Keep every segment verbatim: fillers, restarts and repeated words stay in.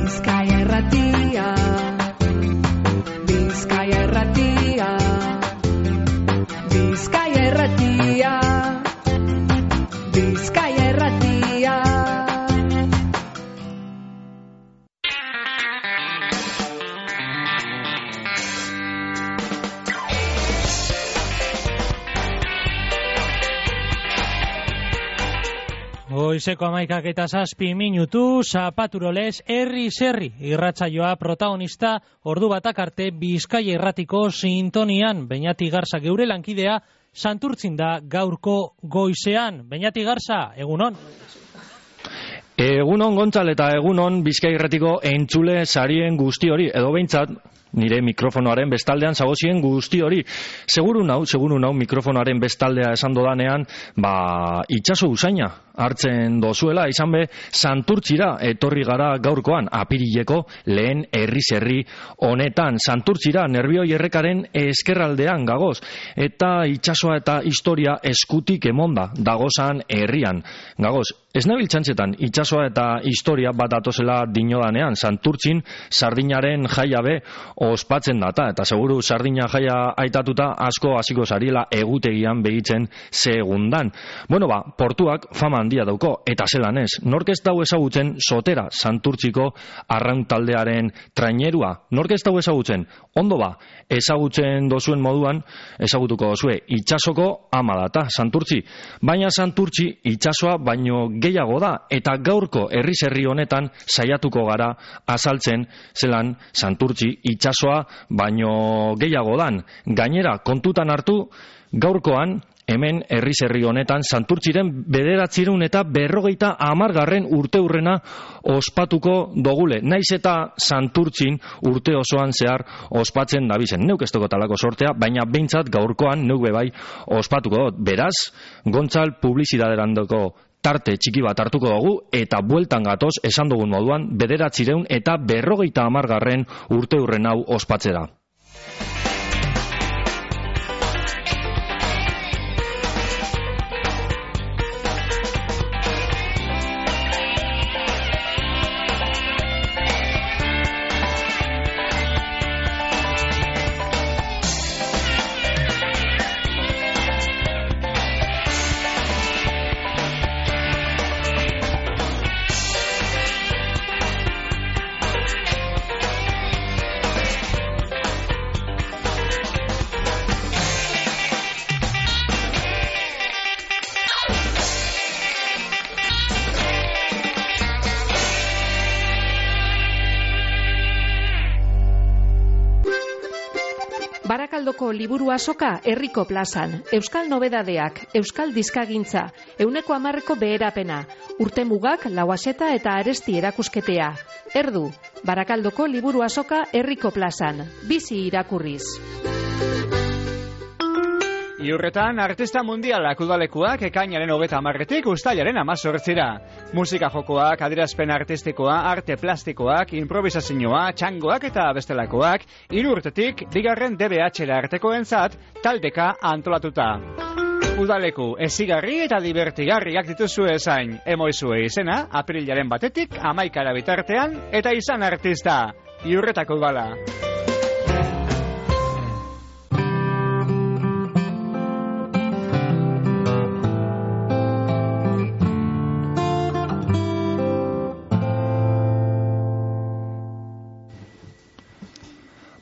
Bizkaia Irratia, Bizkaia Irratia, Bizkaia Irratia, Bizkaia Irratia. Goizeko hamaikak eta zazpi minutu, Zapaturolez, herri zerri, irratsaioa protagonista, ordu batak arte Bizkaia Irratiko sintonian. Beñati Garza geure lankidea, Santurtzin da gaurko goizean. Beñati Garza, egunon? Egunon Gontzal eta egunon Bizkaia Irratiko entzule sarien guzti hori, edo behintzat, nire mikrofonoaren bestaldean zagozien guzti hori. Seguru nau, seguru nau mikrofonoaren bestaldea esan dodanean, ba, itxaso usaina hartzen dozuela, izan be, Santurtzira etorri gara gaurkoan, apirileko lehen herri-zerri honetan. Santurtzira, Nerbioi errekaren eskerraldean gagoz, eta itxasoa eta historia eskutik emonda dagozan herrian gagoz. Ez nabil txantzetan, itxasoa eta historia bat atozela dinodanean, Santurtzin sardinaren jaia be ospatzen data, eta seguru sardina jaia aitatuta asko hasiko zariela egutegian begitzen segundan. Bueno ba, portuak fama handia dauko, eta zelan ez, nork ez dau ezagutzen Sotera Santurtziko arraun taldearen trainerua, nork ez dau ezagutzen, ondo ba, ezagutzen dozuen moduan, ezagutuko dozue, itxasoko ama data Santurtzi, baina Santurtzi itxasoa baino gehiago da, eta gaurko herri-zerri honetan saiatuko gara azaltzen zelan Santurtzi itxasoa baino gehiago dan. Gainera, kontutan hartu, gaurkoan, hemen herri-zerri honetan Santurtziren bederatziehun eta berrogeita hamargarren urte hurrena ospatuko dogule. Naiz eta Santurtzin urte osoan zehar ospatzen dabizen. Neuk ez dugu talako sortea, baina behintzat gaurkoan neuk bebai ospatuko dut. Beraz, Gontzal publizitaderandoko tarte txiki bat hartuko dugu, eta bueltan gatoz, esan dugun moduan, bederatziehun eta berrogeita hamargarren urte hurren hau ospatzera. Barakaldoko liburu azoka herriko plazan, euskal nobedadeak, euskal dizkagintza, euneko hamarreko beherapena, urtemugak, lauaseta eta aresti erakusketea. Erdu, Barakaldoko liburu azoka herriko plazan, bizi irakurriz. Iurretan, artista mundialak udalekuak ekainaren hogeta hamarretik uztailaren hamazortzira. Musika jokoak, adierazpen artistikoa, arte plastikoak, improvisazioa, txangoak eta bestelakoak, hiru urtetik bigarren D B H-era artekoentzat taldeka antolatuta. Udaleku ezigarri eta divertigarriak dituzue esain, emoizue izena, apirilaren batetik, hamaikara bitartean, eta izan artista. Iurretako udala.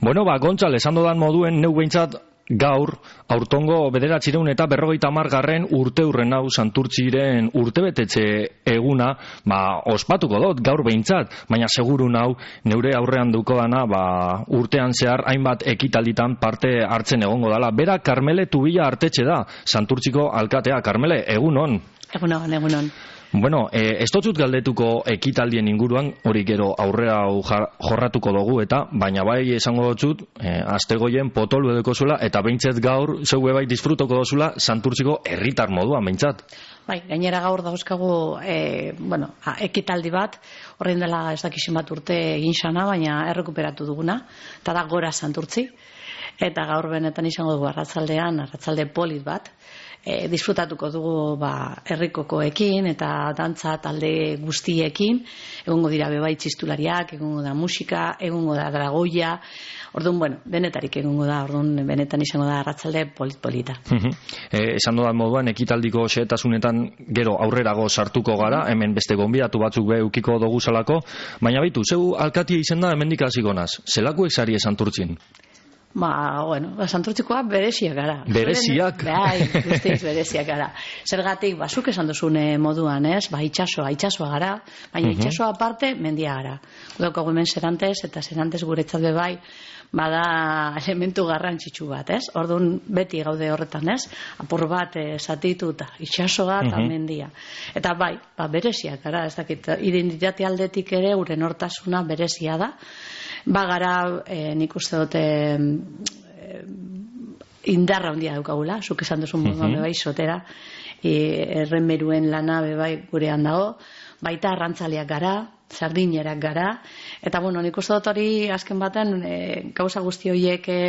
Bueno, ba, Gontzal, esan dodan moduen, neu behintzat gaur, aurtongo bederatziehun eta berrogeita hamargarren urte hurren hau Santurtziren urtebetetze eguna, ba, ospatuko dut, gaur behintzat, baina seguru nau, neure aurrean duko dana, ba, urtean zehar, hainbat ekitalditan parte hartzen egongo dala. Bera, Karmele Tubila artetxe da, Santurtziko alkatea. Karmele, egunon? Egunon, egunon. Bueno, eh, ez dut galdetuko ekitaldien inguruan, hori gero aurrera jorratuko dugu eta, baina bai esango dut, eh, astegoien potolu edeko zuela, eta behintzet gaur, zeue bai disfrutoko dozula, Santurtziko herritar moduan, behintzat. Bai, gainera gaur dauzkagu, e, bueno, ha, ekitaldi bat, horrein dela ez dakizin bat urte egin sana, baina errekuperatu duguna, eta da Gora Santurtzi, eta gaur benetan izango dugu arratzaldean, arratzalde polit bat, e, disfrutatuko dugu ba, herrikokoekin eta dantza talde guztiekin, egongo dira bebai txistulariak, egongo da musika, egongo da dragoia, orduan, bueno, benetarik egongo da, orduan benetan izango da arratsalde polit-polita. E, esan dodan moduan, ekitaldiko xehetasunetan gero aurrerago sartuko gara, hemen beste gonbidatu batzuk be ukiko dugu salako, baina baitu, zeu alkatia izen da hemendik hasiko naz, zelakuek sari Santurtzin? Ba, bueno, Santurtzikoa bereziak gara. Bereziak? Bai, guztiz bereziak gara. Zergatik, basuk esan duzune moduan, ez? Ba, itxasoa, itxasoa gara, baina uh-huh. itxasoa aparte, mendia gara. Gudaukagu hemen Serantes, eta Serantes guretzat be bai, bada elementu garrantzitsu bat, ez? Orduan beti gaude horretan, ez? Apur bat zatitu eta itxasoa eta uh-huh. mendia. Eta bai, ba, bereziak gara, ez dakit, identitate aldetik ere, gure nortasuna berezia da. Bagara, eh, nik uste dute eh, indarra handia daukagula, zuk esan duzun moduan bebai sotera, e, errenberuen lana bebai gurean dago, baita arrantzaleak gara, sardinerak gara, eta bueno, nik uste dut hori azken baten e, gauza guzti horiek e,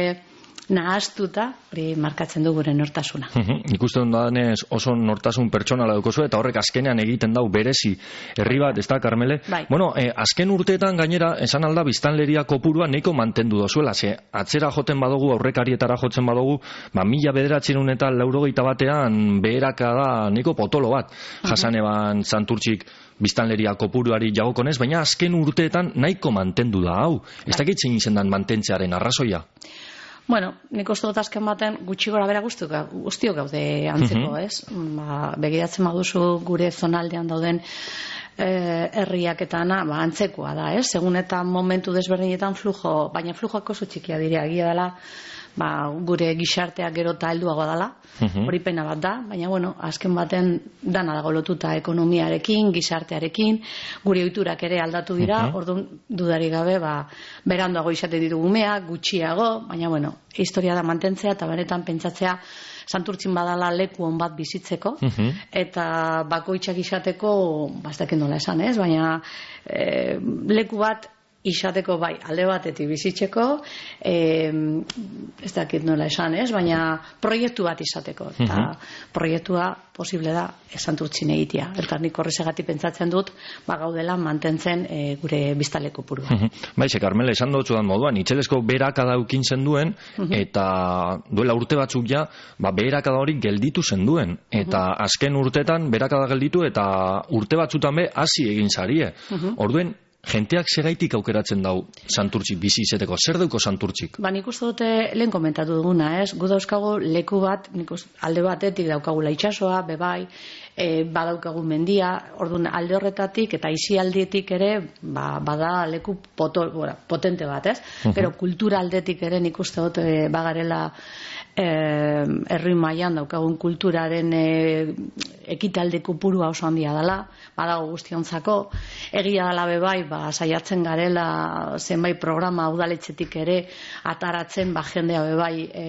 nahaztuta, hori markatzen du gure nortasuna. Nik uste dut danez oso nortasun pertsonala dukozu, eta horrek azkenean egiten dau berezi herri bat, ez da, Karmele? Bai. Bueno, eh, azken urteetan gainera, esan alda biztanleria kopurua nahiko mantendu dozuela, ze atzera joten badugu, aurrekarietara jotzen badugu, ba, mila bederatzen eta laurogeita batean beheraka da nahiko potolo bat, jasan eban Santurtzik biztanleria kopuruari jagokonez, baina azken urteetan nahiko mantendu da, hau. Ez dakit zein izendan mantentzearen arrazoia? Bueno, nik uste dut azken baten gutxi gora bera guztiok gaude antzeko, uh-huh. ez? Ba, begiratzen baduzu gure zonaldean dauden eh, herriak eta ana, ba, antzekoa da, ez? Segun eta momentu desberdinetan flujo, baina flujoak oso txikia dira, egia dela, ba, gure gizarteak gero eta helduago dela, uh-huh. hori pena bat da, baina bueno, azken baten dana dago lotuta ekonomiarekin, gizartearekin, gure ohiturak ere aldatu dira, uh-huh. orduan dudari gabe, ba, beranduago izaten ditugu umeak, gutxiago, baina bueno, historia da mantentzea eta benetan pentsatzea Santurtzin badala leku on bat bizitzeko, uh-huh. eta bakoitzak izateko, bastak nola esan, ez? Baina e, leku bat izateko bai, alde batetik bizitzeko, e, ez dakit nola esan, ez? Baina proiektu bat izateko, eta uh-huh. proiektua posible da Santurtzin egitea. Eta nik horrezegatik pentsatzen dut, ba gaudela mantentzen e, gure biztaleko purua. Uh-huh. Baize, Karmele, esan dut zudan moduan, itxelesko beherakada ukin zenduen, uh-huh. eta duela urte batzuk ja, ba, beherakada hori gelditu zenduen. Eta uh-huh. azken urtetan beherakada gelditu, eta urte batzutan be, hasi egin zarie. Uh-huh. Orduen, jenteak segaitik aukeratzen dau Santurtzik bizi izeteko. Zer dauko Santurtzik? Ba, nik uste dute lehen komentatu duguna, ez? Gu dauzkagu leku bat, nik uste, alde batetik daukagula itxasoa, bebai, e, badaukagu mendia, orduan alde horretatik eta isialdietik ere, ba, bada leku poto, bora, potente bat, ez? Uh-huh. Pero kultura aldetik ere nik uste dute bagarela eh, herri mailan daukagun kulturaren eh, ekitalde kopurua oso handia dela, badago guztiontzako, egia dela bebai, ba, saiatzen garela zenbait programa udaletxetik ere ataratzen, ba, jendea bebai e,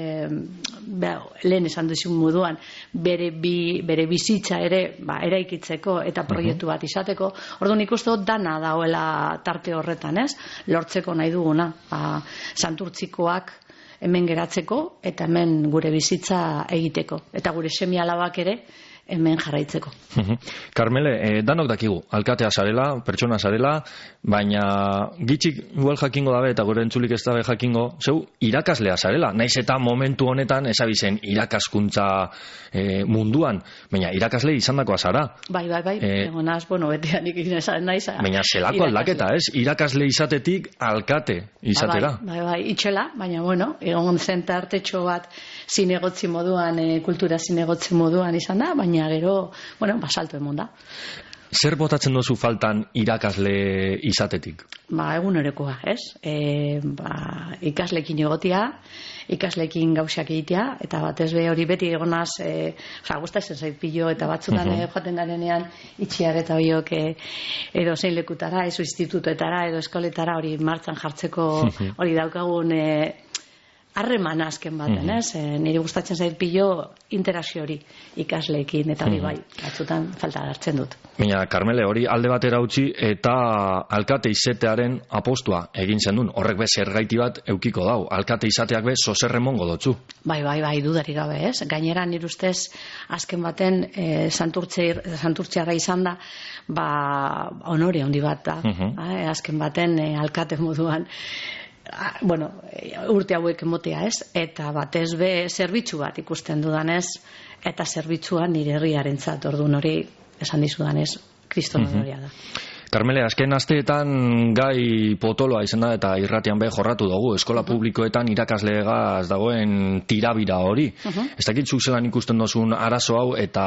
be, lehen esan duzun moduan bere, bi, bere bizitza ere ba, eraikitzeko eta proiektu bat izateko. Orduan ikuste dut dana dagoela tarte horretan, ez? Lortzeko nahi duguna, ba, Santurtzikoak hemen geratzeko eta hemen gure bizitza egiteko eta gure semi-alabak ere hemen jarraitzeko. Karmele, eh, danok dakigu, alkatea zarela, pertsona zarela, baina gitxik igual jakingo dabe eta gure entzulik ez dabe jakingo, zeu irakaslea zarela, naiz eta momentu honetan ezabizen irakaskuntza eh, munduan, baina irakasle izandakoa zara. Bai, bai, bai, eh, egonaz, bueno, betean ikin esan naiz. Baina zelako aldaketa, ez? Irakasle izatetik alkate izatera. Bai, bai, bai, itxela, baina bueno, egon zen tartetxo bat zinegotzi moduan, e, kultura zinegotzi moduan izan da, baina gero, bueno, basalto emon da. Zer botatzen dozu faltan irakasle izatetik? Ba, egunerokoa, ez? E, ba, ikaslekin egotia, ikaslekin gauzak egitea, eta batez be hori beti egonaz, e, ja, gustatzen zait pilo, eta batzutan uh-huh. joaten garenean itxiar eta horiok e, edo zein lekutara, edo institutuetara, edo eskoletara hori martxan jartzeko hori daukagun e, harremana azken baten, Mhm. ez? E, niri gustatzen zait pilo interakzio hori ikasleekin, eta hori bai, batzutan falta hartzen dut. Baina, Karmele, hori alde batera utzi eta alkate izatearen apostua egin zen duen. Horrek be zergaiti bat eukiko dau. Alkate izateak be zoserremongo dotzu. Bai, bai, bai, dudarik gabe, ez? Gainera, nire ustez, azken baten, e, santurtziarra izan da, ba, honore handi bat da. Mhm. Eh, azken baten, e, alkate moduan, a, bueno, urte hauek emotea, ez? Eta batez be, zerbitzu bat ikusten dudanez, eta zerbitzua nire herriarentzat, orduan hori, esan dizudanez, kriston honorea da. Karmele, azken asteetan gai potoloa izan da eta irratian be jorratu dugu. Eskola publikoetan irakasleegaz dagoen tirabira hori. Uh-huh. Ez dakit zuk zelan ikusten dozun arazo hau eta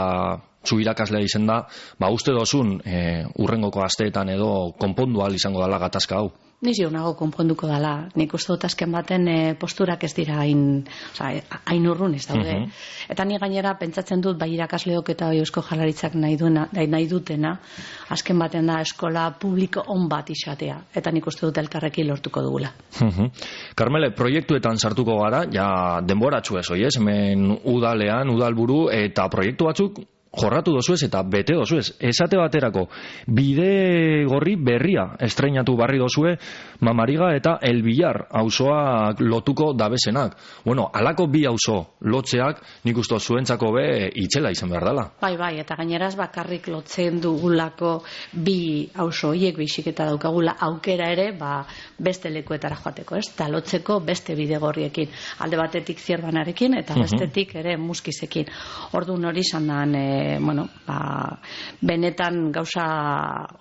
zu irakaslea izan da, ba uste dozun e, urrengoko asteetan edo konpondu ahal izango dala gatazka hau. Ni zio nago konponduko dala. Nik uste dut azken baten e, posturak ez dira hain, oza, hain urrun ez daude. Mhm. Eta ni gainera pentsatzen dut bai irakasleok eta bai Eusko Jaurlaritzak nahi duena, nahi dutena, azken baten da eskola publiko on bat izatea. Eta nik uste dut elkarrekin lortuko dugula. Mhm. Karmele, proiektuetan sartuko gara, ja denboratxu ez, oiez, hemen udalean, udalburu eta proiektu batzuk jorratu dozuez eta bete dozuez. Esate baterako, bide gorri berria estreinatu barri dozue Mamariga eta El Villar auzoak lotuko dabezenak. Bueno, alako bi auzo lotzeak nik uste zuentzako be itxela izan behar dela. Bai, bai, eta gaineraz bakarrik lotzen dugulako bi auzo hiek baizik eta daukagula aukera ere, ba, beste lekuetara joateko, ez? Ta lotzeko beste bidegorriekin, alde batetik Zierbanarekin eta bestetik ere Muskizekin. Orduan hori izan dan, e, bueno, ba, benetan gauza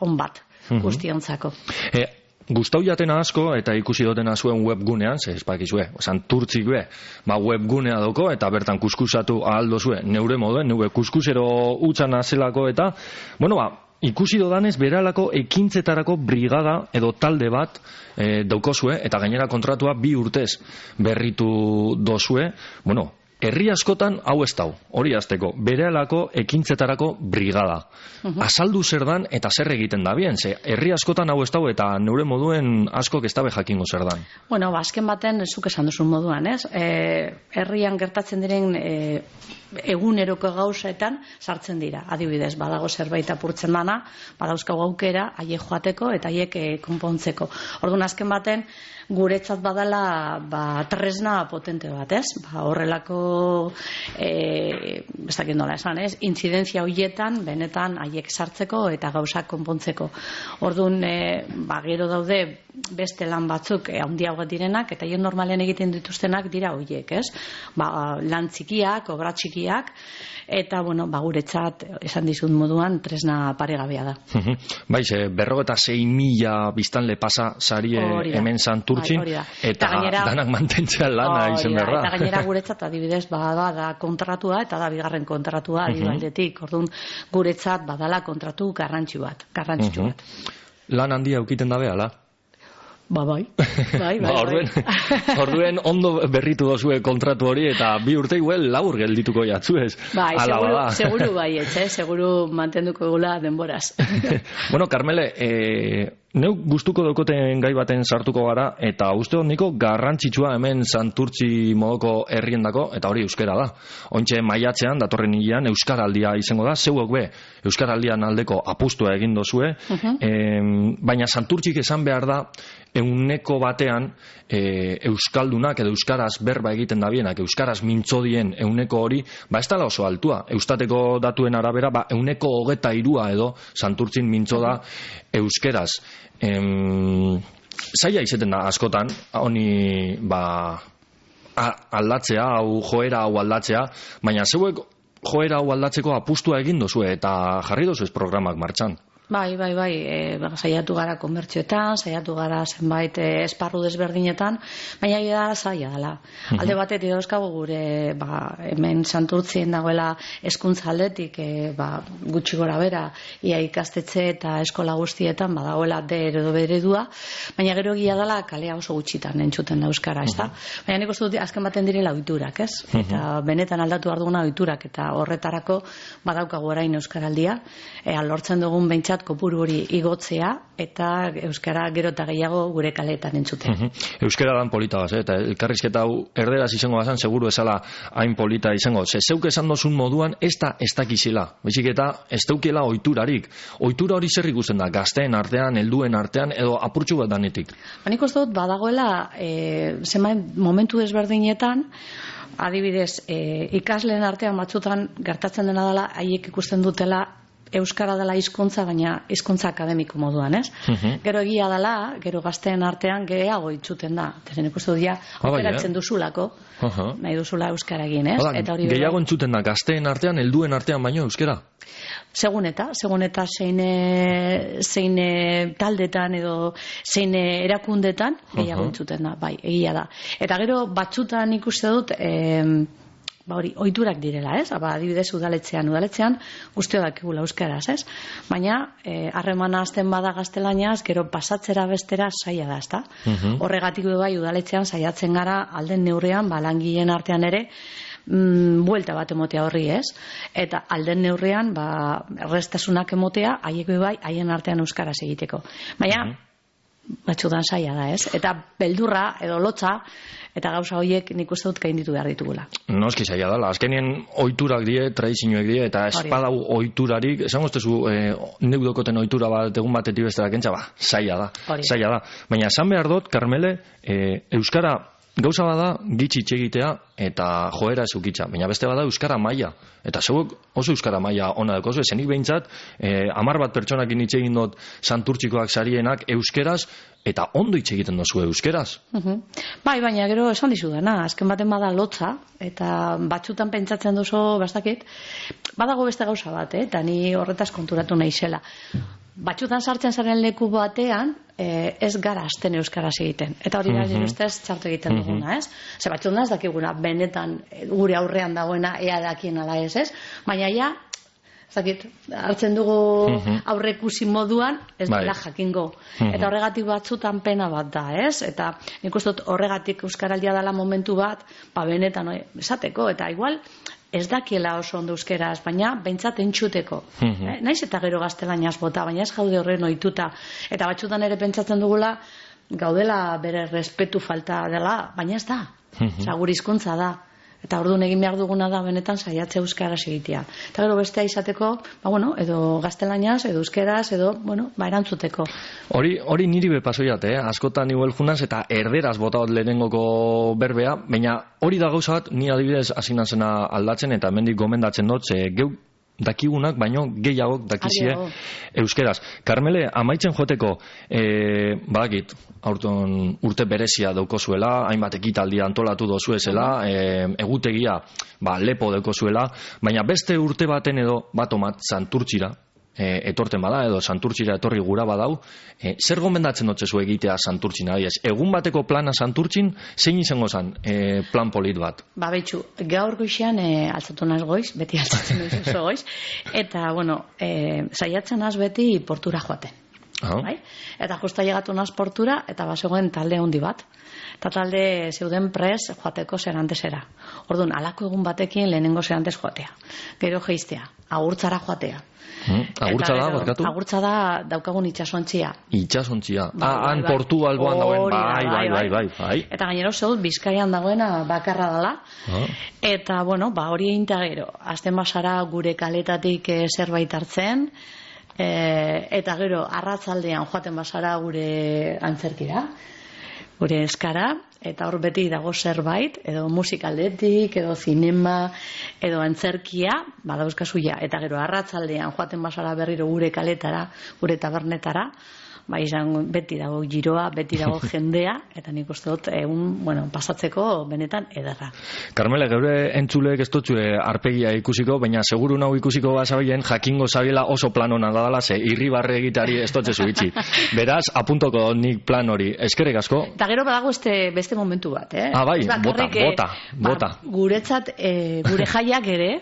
on bat guztiontzako. E, Gustau jatena asko eta ikusi dotena zuen webgunean, ze espakizue, santurtzik be, ba webgunea doko eta bertan kuskusatu ahaldo zuen, neure moduen, neure kuskusero utxan azelako eta, bueno, ba, ikusi dodanez beralako ekintzetarako brigada edo talde bat e, daukozue eta gainera kontratua bi urtez berritu dozue, bueno, herri askotan hau ez dau, hori azteko, berehalako ekintzetarako brigada. Uh-huh. Azaldu zer dan eta zer egiten da bien, ze herri askotan hau ez dau eta neure moduen askok ez dabe jakingo zer dan. Bueno, azken baten, zuk esan duzun moduan, ez? E, herrian gertatzen diren e, eguneroko gauzetan sartzen dira. Adibidez, badago zerbait apurtzen dana, badauzkago aukera, haiek joateko eta haiek e, konpontzeko. Orduan azken baten, guretzat badala ba, tresna potente bat, ez? Ba, horrelako e, ez dakit nola esan, ez? Intzidentzia horietan benetan haiek sartzeko eta gauzak konpontzeko. Orduan, e, ba, gero daude beste lan batzuk e, handiagoak direnak eta hien normalen egiten dituztenak dira horiek, ez? Ba, lan txikiak, obra txikiak eta, bueno, ba, guretzat esan dizut moduan tresna paregabea da. Baiz, berrogeta sei mila biztanle pasa sarie hemen santurtzin, bai, eta, eta gainera, danak mantentzea lana izan behar da. Eta gainera guretzat adibidez bada da kontratua eta da bigarren kontratua uh-huh. aldetik. Orduan guretzat badala kontratu garrantzi bat, garrantzitsu uh-huh. bat. Lan handia ukiten da behala? Ba, bai. Bai, bai, ba, orduen, bai. Orduen ondo berritu dozue kontratu hori eta bi urte iguel laur geldituko jatzuez. Bai, seguru, seguru bai, etxe, seguru mantenduko gula denboraz. Bueno, Karmele, eh, neu gustuko daukoten gai baten sartuko gara eta uste hon niko garrantzitsua hemen santurtzi modoko herriendako eta hori euskara da. Ointxe maiatzean, datorren hilean, euskaraldia izango da, zeuok be, euskaraldian aldeko apustua egin dozue, uh-huh. eh, baina santurtzik esan behar da euneko batean e, euskaldunak edo euskaraz berba egiten da bienak, euskaraz mintzodien euneko hori, ba ez dala oso altua. Eustateko datuen arabera, ba euneko hogeta irua edo santurtzin mintzo da euskeraz. Em, zaila izeten da askotan, honi ba aldatzea, hau joera hau aldatzea, baina zeuek joera hau aldatzeko apustua egin dozue eta jarri dozuez programak martxan. Bai, bai, bai, e, saiatu gara konbertsioetan, saiatu gara zenbait e, esparru desberdinetan, baina da zaila dela. Uh-huh. Alde batetik dauzkagu gure ba, hemen santurtzien dagoela hezkuntza aldetik e, ba, gutxi gora bera, ia ikastetxe eta eskola guztietan badagoela D edo beredua, baina gero egia dela kalea oso gutxitan entzuten da euskara, ez da? Uh-huh. Baina nik uste dut azken baten direla ohiturak, ez? Uh-huh. Eta benetan aldatu behar duguna ohiturak eta horretarako badaukagu orain euskaraldia, e, lortzen dugun behintzat behintzat kopuru hori igotzea eta euskara gero eta gehiago gure kaleetan entzutea. Uh -huh. Euskara dan polita gaz, eh? Eta elkarrizketa hau erderaz izango bazan, seguru esala hain polita izango. Ze zeuk esan dozun moduan, ez da ez dakizela. Baizik eta ez daukiela oiturarik. Oitura hori zer ikusten da, gazteen artean, helduen artean, edo apurtxu bat danetik? Banik uste dut, badagoela, e, zenbait momentu desberdinetan, adibidez, e, ikasleen artean batzutan gertatzen dena dela, haiek ikusten dutela euskara dela hizkuntza, baina hizkuntza akademiko moduan, ez? Uh-huh. Gero egia dela, gero gazteen artean gehiago itzuten da. Tezen ikustu dia, aukeratzen duzulako, uh-huh. nahi duzula euskara egin, ez? Hala, eta hori gehiago entzuten da, gazteen artean, helduen artean baino euskara? Segun eta, segun eta zein, zein taldetan edo zein erakundetan gehiago uh-huh. entzuten da, bai, egia da. Eta gero batzutan ikuste dut, eh, ba hori, ohiturak direla, ez? Ba, adibidez udaletzean, udaletzean guztio dakigula euskaraz, ez? Baina harremana eh, hasten bada gaztelaniaz, gero pasatzera bestera saia da, ezta? Uh-huh. Horregatik du bai udaletzean saiatzen gara alden neurrean, ba langileen artean ere mm, buelta bat emotea horri, ez? Eta alden neurrean, ba errestasunak emotea, haiek bai haien artean euskaraz egiteko. Baina uh-huh. batzutan saia da, ez? Eta beldurra edo lotza eta gauza horiek nik uste dut gainditu behar ditugula. Noski zaila dela, azkenien ohiturak die, tradizioek die, eta espadau ohiturarik, esan goztezu, e, neudokoten ohitura bat egun batetik bestera kentza, ba, zaila da, zaila da. Baina esan behar dut, Karmele, e, euskara gauza bada gitxi itxegitea eta joera ez ukitza, baina beste bada euskara maila. Eta zeuek oso euskara maila ona dekozu, esenik behintzat, e, amar bat pertsonakin hitz egin dut santurtzikoak sarienak euskeraz, eta ondo hitz egiten dozu euskeraz. Uh-huh. Bai, baina gero esan dizu dena, azken baten bada lotza, eta batzutan pentsatzen duzu, bastakit, badago beste gauza bat, eh? Eta ni horretaz konturatu naizela. Batzutan sartzen zaren leku batean, eh, ez gara azten euskaraz egiten. Eta hori da, uh-huh. ustez, txartu egiten uh-huh. duguna, ez? Ze batzutan ez dakiguna, benetan gure aurrean dagoena ea dakien ala ez, ez? Baina ja, zakit, hartzen dugu uh-huh. aurrekusi moduan, ez dela jakingo. Uh-huh. Eta horregatik batzutan pena bat da, ez? Eta nik uste dut horregatik euskaraldia dela momentu bat, ba benetan, oi, esateko, eta igual, ez dakiela oso ondo euskeraz, baina behintzat entxuteko. Uh-huh. eh? Naiz eta gero gaztelaniaz bota, baina ez gaude horren ohituta. Eta batzutan ere pentsatzen dugula, gaudela bere respetu falta dela, baina ez da. Uh-huh. Osa, gure hizkuntza da. Eta orduan egin behar duguna da benetan saiatze euskaraz egitea. Eta gero bestea izateko, ba bueno, edo gaztelaniaz, edo euskeraz, edo, bueno, ba erantzuteko. Hori, hori niri be pasoiat, eh? Askotan igual junaz eta erderaz botaot lehenengoko berbea, baina hori da gauza bat, ni adibidez hasi nazena aldatzen eta hemendik gomendatzen dut, ze geu dakigunak, baino gehiagok dakizie euskeraz. Karmele, amaitzen joteko, e, badakit, aurton urte berezia daukozuela, hainbat ekitaldi antolatu dozuezela, e, egutegia, ba, lepo daukozuela, baina beste urte baten edo, batomat, santurtzira, e, etorten bada, edo santurtzira etorri gura badau, e, zer gomendatzen dotzezu egitea santurtzin, adiez? Egun bateko plana santurtzin, zein izango zan e, plan polit bat? Ba, betxu, gaur goixean e, altzatu naz goiz, beti altzatzen naz oso goiz, eta, bueno, e, saiatzen naz beti portura joaten. Uh-huh. Bai? Eta justa llegatu naz portura, eta bazegoen talde handi bat. Eta talde zeuden pres joateko zerantesera. Orduan, alako egun batekin lehenengo zerantez joatea. Gero geiztea, agurtzara joatea. Hmm, agurtza da, barkatu? Agurtza da daukagun itxasontzia. Itxasontzia. Bai, ah, han bai, portu alboan dagoen, bai, bai, bai, bai, bai. Eta gainero zeud, Bizkaian dagoena bakarra dela. Ah. Eta, bueno, ba, hori eginta gero. Azten basara gure kaletatik e, zerbait hartzen, e, eta gero, arratzaldean joaten basara gure antzerkira, gure eskara, eta hor beti dago zerbait, edo musikaldetik, edo zinema, edo antzerkia, badauzkazuia, eta gero arratzaldean joaten basara berriro gure kaletara, gure tabernetara, ba izan beti dago giroa, beti dago jendea, eta nik uste dut egun, bueno, pasatzeko benetan ederra. Karmele, geure entzulek ez dutxue arpegia ikusiko, baina seguru nau ikusiko bazabilen jakingo zabiela oso plan hona dadala, ze irribarre egitari ez dutxezu itxi. Beraz, apuntoko nik plan hori. Eskerrik asko. Eta gero badago este, beste momentu bat, eh? Ah, bai, bota, bota, bota. Ba, guretzat, e, gure jaiak ere,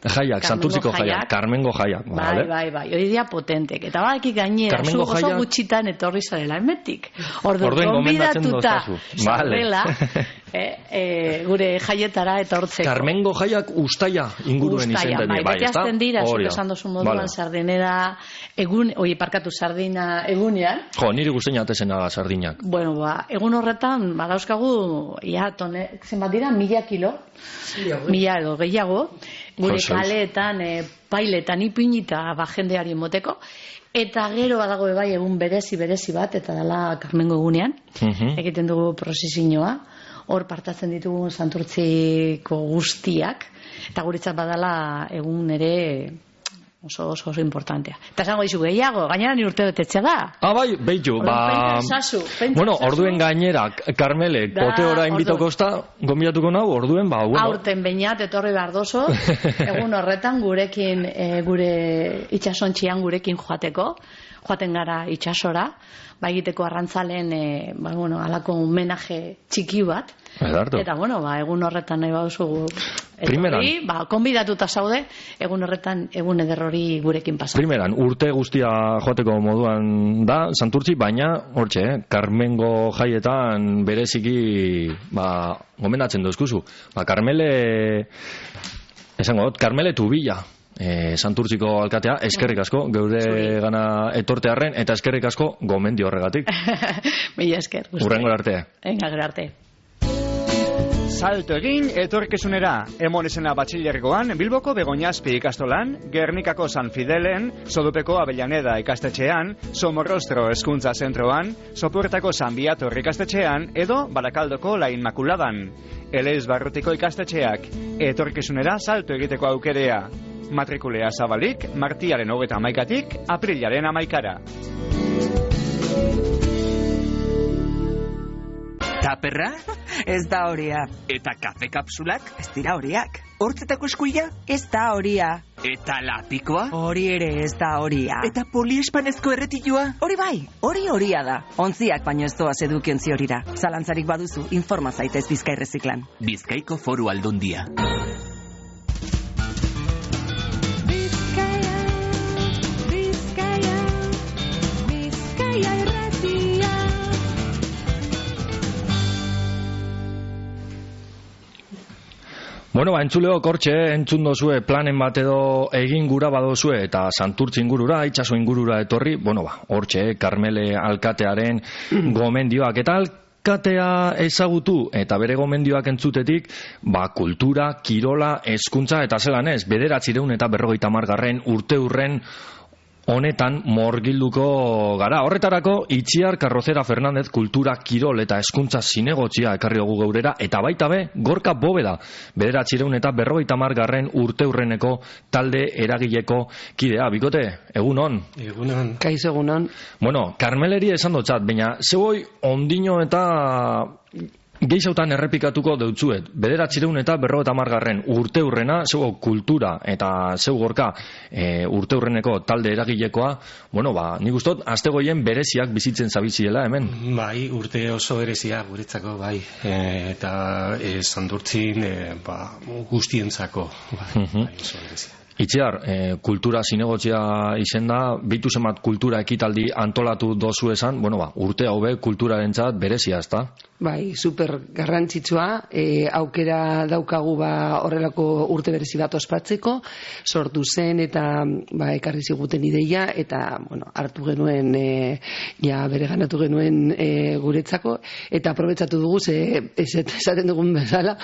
jaiak, santurtziko jaiak, Carmengo jaiak. Bai, vale. bai, bai, hori dia potentek. Eta badaki gainera, zu oso jaiak... gutxitan etorri zarela emetik. Orduan, konbidatuta zarela, eh, eh, gure jaietara etortzeko. Carmengo jaiak ustaia inguruen izen bai, bai, beti azten dira, zuk esan dozu moduan, vale. sardinera egun, oi, parkatu sardina egunean. Jo, niri guztein atezena sardinak. Bueno, ba, egun horretan, badauzkagu, ia, tone, zenbat dira, mila kilo, mila edo gehiago, gure Jo, kaleetan, e, pailetan ipinita ba, jendeari moteko, eta gero badago bai egun berezi berezi bat, eta dela Carmengo egunean, Uh-huh. egiten dugu prozesinoa, hor partatzen ditugu santurtziko guztiak, eta guretzat badala egun ere oso oso oso importantea. Eta esango dizu gehiago, gainera ni urte betetzea da. Ah, bai, behitu, ba... Pentsazu, pentsazu. Bueno, orduen gainera, Carmelek, Da, pote ora inbitoko ordu. ozta, gombidatuko nau, orduen, ba, bueno... Aurten beinat, etorri behar dozo, egun horretan gurekin, e, gure itxasontxian gurekin joateko, joaten gara itxasora, ba egiteko arrantzalen, e, ba, bueno, alako homenaje txiki bat, Edarto. eta, bueno, ba, egun horretan nahi baduzu Primeran. etorri, ba, konbidatuta zaude, egun horretan, egun ederrori gurekin pasa. Primeran, urte guztia joateko moduan da, Santurtzi, baina, hortxe, eh, Carmengo jaietan bereziki, ba, gomendatzen dozkuzu. Ba, Carmele, esango dut, Carmele Tubilla, eh, Santurtziko alkatea, eskerrik asko, geure Zuri. gana etortearren, eta eskerrik asko gomendio horregatik. Mila esker. guztioi. Urrengo arte. Venga, gero arte. Salto egin etorkizunera, emonezena batxilergoan, Bilboko Begoñazpi ikastolan, Gernikako San Fidelen, Sodupeko Avellaneda ikastetxean, Somorrostro hezkuntza zentroan, Sopuertako San Biator ikastetxean, edo Barakaldoko La Inmakuladan. Elez Barrutiko ikastetxeak, etorkizunera salto egiteko aukerea. Matrikulea zabalik, martiaren hogeta hamaikatik, aprilaren hamaikara. Taperra? Ez da horia. Eta kafe kapsulak? Ez dira horiak. Hortzetako eskuila? Ez da horia. Eta lapikoa? Hori ere ez da horia. Eta poliespanezko erretilua? Hori bai, hori horia da. Ontziak baino ez doaz edukiontzi horira. Zalantzarik baduzu, informa zaitez Bizkai Reziklan. Bizkaiko Foru Aldundia. Bizkaia, Bizkaia, Bizkaia irratia. Bueno, ba, entzuleo kortxe, entzun dozue planen bat edo egin gura badozue eta Santurtzi ingurura, itxaso ingurura etorri, bueno, ba, hortxe, Carmele alkatearen gomendioak eta alkatea ezagutu eta bere gomendioak entzutetik, ba, kultura, kirola, hezkuntza eta zelan ez, bederatzireun eta berrogeita hamargarren urte urren honetan morgilduko gara. Horretarako, Itziar Carrocera Fernández kultura, kirol eta hezkuntza zinegotzia ekarri dugu geurera, eta baita be, Gorka Bobeda, bederatzireun eta berrogeita hamargarren urte urreneko talde eragileko kidea. Bikote, egunon? Egunon. Kaixo egunon. Bueno, Carmeleri esan dotzat, baina zeboi ondino eta gehizautan errepikatuko deutzuet. Bederatzireun eta berrogeita hamargarren urte urrena, zego kultura eta zeu Gorka e, urte urreneko talde eragilekoa, bueno, ba, nik ustot, astegoien bereziak bizitzen zabiziela hemen. Bai, urte oso berezia guretzako, bai. E, eta e, Santurtzin e, ba, guztientzako, bai, bai, oso berezia. Itziar, e, kultura zinegotzia izen da, bitu zemat kultura ekitaldi antolatu dozu esan, bueno, ba, urte hau be kulturarentzat berezia, ezta? Bai, super garrantzitsua, e, aukera daukagu ba horrelako urte berezi bat ospatzeko, sortu zen eta ba ekarri ziguten ideia eta bueno, hartu genuen e, ja bereganatu genuen e, guretzako eta aprobetxatu dugu ze esaten dugun bezala,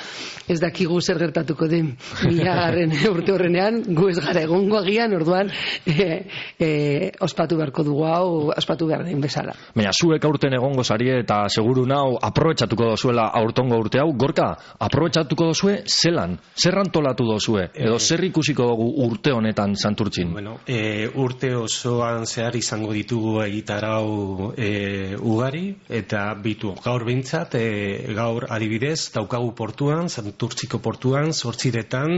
ez dakigu zer gertatuko den milagarren urte horrenean, gu ez gara egongo agian, orduan e, e, ospatu beharko dugu hau, ospatu behar den bezala. Baina, zuek aurten egongo zarie eta seguru nau aprobetxatuko dozuela aurtongo urte hau. Gorka, aprobetxatuko dozue zelan? Zer antolatu dozue? Edo zer ikusiko dugu urte honetan Santurtzin? Bueno, e, urte osoan zehar izango ditugu egitarau e, ugari, eta bitu gaur behintzat, e, gaur adibidez, daukagu portuan, Santurtziko portuan, zortziretan,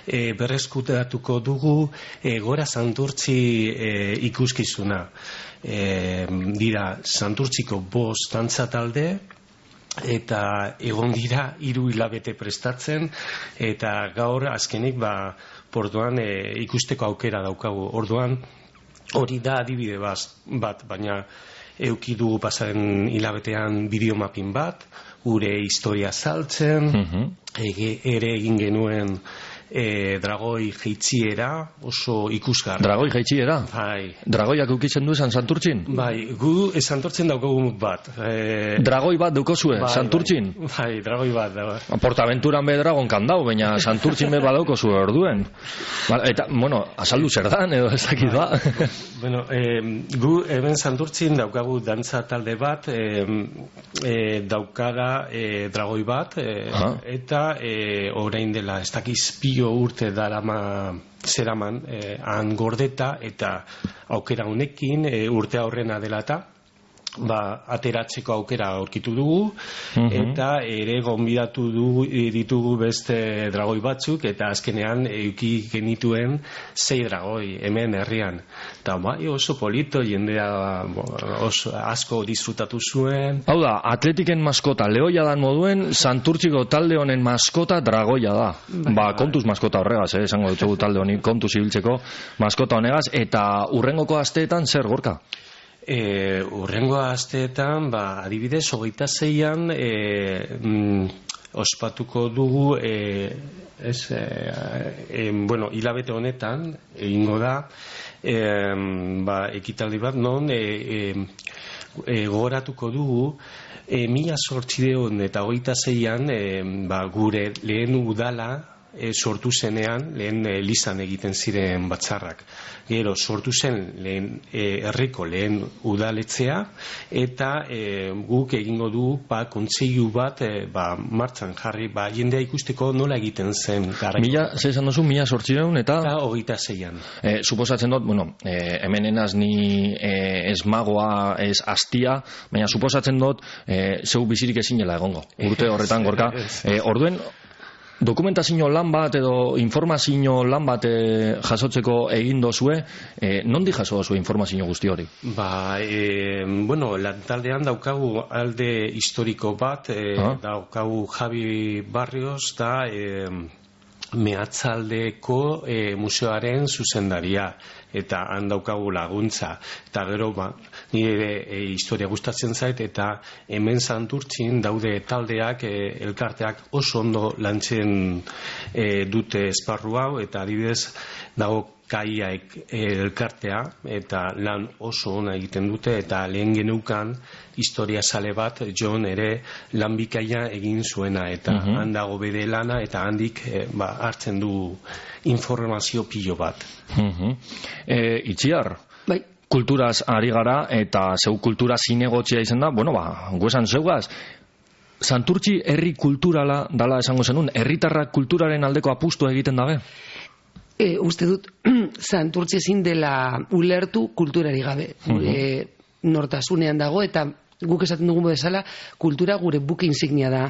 e, berreskutatuko dugu e, Gora Santurtzi e, ikuskizuna. E, dira Santurtziko bost dantza talde, eta egon dira hiru hilabete prestatzen, eta gaur azkenik ba, portuan e, ikusteko aukera daukagu. Orduan hori da adibide bat, bat baina euki dugu pasaren hilabetean bideomapin bat, gure historia saltzen, Mhm. ege, ere egin genuen e, dragoi jeitziera oso ikusgarri. Dragoi jaitxiera? Bai. Dragoiak ukitzen du esan Santurtzin? Bai, gu e, Santurtzin daukagu bat. E, Dragoi bat daukazue, bai, Santurtzin? Bai, bai, dragoi bat. Da. Portaventuran be dragon kandau, baina Santurtzin be badaukozue orduen. Ba, eta, bueno, azaldu zer dan, edo ez dakit ba. Bueno, e, gu hemen Santurtzin daukagu dantza talde bat, e, e, daukada e, dragoi bat, e, Ah. eta e, orain dela ez dakiz pilo urte darama zeraman e, han gordeta, eta aukera honekin e, urte aurrena dela eta ba, ateratzeko aukera aurkitu dugu, Mhm. eta ere gonbidatu dugu, ditugu beste dragoi batzuk, eta azkenean euki genituen sei dragoi hemen herrian. Eta bai, oso polito, jendea bo, oso asko disfrutatu zuen. Hau da, atletiken maskota lehoia dan moduen, Santurtziko talde honen maskota dragoia da. Ba, kontuz maskota horregaz, eh, esango dutxegu talde honi, kontuz ibiltzeko maskota honegaz, eta urrengoko asteetan zer gorka? E, urrengo asteetan, ba, adibidez, hogeita zeian, e, mm, ospatuko dugu, e, ez, e, e, bueno, hilabete honetan, egingo da, e, ba, ekitaldi bat, non, e, e, e, gogoratuko dugu, e, mila zortzideon eta hogeita zeian, e, ba, gure lehen udala, E, sortu zenean, lehen e, lizan egiten ziren batzarrak. Gero, sortu zen lehen e, herriko lehen udaletzea, eta e, guk egingo du ba, kontseilu bat e, ba, martxan jarri, ba, jendea ikusteko nola egiten zen. Garaiko. Mila, ze esan duzu, mila sortzireun eta... Eta hogeita zeian. E, suposatzen dut, bueno, e, hemen enaz ni e, ez magoa, ez astia, baina suposatzen dut, e, zeu bizirik ezinela egongo. Urte horretan gorka. E, orduen, dokumentazio lan bat edo informazio lan bat e, jasotzeko egin dozue, e, nondi jaso dozue informazio guzti hori? Ba, e, bueno, lantaldean daukagu alde historiko bat, e, Ah. daukagu Javi Barrios da e, Meatzaldeko e, museoaren zuzendaria, eta han daukagu laguntza, eta gero ba, nire e, historia gustatzen zait, eta hemen Santurtzin daude taldeak, e, elkarteak oso ondo lantzen e, dute esparru hau, eta adibidez dago kaiaek elkartea, eta lan oso ona egiten dute, eta lehen geneukan historia sale bat Jon ere lan bikaia egin zuena, eta Mhm. han dago bere lana, eta handik e, ba, hartzen du informazio pilo bat. Mhm. E, itziar, Bai. kulturaz ari gara, eta zeu kultura zinegotzia izan da, bueno, ba, guesan zeugaz, Santurtzi herri kulturala dala esango zenun, herritarrak kulturaren aldeko apustua egiten dabe? E, uste dut, Santurtzi ezin dela ulertu kulturari gabe. Gure nortasunean dago, eta guk esaten dugu bezala, kultura gure buke insignia da.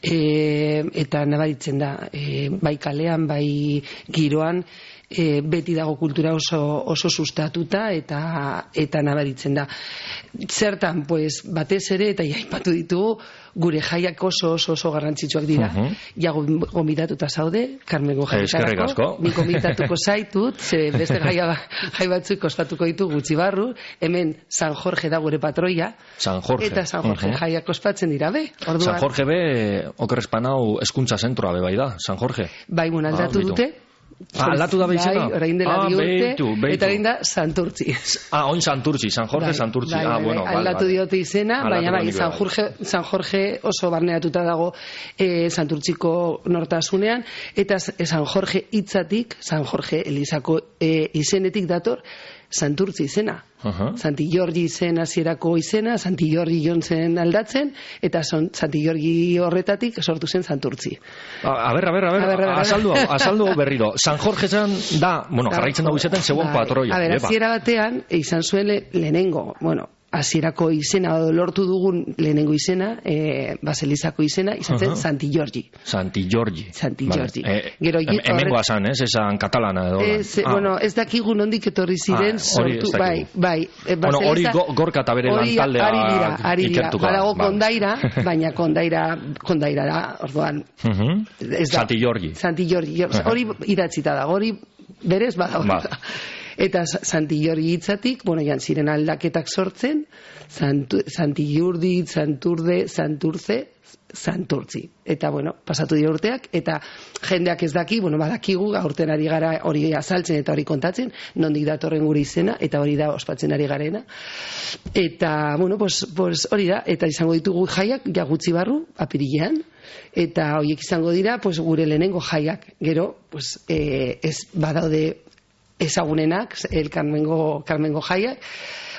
E, eta nabaritzen da, e, bai kalean, bai giroan, e, beti dago kultura oso, oso sustatuta eta eta nabaritzen da. Zertan, pues, batez ere, eta aipatu ditugu, gure jaiak oso oso oso garrantzitsuak dira. Mhm. Ja gombidatuta zaude, Carmengo Eskerrik asko. jaitarako. Ni gombidatuko zaitut, ze beste jaia, jai batzuk ospatuko ditu gutxi barru. Hemen San Jorge da gure patroia. San Jorge. Eta San Jorge Mhm. jaiak ospatzen dira, be? Orduan, San Jorge be, okerrespanau eskuntza zentroa be bai da, San Jorge. bai, bueno, aldatu Ah, bitu. dute. Ah, aldatu da beitzena? Bai, orain dela Ah, bi urte, beitu, beitu. eta orain da Santurtzi. Ah, oin Santurtzi, San Jorge Bai, Santurtzi. bai, ah, bai, bueno, bai, vale, aldatu vale. diote izena, Aldatu baina bai, nik San bai. Jorge, San Jorge oso barneratuta dago eh, Santurtziko nortasunean, eta San Jorge hitzatik, San Jorge Elizako eh, izenetik dator, Santurtzi izena. Aha. Santi Giorgi izen hasierako izena, Santi Giorgi joan zen aldatzen, eta son, Santi Giorgi horretatik sortu zen Santurtzi. A, a ber, a ber, a ber, A ber, a ber, azaldu, a ber. hau, azaldu hau berriro. San Jorge zan da, bueno, jarraitzen dago izaten, zegoen Bai. patroia. A ber, Epa. hasiera batean, e, izan zuen le- lehenengo, bueno, hasierako izena, edo lortu dugun lehenengo izena, e, Baselizako izena, izan zen Aha. Santi Giorgi. Santi Giorgi. Santi Vale. Giorgi. Eh, Gero, hem- horre- hemengoa zan, ez? Esan katalana edo. Ez, Ah. bueno, ez dakigu nondik etorri ziren Ah, hori ez sortu, dakigu. bai, bai. e, Bueno, hori Baseliza- go- gorka eta bere hori lantaldea ari dira, ari dira. ikertuko da, Badago vale. kondaira, baina kondaira, kondaira da, orduan, Mhm. ez da. Santi Giorgi. Santi Giorgi, Aha. hori idatzita da, hori berez badago. Ba. Eta Santi Jordi hitzatik, bueno, jan ziren aldaketak sortzen, Santu, Santi Jordi, Santurde, Santurze, Santurtzi. Eta, bueno, pasatu dira urteak, eta jendeak ez daki, bueno, badakigu, aurten ari gara hori azaltzen eta hori kontatzen, nondik datorren gure izena, eta hori da ospatzen ari garena. Eta, bueno, pues, pues hori da, eta izango ditugu jaiak, ja gutxi barru, apirilean, eta horiek izango dira, pues, gure lehenengo jaiak. Gero, pues, eh, ez badaude ezagunenak, el Carmengo, Carmengo jaiak,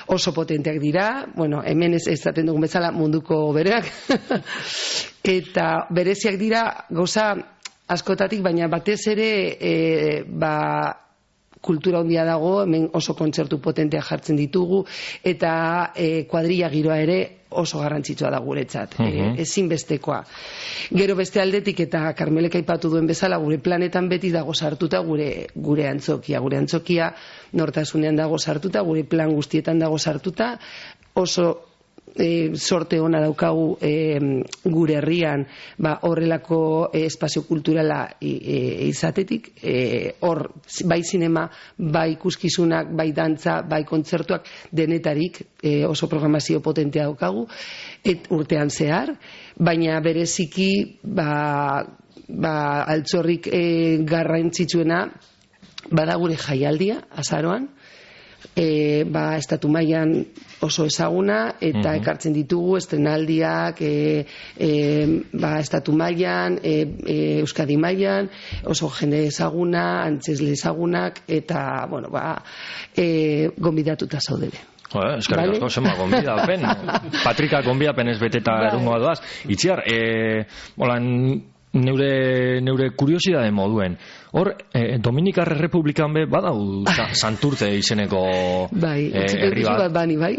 oso potenteak dira, bueno, hemen ez ezaten dugun bezala munduko bereak, eta bereziak dira gauza askotatik, baina batez ere e, ba, kultura handia dago, hemen oso kontzertu potenteak jartzen ditugu, eta e, kuadrilla giroa ere oso garrantzitsua da guretzat, uh -huh. e, ezinbestekoa. Gero beste aldetik, eta Karmelek aipatu duen bezala, gure planetan beti dago sartuta gure gure antzokia. Gure antzokia nortasunean dago sartuta, gure plan guztietan dago sartuta, oso e, sorte ona daukagu e, gure herrian ba, horrelako e, espazio kulturala e, e, izatetik, e, hor bai zinema, bai ikuskizunak, bai dantza, bai kontzertuak, denetarik e, oso programazio potentea daukagu, et urtean zehar, baina bereziki ba, ba, altxorrik e, garrantzitsuena bada gure jaialdia, azaroan, E, ba, estatu mailan oso ezaguna, eta uh-huh. ekartzen ditugu estrenaldiak e, e, ba, estatu mailan, e, e, Euskadi mailan, oso jende ezaguna, antzesle ezagunak, eta, bueno, ba, e, gonbidatuta zaudere. Eh, eskerrik asko, zenba gonbidapen. Patrika gonbidapen ez beteta erungoa doaz. Itziar, e, holan, neure, neure kuriosidade moduen, hor, eh, Dominikar Republikan be badau Santurtze izeneko bai, eh, herri bat. Bat bani, bai.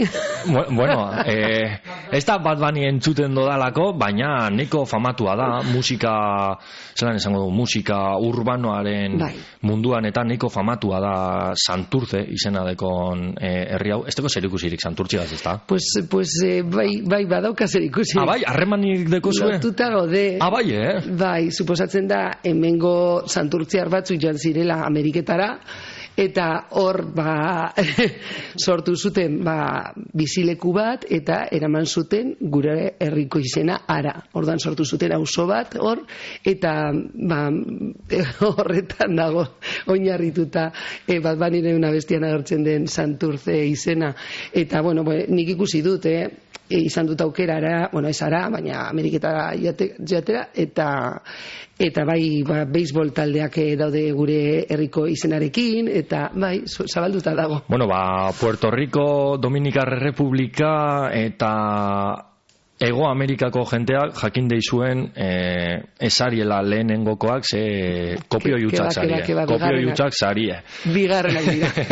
Bueno, eh, ez da bat bani entzuten dodalako, baina neko famatua da, musika, zelan esango du, musika urbanoaren bai. munduan eta neko famatua da Santurtze izena dekon eh, herri hau. Ez teko zer ikusirik Santurtziaz, ez da? Pues, pues eh, bai, bai badauka zer ikusirik. Ah, bai, harremanik deko zuen? Lotuta gaude. Ah, bai, eh? Bai, suposatzen da, hemengo Santurtziar batzuk joan zirela Ameriketara, eta hor ba, sortu zuten ba, bizileku bat, eta eraman zuten gure herriko izena Ara. Ordan sortu zuten auzo bat hor, eta ba, horretan dago oinarrituta e, bat banire una bestian agertzen den Santurtze izena. Eta, bueno, nik ikusi dut, eh? E, izan dut aukera, ara, bueno, ez ara, baina Ameriketara joatera, eta eta bai, ba, beisbol taldeak daude gure herriko izenarekin, eta bai, zabalduta dago. Bueno, ba, Puerto Rico, Dominikar Republika eta Ego Amerikako jenteak jakin deizuen eh, esariela lehenengokoak, ze kopio jutzak zarie. Kopio jutzak zarie. Bigarrenak dira.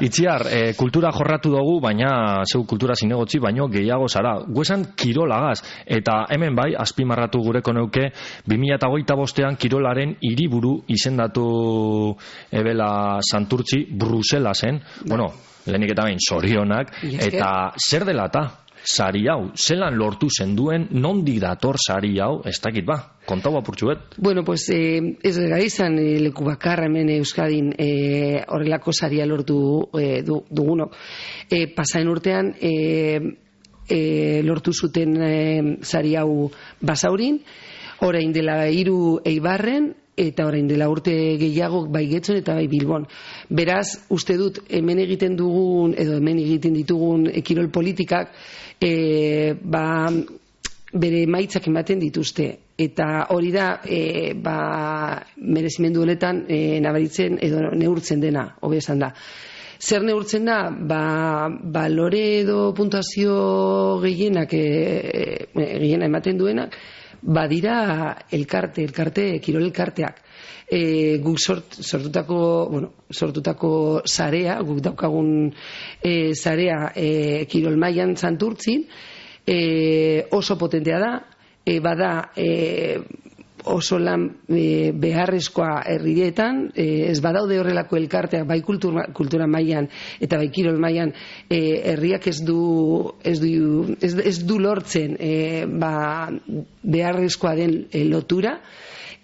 Itziar, eh, kultura jorratu dugu, baina zeu kultura zinegotzi, baino gehiago zara. Guesan kirolagaz, eta hemen bai, azpimarratu gureko neuke, bi mila hogeita bostean kirolaren hiriburu izendatu ebela Santurtzi, Bruselasen. Bueno, lehenik eta behin zorionak, eta zer dela eta? Sari hau, zelan lortu zenduen, nondik dator sari hau, ez dakit ba, kontau apurtxuet. Bueno, pues eh, ez gara izan eh, leku bakarra hemen Euskadin eh, horrelako saria lortu eh, du, dugunok. Eh, Pasaen urtean eh, eh, lortu zuten eh, sari hau Basaurin, orain dela hiru Eibarren, eta orain dela urte gehiago bai Getxon eta bai Bilbon. Beraz, uste dut hemen egiten dugun, edo hemen egiten ditugun kirol politikak, e, ba, bere emaitzak ematen dituzte. Eta hori da, e, ba, merezimendu honetan e, nabaritzen edo neurtzen dena, hobe esan da. Zer neurtzen da? Ba, balore edo puntuazio gehienak, e, e, gehiena ematen duenak, badira elkarte, elkarte, kirol elkarteak. E, guk sort, sortutako, bueno, sortutako sarea, guk daukagun e, sarea e, kirol mailan Santurtzin, e, oso potentea da, e, bada e, oso lan e, beharrezkoa herrietan, e, ez badaude horrelako elkarteak bai kultura, kultura mailan eta bai kirol mailan, e, herriak ez du ez du, ez, ez du lortzen e, ba, beharrezkoa den e, lotura,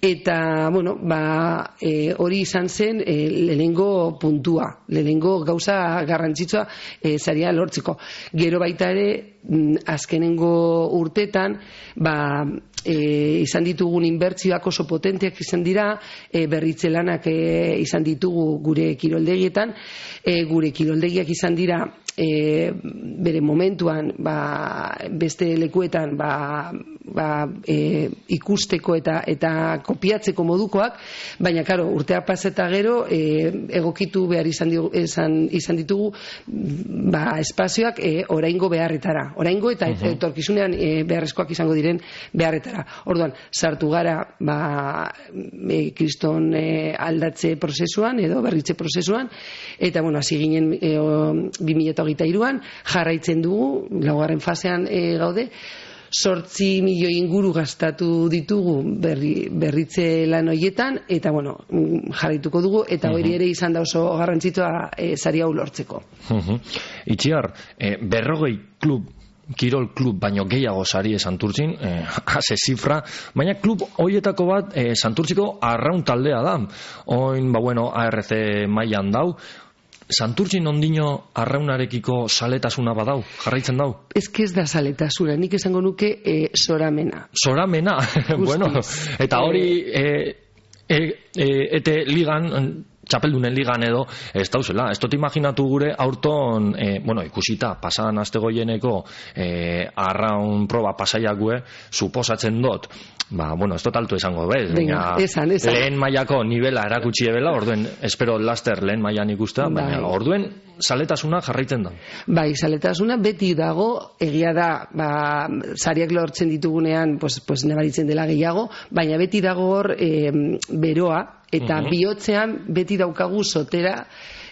Eta, bueno, ba, e, hori izan zen e, lehenengo puntua, lehenengo gauza garrantzitsua e, saria lortzeko. Gero baita ere, azkenengo urtetan, ba, e, izan ditugun inbertsioak oso potenteak izan dira, e, berritze lanak e, izan ditugu gure kiroldegietan, e, gure kiroldegiak izan dira e, bere momentuan ba, beste lekuetan ba, ba, e, ikusteko eta eta kopiatzeko modukoak, baina karo, urteak paseta gero e, egokitu behar izan, digu, izan, izan ditugu ba, espazioak e, oraingo beharretara, oraingo eta uh-huh. etorkizunean e, beharrezkoak izango diren beharretara. Orduan, sartu gara ba, e, kriston e, aldatze prozesuan edo berritze prozesuan, eta bueno, hasi ginen e, bi mila hogeita hiruan jarraitzen dugu, laugarren fasean e, gaude, sortzi milioi inguru gastatu ditugu berri, berritze lan horietan, eta bueno, jarraituko dugu, eta hori ere izan da oso garrantzitsua e, sari hau lortzeko. Uh-huh. Itziar, e, berrogei klub, kirol klub baino gehiago sari Santurtzin, eh, ase zifra, baina klub hoietako bat eh, Santurtziko arraun taldea da. Oin, ba bueno, A R C mailan dau, Santurtzin ondino arraunarekiko saletasuna badau, jarraitzen dau? Ez que ez da saletasuna, nik esango nuke e, soramena. Soramena? Bueno, eta hori e, e, e, ete ligan, txapeldunen ligan edo, ez dauzela. Ez dut imaginatu gure aurton, e, bueno, ikusita, pasan astegoieneko e, arraun proba pasaiakue, suposatzen dut, ba, bueno, ez dut altu esango, bez? Venga, esan, esan. Lehen mailako nivela erakutsi ebela, orduen, espero laster lehen mailan ikustea, baina bai. Orduen, saletasuna jarraitzen da. Bai, saletasuna beti dago, egia da, ba, sariak lortzen ditugunean, pues, pues nabaritzen dela gehiago, baina beti dago hor e, beroa, eta uh-huh. bihotzean beti daukagu sotera,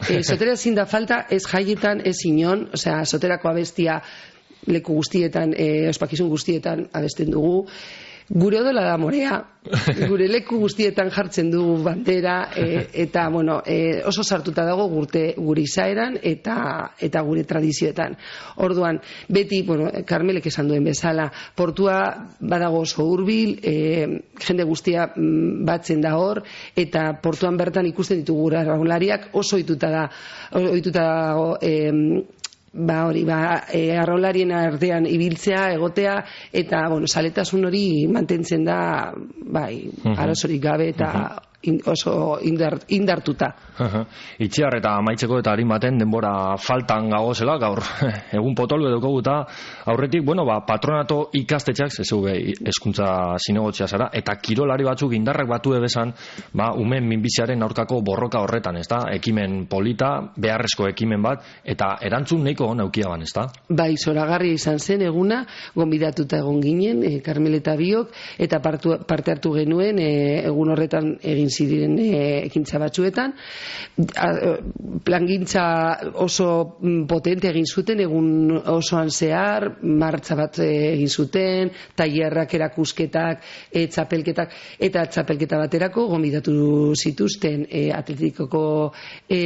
e, sotera ezin da falta, ez jaietan, ez inon, osea, soterako abestia leku guztietan, e, ospakizun guztietan abesten dugu, gure odola da morea, gure leku guztietan jartzen dugu bandera, e, eta bueno, e, oso sartuta dago gurte, gure izaeran eta, eta gure tradizioetan. Orduan, beti, bueno, Karmelek esan duen bezala, portua badago oso hurbil, e, jende guztia batzen da hor, eta portuan bertan ikusten ditugu gure arraunlariak oso ohituta da, ohituta dago, e, ba hori, ba, e, arraularien artean ibiltzea, egotea, eta, bueno, saletasun hori mantentzen da, bai, uh-huh. arazorik gabe eta uh-huh. in, oso indart, indartuta. Uh-huh. Itziar eta amaitzeko eta harin baten denbora faltan gagozela, gaur egun potolu edoko guta, aurretik, bueno, ba, patronato ikastetxak, ez egu eskuntza zinegotzia zara, eta kirolari batzuk indarrak batu ebesan, ba, umen minbiziaren aurkako borroka horretan, ez da, ekimen polita, beharrezko ekimen bat, eta erantzun nahiko hon aukiaban, ez da? Bai, zoragarri izan zen eguna, gonbidatuta egon ginen, e, Karmel eta biok, eta partu, parte hartu genuen, e, egun horretan egin ziren e, ekintza batzuetan, plangintza oso potente egin zuten, egun osoan zehar, martza bat egin zuten, tailerrak, erakusketak, e, txapelketak, eta txapelketa baterako gonbidatu zituzten e, atletikoko e,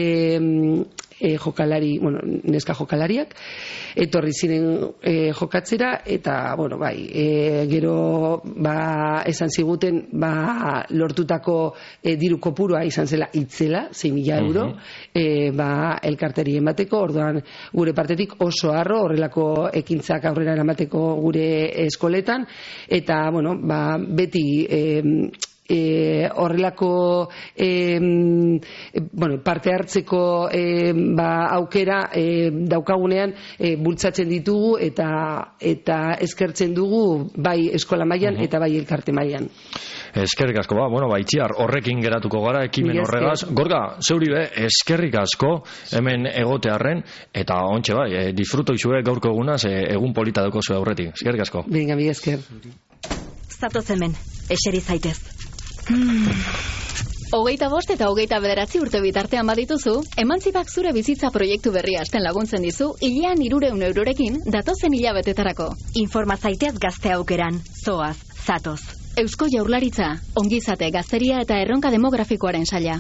e, jokalari, bueno, neska jokalariak, etorri ziren e, jokatzera, eta, bueno, bai, e, gero, ba, esan ziguten, ba, lortutako e, diru kopurua izan zela itzela, sei mila euro, uh-huh. e, ba, elkarteri emateko, orduan, gure partetik oso harro, horrelako ekintzak aurrera eramateko gure eskoletan, eta, bueno, ba, beti, e, E, horrelako e, bueno, parte hartzeko e, ba, aukera e, daukagunean e, bultzatzen ditugu eta eta eskertzen dugu bai eskola mailan uh-huh. eta bai elkarte mailan. Eskerrik asko, ba, bueno, ba, Itziar, horrekin geratuko gara, ekimen horregaz. Gorga, zeuri be, eskerrik asko, hemen egotearren, eta ontxe bai, e, disfruto izue gaurko egunaz, e, egun polita dauko zue aurretik. Eskerrik asko. Venga, mi esker. Zatoz hemen, eseri zaitez. Hmm. Hogeita bost eta hogeita bederatzi urte bitartean badituzu, Emantzibak zure bizitza proiektu berria hasten laguntzen dizu, hilean hirureun eurorekin datozen hilabetetarako. Informa zaitez gazte aukeran, zoaz, zatoz. Eusko Jaurlaritza, ongizate, gazteria eta erronka demografikoaren saila.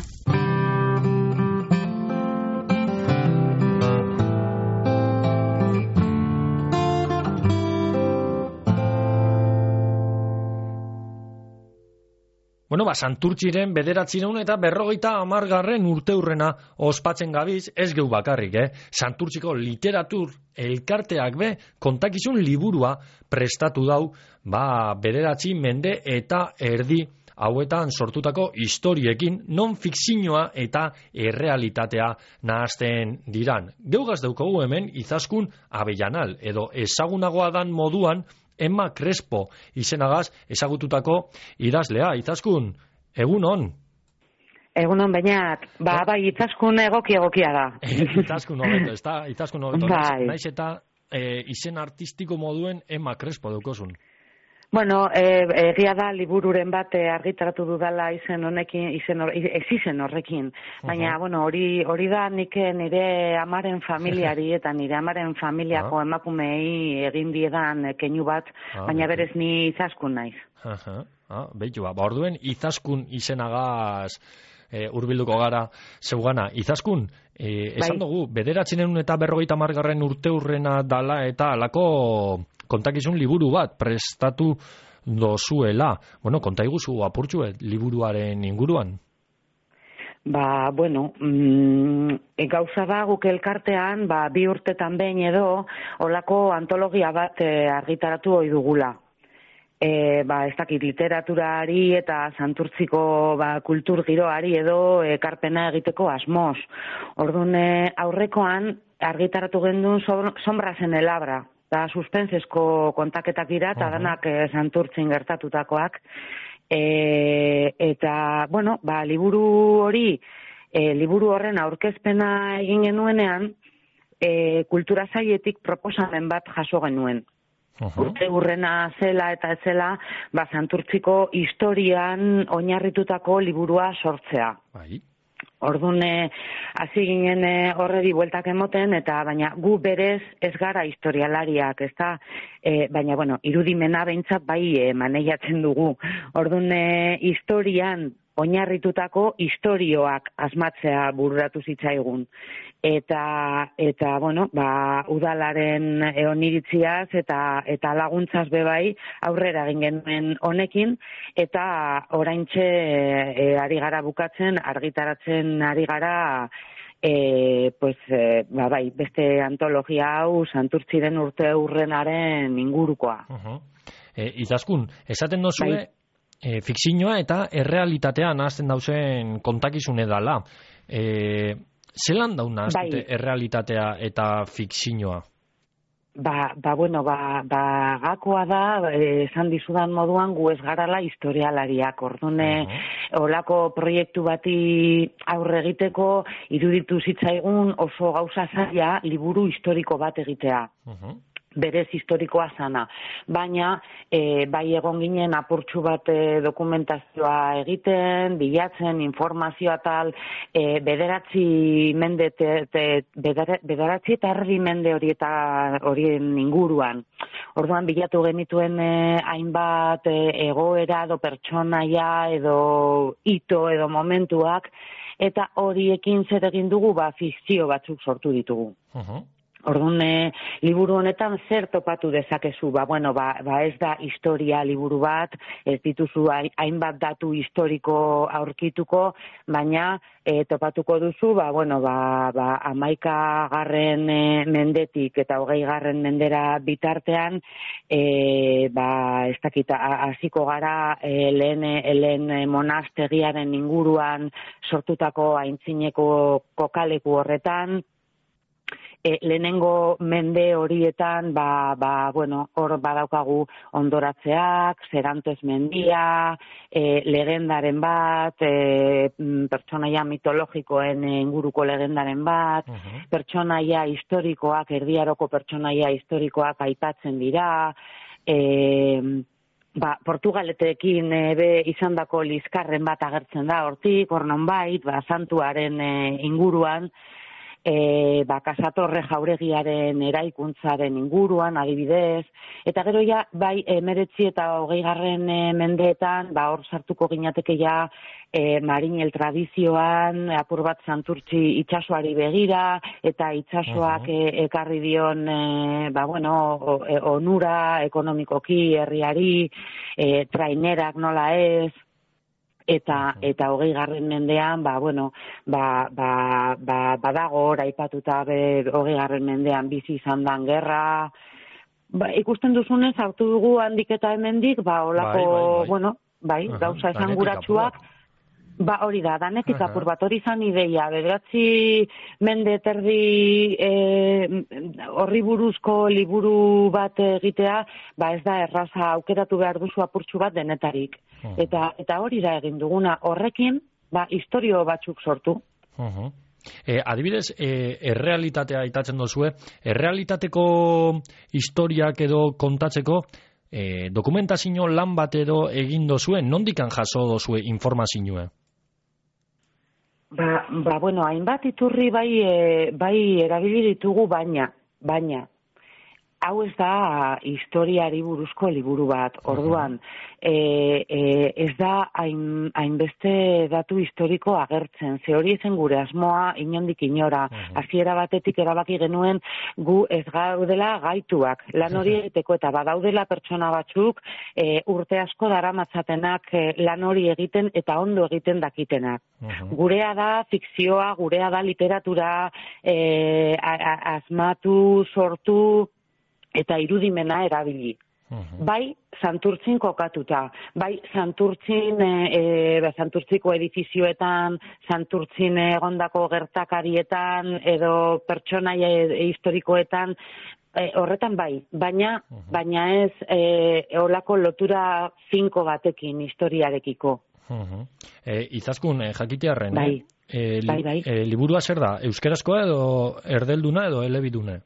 Bueno, ba, Santurtziren bederatzireun eta berrogeita hamargarren urteurrena ospatzen gabiz, ez geu bakarrik, eh? Santurtziko literatur elkarteak be, kontakizun liburua prestatu dau, ba, bederatzi mende eta erdi hauetan sortutako historiekin, non fikzioa eta errealitatea nahazten diran. Geugaz daukagu hemen, Izaskun Avellanal, edo ezagunagoa dan moduan, Emma Crespo izenagaz ezagututako idazlea. Izaskun, egun on? Egun on, bainat, ba, bai, Izaskun egoki egokia da. Izaskun hobeto, ez da? Izaskun hobeto, bai. Naiz eta e, izen artistiko moduen Emma Crespo daukozun. Bueno, egia da libururen bat argitaratu dudala izen honekin, izen hor, ez izen horrekin. Baina, uh-huh. bueno, hori hori da nik nire amaren familiari eta nire amaren familiako uh-huh. emakumei egin diedan keinu bat, uh-huh. baina berez ni Izaskun naiz. Uh-huh. Ah, beitu ba, ba orduen Izaskun izenagaz e, urbilduko gara zeugana. Izaskun, e, esan bai. dugu, bederatzinen eta berrogeita hamargarren urteurrena dala eta alako kontakizun liburu bat prestatu dozuela. Bueno, konta iguzu apurtxuet liburuaren inguruan. Ba, bueno, mm, gauza da guk elkartean, ba, bi urtetan behin edo, olako antologia bat e, argitaratu ohi dugula. E, ba, ez dakit literaturari eta Santurtziko ba, kultur giroari edo ekarpena egiteko asmoz. Orduan aurrekoan argitaratu gendun Sombras en el Abra. Da suspensesko kontaketak dira, eta uh-huh. danak e, Santurtzin gertatutakoak. E, eta, bueno, ba, liburu hori, e, liburu horren aurkezpena egin genuenean, e, kultura sailetik proposamen bat jaso genuen. Uh-huh. Urte urrena zela eta ez zela, ba, Santurtziko historian oinarritutako liburua sortzea. Bai. Orduan, hasi ginen horredi bueltak emoten, eta baina gu berez ez gara historialariak, ez da, e, baina, bueno, irudimena behintzat bai e, maneiatzen dugu. Orduan, e, historian oinarritutako historioak asmatzea bururatu zitzaigun. Eta, eta bueno, ba, udalaren oniritziaz eta, eta laguntzaz bebai aurrera egin genuen honekin, eta oraintxe e, ari gara bukatzen, argitaratzen ari gara e, pues, e, ba, bai, beste antologia hau Santurtziren urte urrenaren ingurukoa. Uh-huh. e, Izaskun, esaten dozue, bai. E, fikzioa eta errealitatea nahazten dauzen kontakizune dala. E, zelan dauna bai. errealitatea eta fikzioa? Ba, ba, bueno, ba, ba, gakoa da, esan dizudan moduan, gu ez garala historialariak. Ordune, uh-huh. olako proiektu bati aurre egiteko, iruditu zitzaigun oso gauza zaila liburu historiko bat egitea. Uh-huh. Berez historikoa zana. Baina, e, bai egon ginen apurtxu bat e, dokumentazioa egiten, bilatzen, informazioa tal, e, bederatzi mende, te, te, bedera, bederatzi eta erdi mende horieta, horien inguruan. Orduan, bilatu genituen e, hainbat e, egoera edo pertsonaia edo hito edo momentuak, eta horiekin zer egin dugu, ba, fikzio batzuk sortu ditugu. Uh-huh. Orduan, e, liburu honetan zer topatu dezakezu, ba, bueno, ba, ba ez da historia liburu bat, ez dituzu hainbat datu historiko aurkituko, baina e, topatuko duzu, ba, bueno, ba, ba, amaika garren e, mendetik eta hogei garren mendera bitartean, e, ba, ez dakit, hasiko gara e, lehen, lehen monastegiaren inguruan sortutako aintzineko kokaleku horretan, E, lehenengo mende horietan, ba, ba, bueno, hor badaukagu hondoratzeak, Serantes mendia, e, legendaren bat, e, pertsonaia mitologikoen inguruko legendaren bat, uh-huh. pertsonaia historikoak, erdiaroko pertsonaia historikoak aipatzen dira, e, ba, Portugaletekin e, be izandako liskarren bat agertzen da hortik, hor nonbait, ba, santuaren e, inguruan, E, ba, Kasatorre jauregiaren eraikuntzaren inguruan, adibidez, eta gero ja, bai, emeretzi eta hogei garren e, mendeetan, ba, hor sartuko ginateke ja, e, marinel tradizioan, apur bat Santurtzi itsasoari begira, eta itsasoak uh-huh. e, ekarri dion, e, ba, bueno, o, e, onura ekonomikoki herriari, e, trainerak nola ez, eta eta hogei garren mendean, ba, bueno, ba, ba, ba, badago hor aipatuta be, hogei garren mendean bizi izan dan gerra, ba, ikusten duzunez, hartu dugu handik eta hemendik, ba, olako, Bai, bai, bai. bueno, bai, Aha, gauza danetik esanguratsuak, ba, hori da, danetik Aha. apur bat, hori izan ideia, bederatzi mende terdi eh, horri buruzko liburu bat egitea, ba ez da erraza aukeratu behar duzu apurtxu bat denetarik. Eta, eta hori da egin duguna, horrekin, ba, historio batzuk sortu. Uh-huh. E, adibidez, e, errealitatea aitatzen dozue, errealitateko historiak edo kontatzeko, e, dokumentazio lan bat edo egin dozue, nondikan jaso dozue informazioa? Ba, ba, bueno, hainbat iturri bai, e, bai erabili ditugu, baina, baina, hau ez da historiari buruzko liburu bat, orduan, e, e, ez da hain, hainbeste datu historiko agertzen, ze hori ezen gure asmoa inondik inora, hasiera batetik erabaki genuen gu ez gaudela gaituak, lan hori egiteko eta badaudela pertsona batzuk e, urte asko daramatzatenak e, lan hori egiten eta ondo egiten dakitenak. Gurea da fikzioa, gurea da literatura, e, a, a, asmatu, sortu, eta irudimena erabili. Uh-huh. Bai, Santurtzin kokatuta, bai, Santurtzin, e, e, Santurtziko edifizioetan, Santurtzin egondako gertakarietan, edo pertsonaia e, historikoetan, e, horretan bai, baina, uh-huh. baina ez e, olako lotura finko batekin historiarekiko. Uh-huh. E, izaskun, e, jakitearren, bai. eh? E, li, bai, bai. E, liburua zer da, euskerazkoa edo erdelduna edo elebidune?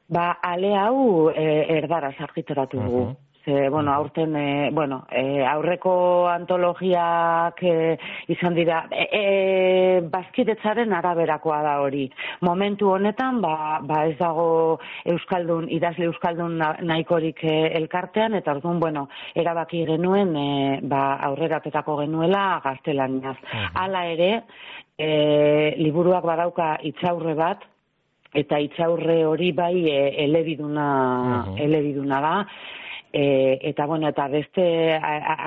Ba, ale hau e, erdaraz argitaratu dugu. Uh-huh. Ze, bueno, aurten, e, bueno, e, aurreko antologiak e, izan dira, e, e, bazkidetzaren araberakoa da hori. Momentu honetan, ba, ba ez dago euskaldun, idazle euskaldun nahikorik e, elkartean, eta orduan, bueno, erabaki genuen, e, ba, aurreratetako genuela gaztelaniaz. Uh-huh. Hala ere, e, liburuak badauka itzaurre bat, eta itzaurre hori bai e, elebiduna, uh-huh. elebiduna da, e, eta bueno, eta beste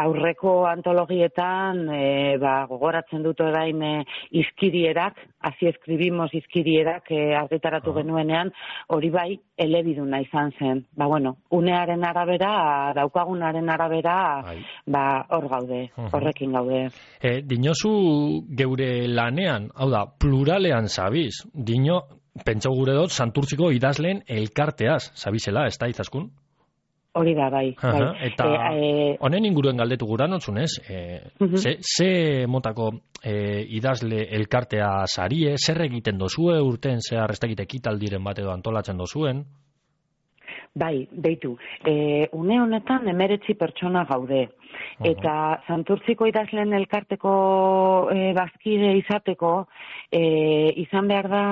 aurreko antologietan e, ba, gogoratzen dut orain e, izkirierak, hazi eskribimos izkirierak e, argitaratu uh-huh. genuenean, hori bai elebiduna izan zen. Ba bueno, unearen arabera, daukagunaren arabera, Ai. ba hor gaude, uh-huh. horrekin gaude. E, dinozu geure lanean, hau da, pluralean zabiz, dino, pentsau gure dut, Santurtziko idazleen elkarteaz, zabizela, ez da izaskun? Hori da, bai. Uh-huh. bai. Eta e, honen inguruen galdetu gura notzunez, e, uh-huh. ze, ze motako e, idazle elkartea sarie, zer egiten dozue, urten zehar ez dakit ekitaldiren bat edo antolatzen dozuen? Bai, beitu, e, une honetan emeretzi pertsona gaude. Uh-huh. Eta Santurtziko idazleen elkarteko e, bazkide izateko, e, izan behar da,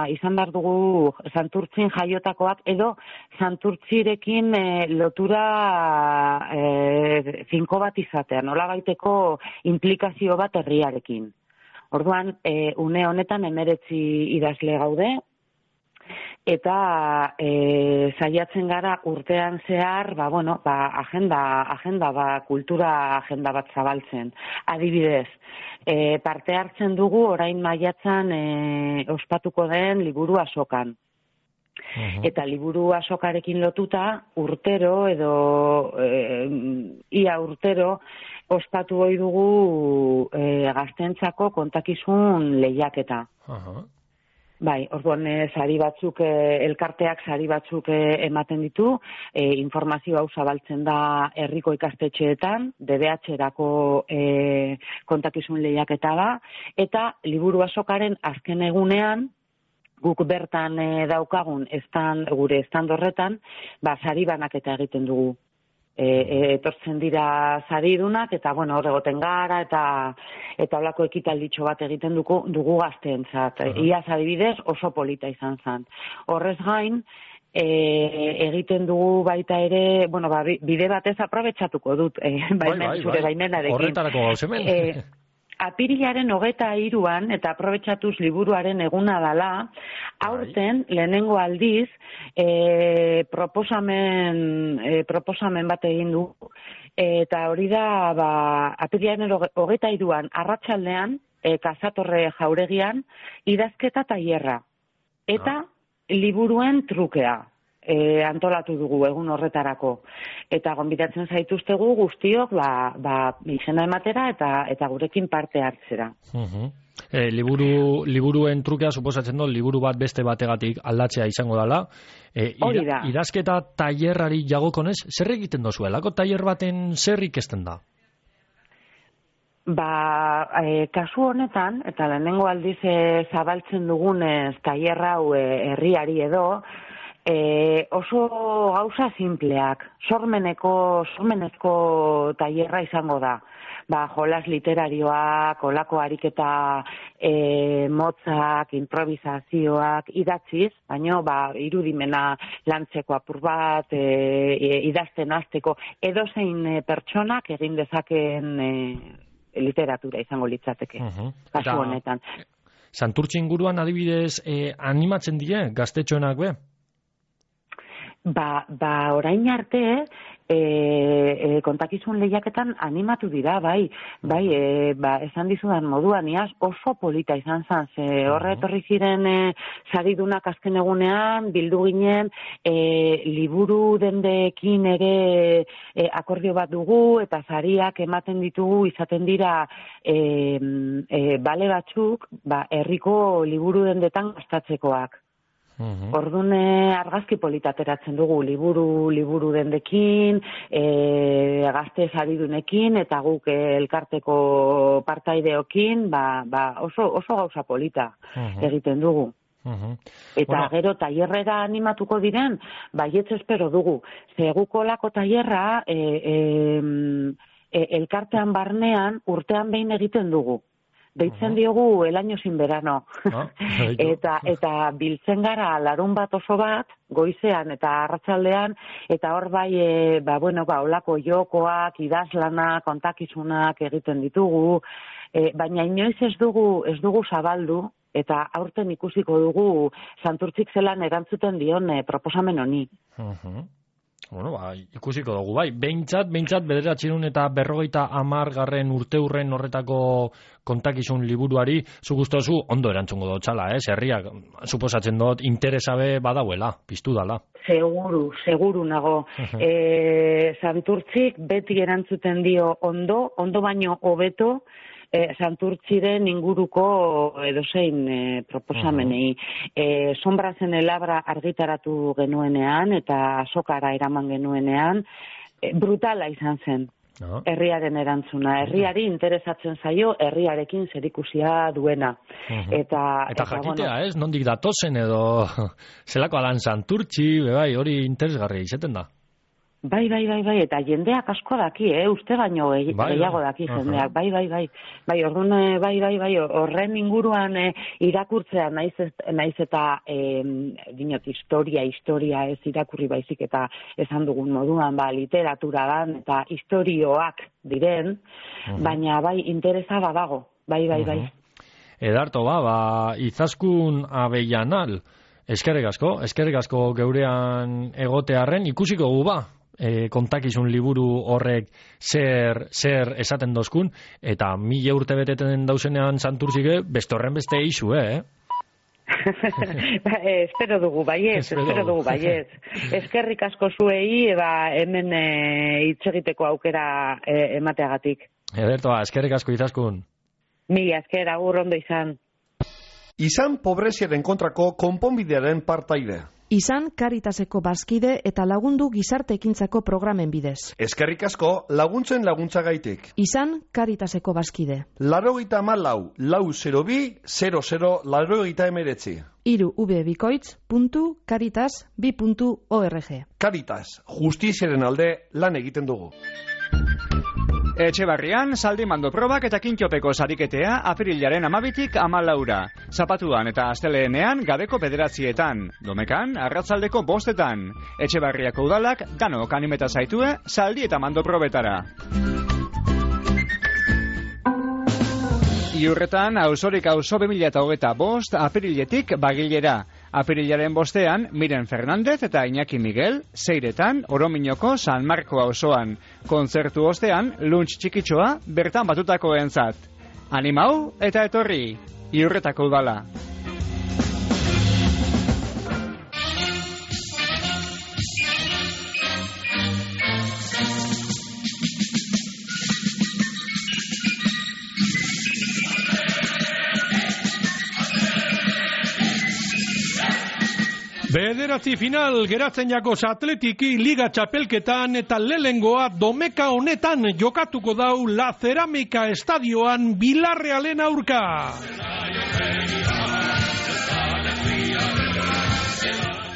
izan behar dugu Santurtzin jaiotakoak, edo Santurtzirekin e, lotura e, finko bat izatean, nola baiteko implikazio bat herriarekin. Orduan, e, une honetan emeretzi idazle gaude, eta e, saiatzen gara urtean zehar, ba, bueno, ba, agenda, agenda, ba, kultura agenda bat zabaltzen. Adibidez, e, parte hartzen dugu orain maiatzan e, ospatuko den liburu azokan. Uh-huh. Eta liburu azokarekin lotuta urtero edo e, ia urtero ospatu ohi dugu e, gaztentzako kontakizun lehiaketa. Uh-huh. Bai, orduan sari batzuk, elkarteak sari batzuk ematen ditu, e, informazio hau zabaltzen da herriko ikastetxeetan, D B H-erako e, kontakizun lehiaketa da, eta liburu azokaren azken egunean, guk bertan e, daukagun estan, gure stand horretan, ba, sari banaketa egiten dugu. E, e, etortzen dira saridunak, eta bueno, hor egoten gara, eta eta holako ekitalditxo bat egiten dugu, dugu gazteentzat. Uh-huh. Iaz adibidez oso polita izan zen. Horrez gain, e, egiten dugu baita ere, bueno, ba, bide batez aprobetxatuko dut, e, baimen, bai, bai, zure bai. baimenarekin. Horretarako gauzemen. E, apirilaren hogeta hiruan, eta aprobetxatuz liburuaren eguna dala, aurten, lehenengo aldiz, e, proposamen, e, proposamen bat egin du, Eta hori da, ba, apirilaren hogeita hiruan arratsaldean, e, Kasatorre jauregian, idazketa tailerra. Eta liburuen trukea. E, antolatu dugu egun horretarako. Eta gonbidatzen zaituztegu guztiok ba, ba, izena ematera eta eta gurekin parte hartzera. Uh-huh. e, liburu, liburuen trukea suposatzen dut, liburu bat beste bategatik aldatzea izango dela. E, Hori da. Idazketa tailerrari jagokonez, zer egiten dozu? Elako tailer baten zer ikesten da? Ba, e, kasu honetan, eta lehenengo aldiz e, zabaltzen dugunez tailer hau e, herriari edo, E, oso gauza simpleak, sormeneko, sormenezko tailerra izango da. Ba, jolas literarioak, olako ariketa e, motzak, improvisazioak idatziz, baino ba, irudimena lantzeko apur bat, e, idazten hasteko edozein e, pertsonak egin dezakeen e, literatura izango litzateke, uh-huh. kasu honetan. Santurtzi inguruan adibidez e, animatzen die gaztetxoenak be? Ba, ba orain arte e, e, kontakizun lehiaketan animatu dira, bai, bai, e, ba, esan dizudan moduan, iaz oso polita izan zen, ze horre etorri ziren e, saridunak azken egunean, bildu ginen, e, liburu dendeekin ere e, akordio bat dugu, eta sariak ematen ditugu izaten dira e, e, bale batzuk, ba, herriko liburu dendetan gastatzekoak. Uhum. Ordune argazki polita ateratzen dugu, liburu liburu dendekin, e, gazte saridunekin, eta guk e, elkarteko partaideokin, ba, ba oso, oso gauza polita uhum. egiten dugu. Uhum. Eta bueno. Gero tailerrera animatuko diren, baietz espero dugu. Zeguko lako tailerra e, e, e, elkartean barnean urtean behin egiten dugu. Deitzen diogu el año sin verano. Ah, eta eta biltzen gara larun bat oso bat, goizean eta arratsaldean, eta hor bai, e, ba, bueno, ba, olako jokoak, idazlanak, kontakizunak egiten ditugu, e, baina inoiz ez dugu, ez dugu zabaldu, eta aurten ikusiko dugu Santurtzik zelan erantzuten dion e, proposamen honi. Uh-huh. Bueno, ba, ikusiko dugu, bai. Behintzat, behintzat, bederatziehun eta berrogeita hamar garren urteurren horretako kontakizun liburuari, zu gustozu ondo erantzungo dut txala, eh? Herriak, suposatzen dut, interesabe badauela, piztu dala. Seguru, seguru nago. e, Santurtzik beti erantzuten dio ondo, ondo baino hobeto, E, Santurtziren inguruko edozein e, proposamenei. E, Sombrazen elabra argitaratu genuenean eta azokara eraman genuenean, e, brutala izan zen. No. Herriaren erantzuna. Herriari interesatzen zaio, herriarekin zerikusia duena. Uh-huh. Eta, eta, eta jakitea, bueno, ez? Nondik datozen edo zelako alan Santurtzi, bai, hori interesgarri izaten da. Bai, bai, bai, bai, eta jendeak asko daki, eh? Uste baino bai, gehiago daki jendeak, bai, bai, bai, bai, orduan, bai, bai, bai, horren inguruan eh, irakurtzea naiz, naiz eta eh, dinot, historia, historia ez irakurri baizik eta esan dugun moduan, ba, literatura dan, eta historioak diren, uh-huh. baina bai, interesa badago, bai, bai, bai. Uh-huh. Edarto, ba, ba, Izaskun Abellanal, eskerrik asko, eskerrik asko geurean egotearren, ikusiko gu ba, E, kontakizun liburu horrek zer, zer esaten dozkun, eta mila urte beteten dauzenean Santurtzike, beste horren beste eixu, eh? ba, eh, espero dugu, baiez, espero, espero dugu, baiez. Eskerrik asko zuei, ba, hemen hitz e, egiteko aukera e, emateagatik. Ederto, eskerrik asko Izaskun. Mila esker, agur ondo izan. Izan pobreziaren kontrako konponbidearen partaide. Izan Karitaseko bazkide eta lagundu gizarte ekintzako programen bidez. Eskerrik asko laguntzen laguntzagaitik. Izan Karitaseko bazkide. Laurogeita hamalau, lau zero bi, zero zero, laurogeita hemeretzi. Hiru ubebikoitz puntu karitas bi puntu org. Karitas, justiziaren alde lan egiten dugu. Etxebarrian, zaldi mando probak eta kintxopeko sariketea apirilaren amabitik amalaura. Zapatuan eta asteleenean gabeko bederatzietan. Domekan, arratzaldeko bostetan. Etxebarriako udalak, danok animeta zaitue, zaldi eta mando probetara. Iurretan, auzorik auzo bi mila hogeita bost, apiriletik bagilera. Apirilaren bostean, Miren Fernandez eta Iñaki Miguel, Seiretan, Orominoko San Marko auzoan. Kontzertu ostean, lunch txikitxoa bertan batutako entzat. Animau eta etorri, Iurretako udala. Bederatzi final geratzen jakos Atletiki Liga txapelketan eta lehengoa domeka honetan jokatuko dau La Cerámica estadioan Bilarrealen aurka.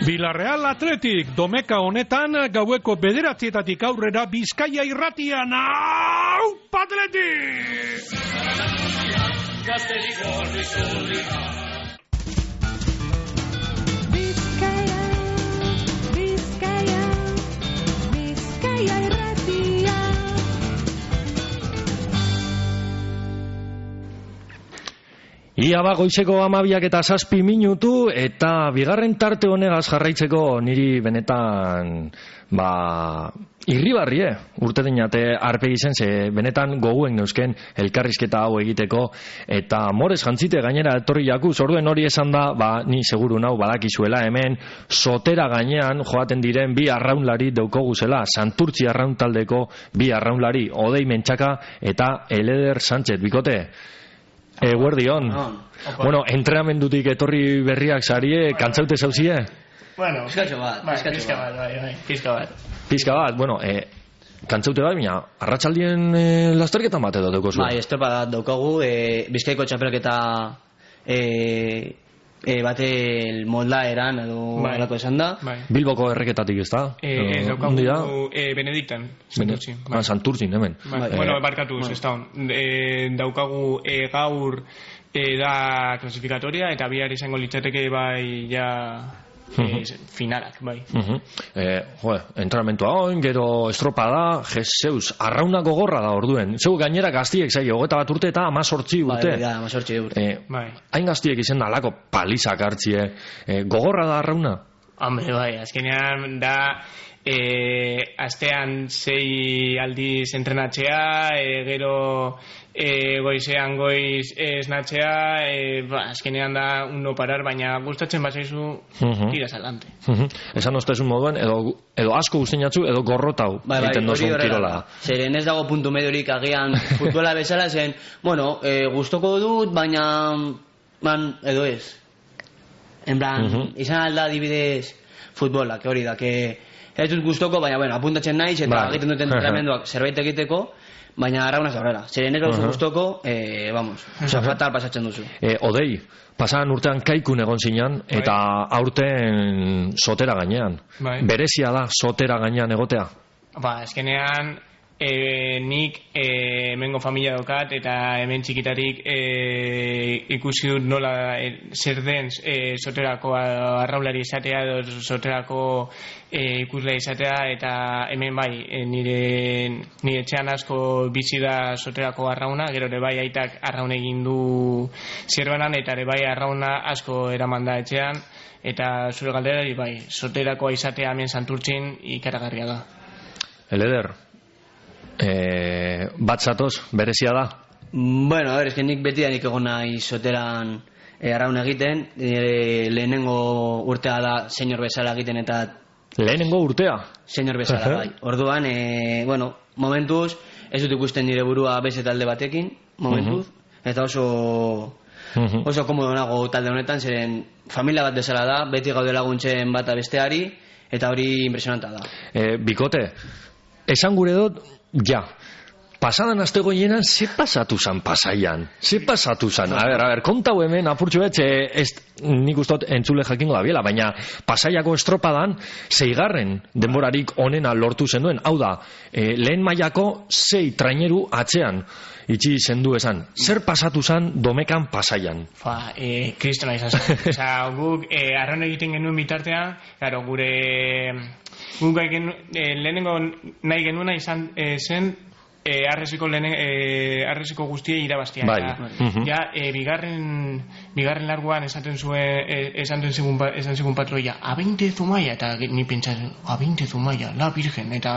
Bilarreal Atletik domeka honetan gaueko bederatzietatik aurrera Bizkaia irratian. Aupa Atletik! Bizkaia, Bizkaia, Bizkaia irratia. Ia ba, goizeko amabiak eta zazpi minutu, eta bigarren tarte honegaz jarraitzeko niri benetan, ba, irribarrie, urte dinate arpegi zen, ze benetan goguen neuzken elkarrizketa hau egiteko, eta morez jantzite gainera etorri jakuz, orduen hori esan da, ba, ni seguru nau badakizuela hemen, sotera gainean joaten diren bi arraunlari daukoguzela, Santurtzi arraun taldeko bi arraunlari, Odei Mentxaka eta Eleder Sánchez, bikote. Eguerdion. Bueno, entrenamendutik etorri berriak zarie, kantzaute zauzie? Bueno, pizkatxo bat, bai, pizka bat, bai, bai, pizka bat. Pizka bat, bueno, eh, kantzaute bat, baina, arratsaldien eh, lasterketan bat edo dauko zuen? Bai, estropa bat daukagu, eh, Bizkaiko txapelketa eh, eh, bate moldaeran edo bai. alako esan da. Bai. Bilboko erreketatik ez da? Eh, eh, daukagu eh, Benediktan, Santurtzin. Bai. Ah, Santurtzin, hemen. Bai. Eh, bueno, barkatu, ez da hon. Eh, daukagu eh, gaur eh, da klasifikatoria eta bihar izango litzateke bai ja eh, finalak, bai. Uh-huh. eh, joe, entrenamentua oin, gero estropada, jezeus, arrauna gogorra da orduen. Zeu gainera gaztiek zai, hogeta bat urte eta amazortzi urte. Bai, da, amazortzi urte. Eh, bai. Hain gaztiek izen alako palizak hartzie, eh, gogorra da arrauna? Hombre, bai, azkenean da eh, astean sei aldiz entrenatzea, eh, gero eh, goizean goiz esnatzea, eh, ba, azkenean da un no parar, baina gustatzen bazaizu uh-huh. tiras adelante. Uh-huh. Esan ostezun moduen, edo, edo asko guztiatzu, edo gorrotau bai, bai, egiten dozun kirola. Zeren ez dago puntu mediorik agian futbola bezala zen, bueno, eh, gustoko dut, baina man, edo ez. En plan, uh-huh. izan alda adibidez futbolak, hori da, que ez dut gustoko, baina, bueno, apuntatzen naiz, eta bai. egiten duten entrenamenduak zerbait egiteko, baina arraunaz horrela. Zeren ez uh-huh. gustoko, eh, vamos, oza, fatal pasatzen duzu. Eh, Odei, pasadan urtean kaikun egon zinan, bai. eta aurten sotera gainean. Bai. Berezia da sotera gainean egotea? Ba, eskenean, e, nik e, hemengo familia daukat, eta hemen txikitarik e, ikusi dut nola e, zer den e, soterako arraulari izatea, edo soterako e, ikusle izatea, eta hemen bai, e, nire, nire etxean asko bizi da soterako arrauna, gero ere bai aitak arraun egin du zerbanan, eta ere bai arrauna asko eraman da etxean, eta zure galderari bai, soterakoa izatea hemen Santurtzin ikaragarria da. Eleder, eh, bat zatoz, berezia da? Bueno, a ver, es que nik beti da nik egon nahi soteran eh, arraun egiten, eh, lehenengo urtea da senyor bezala egiten eta... Lehenengo urtea? Senyor bezala, bai. Orduan, eh, bueno, momentuz, ez dut ikusten nire burua beste talde batekin, momentuz, uh-huh. eta oso... Uh-huh. Oso komodo nago talde honetan, zeren familia bat bezala da, beti gaude laguntzen bata besteari, eta hori impresionanta da. Eh, bikote, esan gure dut, ja, pasadan aste goienan, ze pasatu zan Pasaian? Ze pasatu zan? A ber, a ber, kontau hemen, apurtxo betxe, ez, nik ustot entzule jakingo da biela, baina Pasaiako estropadan, zeigarren denborarik onena lortu zenduen, hau da, eh, lehen mailako zei traineru atzean, itxi zendu esan. Zer pasatu zan Domekan Pasaian? Fa, eh, kristona izan zen. Osa, guk, eh, arraun egiten genuen bitartean, claro, gure... Guk eh, lehenengo nahi genuena izan eh, zen E, arreziko lehen, e, arreziko guztiei irabaztia. Bai. Eta, Mhm. ja, e, bigarren, bigarren larguan esaten zuen, e, esaten zigun, esan zigun patroia, a veinte Zumaia, eta ni pentsatzen, a veinte Zumaia, la virgen, eta,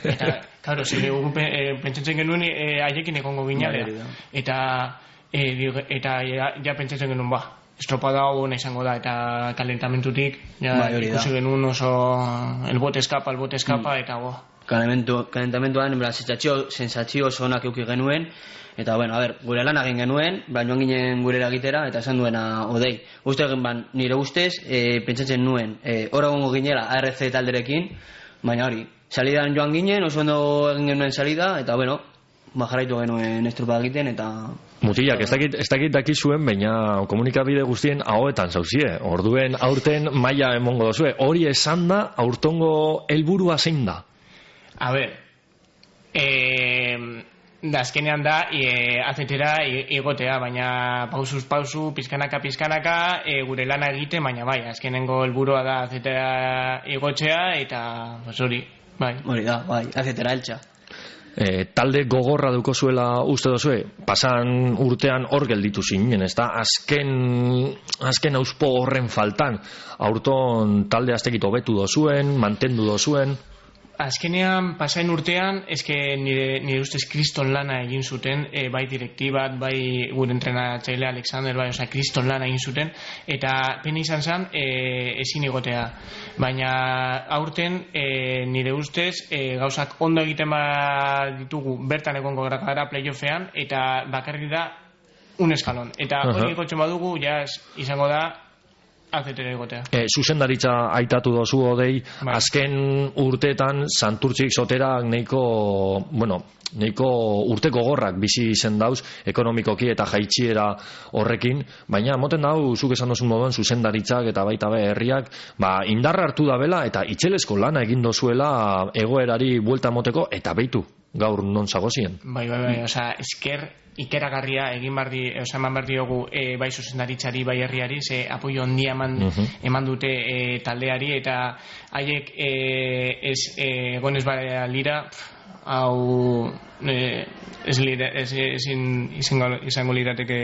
eta, claro, zile, e, pentsatzen genuen, e, haiekin egongo ginalea. Eta, e, dig- eta, ja, ja pentsatzen genuen, ba, estropada hau izango da, eta kalentamentutik, ja, Bai, hori da. ikusi genuen oso, el bote eskapa, el bote eskapa, eta, bo, Kalamentu, kalentamentuan, en plan, sensatzio, sensatzio oso onak euki genuen, eta, bueno, a ber, gure lan egin genuen, plan, joan ginen gurera egitera, eta esan duena, odei, uste egin ban, nire ustez, e, pentsatzen nuen, e, hor egongo ginela A R C talderekin, baina hori, salidan joan ginen, oso ondo egin genuen salida, eta, bueno, ba, jarraitu genuen estropa egiten, eta... Mutilak, ez dakit, ez dakit dakizuen, baina komunikabide guztien ahoetan zauzie. Orduen aurten maila emongo dozue. Hori esan da, aurtongo helburua zein da? A ber, eh, da azkenean da e, azetera igotea, baina pausuz pausu, pizkanaka pizkanaka e, gure lana egite, baina bai, azkenengo helburua da azetera igotzea, eta pues hori, bai. Hori da, bai, azetera eltsa. E, talde gogorra duko zuela uste dozue, pasan urtean hor gelditu zinen, ez da? Azken, azken auspo horren faltan, aurton talde aztekit hobetu dozuen, mantendu dozuen. Azkenean, pasain urtean, eske nire, nire ustez kriston lana egin zuten, e, bai direktibat, bai gure entrenatzaile Alexander, bai, osea, kriston lana egin zuten, eta pena izan zen e, ezin egotea. Baina aurten e, nire ustez e, gauzak ondo egiten bat ditugu bertan egongo gara playoffean, eta bakarrik da un eskalon. Eta Aha. hori egotzen badugu, ja izango da azetera egotea. E, zuzendaritza aitatu dozu odei, Bai. azken urteetan Santurtzik soterak neiko, bueno, neiko urteko gorrak bizi izen dauz, ekonomikoki eta jaitxiera horrekin, baina moten dau, zuk esan dozun moduan, zuzendaritzak eta baita be herriak, ba, indarra hartu da bela eta itxelezko lana egin dozuela egoerari buelta moteko, eta beitu, gaur non zagozien. Bai, bai, bai, osea, esker ikeragarria egin bardi, osea, eman bardi dugu e, bai zuzendaritzari, bai herriari, ze apoio handia eman, Mhm. eman dute e, taldeari, eta haiek e, ez e, egon ez bada lira, pf, hau e, ez lira, ez, ezin izango, izango lirateke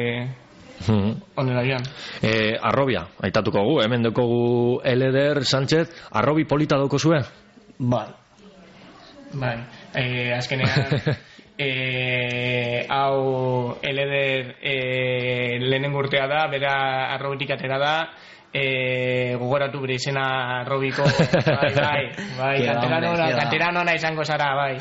onera joan. E, arrobia, aitatuko gu, hemen dukogu Eleder Sánchez, arrobi polita dauko zue? Bai. Bai, e, azkenean e, hau Eleder e, lehenengo urtea da, bera arrobitik atera da, e, gogoratu bere izena arrobiko, bai, bai, bai, kanteranona, kanteranona izango zara, bai,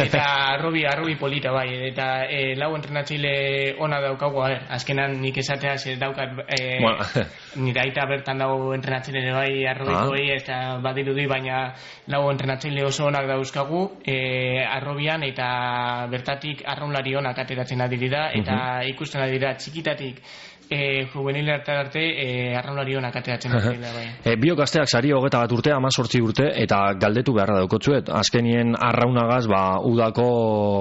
eta arrobi, arrobi polita, bai, eta e, lau entrenatzaile ona daukagu, a ber, azkenan nik esatea ze daukat, e, Bueno. nire aita bertan dago entrenatzaile bai arrobikoei, eta badirudi, baina lau entrenatzaile oso onak dauzkagu e, arrobian, eta bertatik arraunlari onak ateratzen adirida, eta ikusten adira txikitatik e, juvenil arte e, arraunlari onak ateratzen adirida, bai. E, biok gazteak sari hogeta bat urte, amazortzi urte, eta galdetu beharra daukotzuet. Azkenien arraunagaz, ba, udako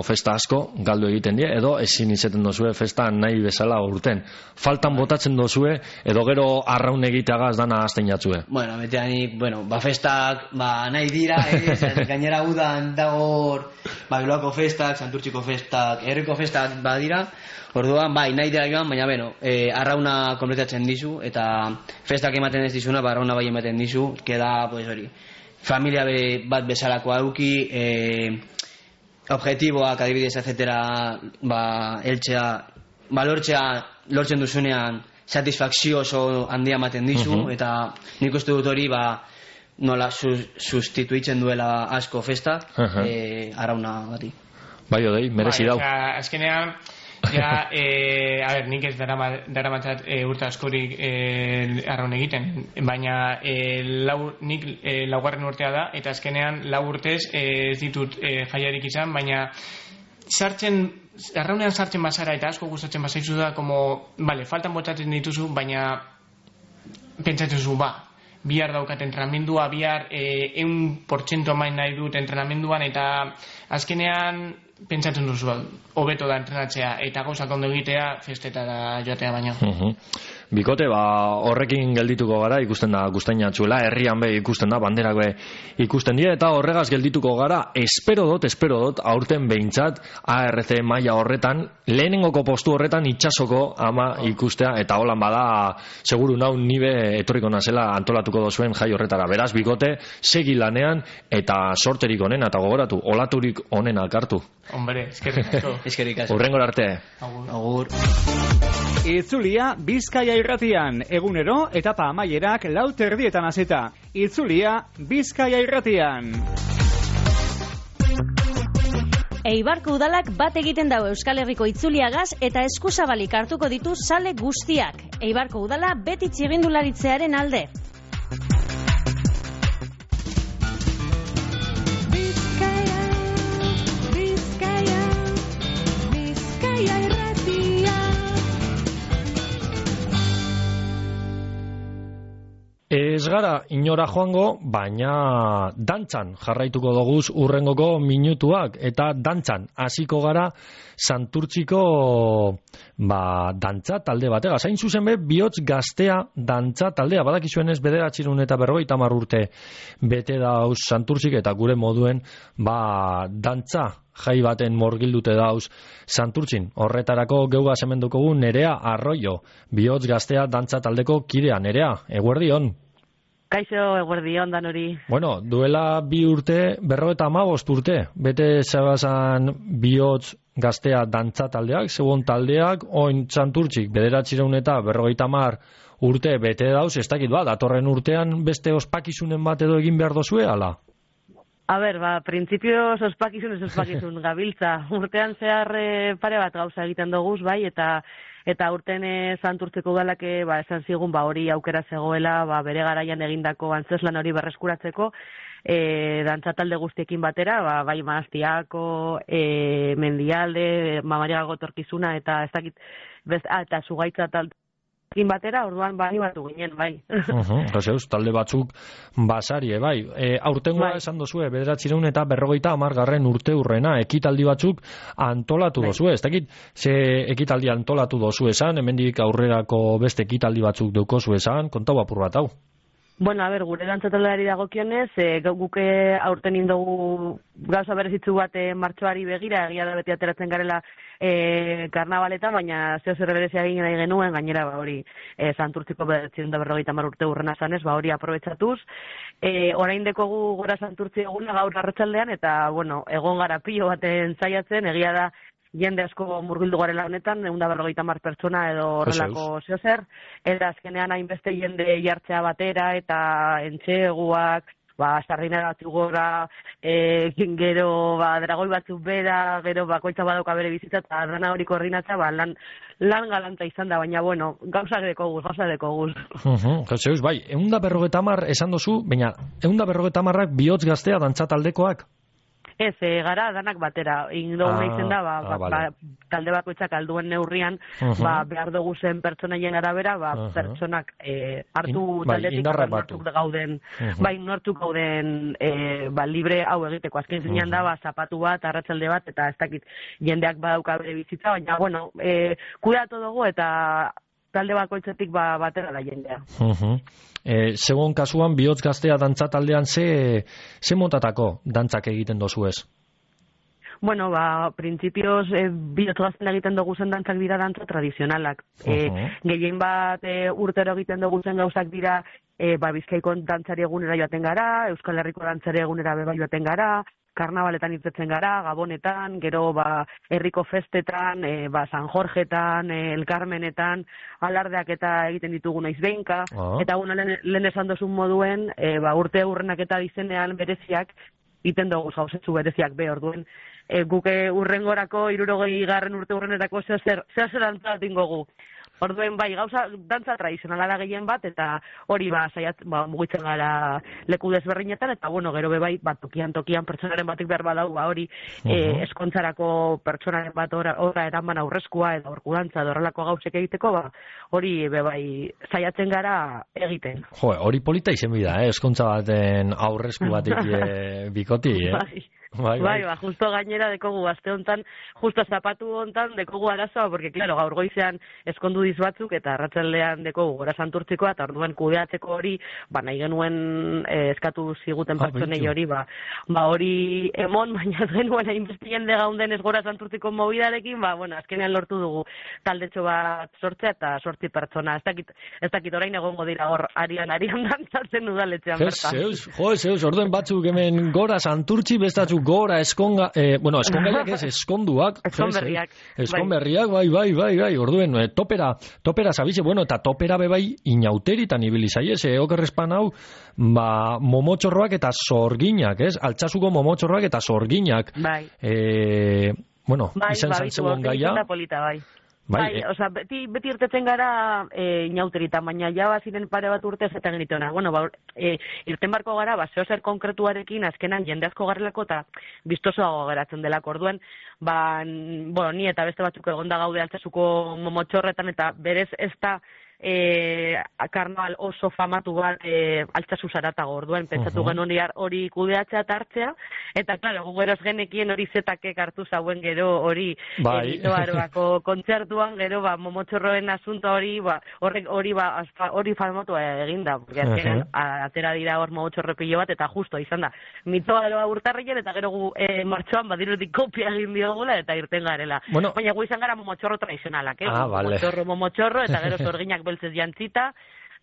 festa asko galdu egiten die, edo ezin izeten dozue festa nahi bezala urten. Faltan botatzen dozue, edo gero arraun egiteagaz dana azten jatzue. Bueno, beteanik, bueno, ba festak, ba nahi dira, eh, zer, gainera udan dagor, ba Bilbako festak, Santurtziko festak, herriko festak badira. Orduan, bai, nahi dira joan, baina beno, eh, arrauna kompletatzen dizu, eta festak ematen ez dizuna, ba arrauna bai ematen dizu, keda, pues hori, familia be, bat bezalakoa eduki, eh, objektiboak adibidez azetera, ba, eltzea, ba, lortzea, lortzen duzunean, satisfakzio oso handia ematen dizu, Mhm. eta nik uste dut hori, ba, nola sus, sustituitzen duela asko festak, Aha. eh, arrauna bati. Bai, odei, merezi Bai, dau. osea, azkenean, ja, e, a ber, nik ez darama- daramatzat e, urte askorik e, arraun egiten, baina e, lau, nik e, laugarren urtea da, eta azkenean lau urtez e, ez ditut e, jaiarik izan, baina sartzen, arraunean sartzen bazara eta asko gustatzen bazaizu da, como, vale, faltan botatzen dituzu, baina pentsatzen zu, ba, bihar daukat entrenamendua, bihar e, eun portxento main nahi dut entrenamenduan, eta azkenean pentsatzen duzu, hobeto da entrenatzea, eta gauzak ondo egitea, festetara joatea baino. Mhm. bikote, ba, horrekin geldituko gara, ikusten da guztainatxuela, herrian be ikusten da, banderak be ikusten dira, eta horregaz geldituko gara, espero dot, espero dot, aurten behintzat, A R C maila horretan, lehenengoko postu horretan itxasoko ama ikustea, eta holan bada, seguru nau nibe etorriko nazela antolatuko dozuen jai horretara. Beraz, bikote, segi lanean, eta sorterik onena, eta gogoratu, olaturik onena hartu. Hombre, eskerrik asko. Eskerrik asko. Urrengor arte. Agur. Agur. Itzulia Bizkaia irratian, egunero etapa amaierak lau terdietan hasita. Itzulia Bizkaia irratian. Eibarko udalak bat egiten dau Euskal Herriko itzuliagaz eta eskuzabalik hartuko ditu sale guztiak. Eibarko udala beti txirrindularitzearen alde. Bizkaia, Bizkaia, Bizkaia irratia. Ez gara inora joango, baina dantzan jarraituko doguz urrengoko minutuak, eta dantzan hasiko gara Santurtziko ba, dantza talde batega. Zain zuzen be, bihotz gaztea dantza taldea, badakizuenez bederatxirun eta berrogeita hamar urte bete dauz Santurtzik, eta gure moduen ba, dantza jai baten morgildute dauz Santurtzin. Horretarako geuga zemendukogu Nerea Arroyo, bihotz gaztea dantza taldeko kidea. Nerea, eguerdi hon. Kaixo, eguerdi hon dan hori. Bueno, duela bi urte, berrogeita hamabost urte, bete zabazan bihotz gaztea dantza taldeak, segun taldeak, oin Santurtzik, bederatxireun eta berrogeita hamar urte bete dauz, ez dakit ba, datorren urtean beste ospakizunen bat edo egin behar dozue, ala? A ber, ba, printzipioz ospakizun ez ospakizun gabiltza. Urtean zehar e, pare bat gauza egiten doguz, bai, eta eta urten e, Santurtzeko udalak e, ba, esan zigun ba, hori aukera zegoela, ba, bere garaian egindako antzeslan hori berreskuratzeko, e, dantza talde guztiekin batera, ba, bai Maastiako, e, Mendialde, Mamariago Torkizuna, eta ez dakit, bez, ah, eta Zugaitza talde batera, orduan bai batu ginen, bai. Uh-huh, talde batzuk basarie, bai. E, aurtengoa bai. Esan dozue, bederatzireun eta berrogeita hamargarren urte urrena, ekitaldi batzuk antolatu bai. Dozue. Ez dakit, ze ekitaldi antolatu dozu esan, hemendik aurrerako beste ekitaldi batzuk deukozu esan, kontau apur bat hau. Bueno, a ber, gure dantzataldari dagokionez, e, guke aurten indogu gauza berezitzu bat e, martxoari begira, egia da beti ateratzen garela e, karnabaletan, baina zeo zer berezia egin nahi genuen, gainera ba hori e, Santurtziko bederatzireun eta berrogeita hamar urte urrena zanez, ba hori aprobetxatuz. E, orain dekogu gora Santurtzi eguna gaur arratsaldean, eta bueno, egon gara pilo baten zaiatzen, egia da jende asko murgildu garela honetan, egun da berrogeita hamar pertsona edo horrelako zeo zer, eta azkenean hainbeste jende jartzea batera, eta entxeguak, ba, sardina batzuk gora, e, gero, ba, dragoi batzuk bera, gero, bakoitza badauka bere bizitza, eta dana hori koordinatza, ba, lan, lan galanta izan da, baina, bueno, gauza deko guz, gauza deko guz. Uh-huh, Jezeus, bai, egun da berrogeita hamar esan dozu, baina, egun da berrogeita hamarrak bihotz gaztea dantzataldekoak? Ez, e, gara danak batera. Indogu ah, nahi zen da, ba, ah, ba, vale. ba, talde bakoitzak alduen neurrian, uh-huh. ba, behar dugu zen pertsonaien arabera, ba, uh-huh. pertsonak e, hartu In, taldetik bai, nortuk gauden, uh-huh. bai, nortuk gauden e, ba, libre hau egiteko. Azken zinean uh-huh. da, ba, zapatu bat, arratsalde bat, eta ez dakit jendeak badauka bere bizitza, baina, bueno, e, kudatu dugu eta talde bakoitzetik ba, batera da jendea. Uh-huh. E, segun kasuan, bihotz gaztea dantza taldean ze, ze motatako dantzak egiten dozu ez? Bueno, ba, printzipioz, e, bihotz gazten egiten dugu zen dantzak dira dantza tradizionalak. Uh-huh. E, gehien bat e, urtero egiten dugu zen gauzak dira, e, ba, Bizkaiko dantzari egunera joaten gara, Euskal Herriko dantzari egunera beba joaten gara, karnabaletan irtetzen gara, gabonetan, gero ba, herriko festetan, e, ba, San Jorgetan, e, El Carmenetan, alardeak eta egiten ditugu naiz behinka, oh. eta guna lehen, lehen esan dozun moduen, e, ba, urte urrenak eta dizenean bereziak, iten dugu gauzetzu bereziak be, orduen, e, guke urrengorako, irurogei garren urte urrenerako, zeo zer, zeo zer antzalat ingogu. Orduen bai, gauza dantza tradizionala da gehien bat, eta hori ba, saiat, ba, mugitzen gara leku desberdinetan, eta bueno, gero be bai, bat tokian tokian pertsonaren batik behar badau, ba, hori uh-huh. e, eskontzarako pertsonaren bat ora, ora eraman aurrezkoa, edo aurkudantza, edo horrelako gauzek egiteko, ba, hori be bai, saiatzen gara egiten. Jo, hori polita izen bida, eh? Eskontza baten aurrezku batik e, bikoti, eh? Bai. Bai, bai, ba, justo gainera dekogu aste hontan, justo zapatu hontan dekogu arazoa, porque, claro, gaur goizean eskondu diz batzuk, eta arratsaldean dekogu gora santurtzikoa, eta orduan kudeatzeko hori, ba, nahi genuen eh, eskatu ziguten Ah, pertsonei beitu. hori, ba, ba, hori emon, baina ez genuen hainbestien de gaunden ez gora santurtziko mobidarekin, ba, bueno, azkenean lortu dugu taldetxo bat sortzea, eta sortzi pertsona, ez dakit, ez dakit orain egongo dira hor, arian, arian dantzatzen udaletxean Ez, bertan. zeus, jo, zeus, orduen batzuk hemen gora santurtzi, bestatzuk gora eskonga, eh, bueno, eskongaiak ez, eskonduak. Eskonberriak, jes, Eskonberriak, bai, bai, bai, bai, orduen, eh, topera, topera zabize, bueno, eta topera bebai inauteritan ibili zaiez, eh, okerrespan hau, ba, momotxorroak eta sorginak, ez? Altsasuko momotxorroak eta sorginak. Bai. Eh, bueno, Bai, izan ba, zan bitu, zegoen aurten gaia. izan da polita, bai. Bai, Bai, eh. osea, beti, beti irtetzen gara e, inauteritan, baina ja baziren pare bat urte eta genitona. Bueno, ba, e, irten barko gara, ba, zeo zer konkretuarekin azkenan jende asko garrelako eta biztosoago geratzen delako. Orduan, ba, n- bueno, ni eta beste batzuk egonda gaude altsasuko momotxorretan eta berez ez da e, karnaval oso famatu bat e, altsasu zaratago. Orduan, pentsatu Ujú. genuen hori- hori kudeatzea eta hartzea, eta, klaro, gu geroz genekien hori zetakek hartu zauen gero hori Bai. Aroako kontzertuan gero ba momotxorroen asunto hori ba horrek hori ba asfa- hori famatu eginda porque azkenan Aha. a- atera dira hor momotxorro pilo bat eta justo izan da mitoaroa urtarrilen eta gero gu e, martxoan badirudik kopia egin diogula eta irten garela. Bueno. Baina gu izan gara momotxorro tradizionalak, eh? Ah, vale. Momotxorro, momotxorro eta gero sorginak beltzez jantzita.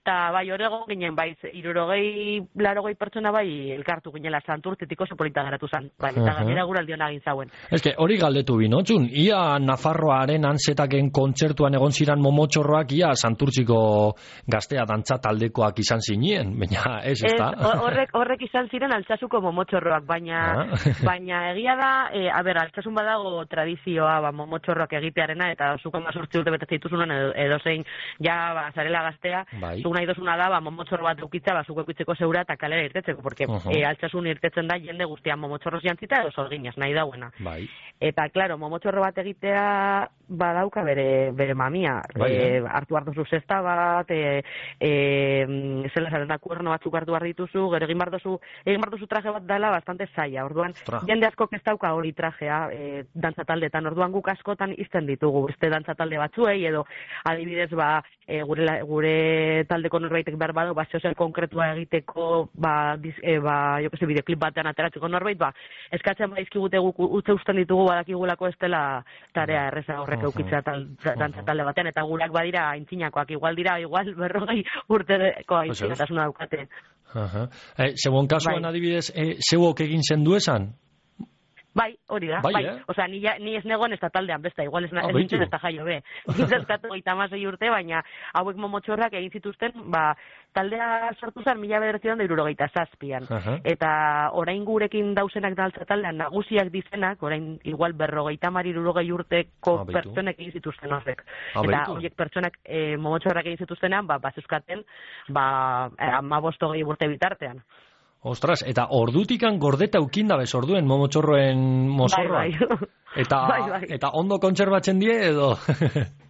Eta bai orego ginen, bai, irurogei, larogei pertsona bai elkartu ginela santurtzitik oso polita geratu zen. Bai, eta Aha. gainera guraldi hona egin zauen. Ez que hori galdetu binotxun, ia Nafarroaren antzetaken kontzertuan egon ziran momotxorroak, ia Santurtziko gaztea dantza taldekoak izan zinien, baina ez, ez da? ho- horrek, horrek izan ziren altsasuko momotxorroak, baina Ah. baina egia da, e, a ber, altsasun badago tradizioa ba, momotxorroak egitearena, eta zuko mazurtzi urte betetzen dituzunen edo, edozein ja ba, zarela gaztea, Bai. zuk nahi dozuna da, ba, momotxorro bat eukitza, ba, zuko eukitzeko zeura eta kalera irtetzeko, porque Ujú. e, altsasun irtetzen da jende guztian momotxorroz jantzita edo sorginaz, nahi dauena. Bai. Eta, claro, momotxorro bat egitea badauka bere, bere mamia. Bai, e, eh? hartu hartu zu zesta bat, e, e, zela zaren da kuerno batzuk hartu behar dituzu, gero egin behar duzu, egin behar duzu traje bat dela bastante zaila. Orduan, Ostra. jende askok ez dauka hori trajea e, dantza taldetan. Orduan guk askotan izten ditugu beste dantza talde batzuei, edo adibidez, ba, e, gure, la- gure taldeko norbaitek behar badu, ba, zeozer konkretua egiteko, ba, diz, e, ba, jo que se, bideoklip batean ateratzeko norbait, ba, eskatzen baizkigute guk utze usten ditugu badakigulako ez dela tarea erreza horrek eukitzea tal, dantza talde batean, eta gurak badira aintzinakoak, igual dira, igual berrogei urteko aintzinatasuna daukate. Aha. Eh, Zegoen kasuan Bai. adibidez, eh, zeuok egin zendu esan? Bai, hori da, Bai, bai. eh? Osea, ni, ja- ni ez negoen ez da taldean, besta, igual ez, na- Ah, ez beitu. nintzen ez da jaio be. Nintzazkatu gaita amasei urte, baina hauek momotxorrak egin zituzten, ba, taldea sortu zen mila bederatzian da irurogeita zazpian. Aha. Eta orain gurekin dauzenak daltza taldean nagusiak dizenak, orain igual berrogeita mar irurogei urteko Ah, beitu. pertsonek egin zituzten horrek. Ah, Eta beitu. horiek pertsonak e, momotxorrak egin zituztenan, ba, bazeuskaten, ba, amabost hogei urte bitartean. Ostras, eta ordutikan gordeta ukin dabez orduen momotxorroen mozorroa. Bai, bai. Eta, Bai, bai. eta ondo kontserbatzen die edo?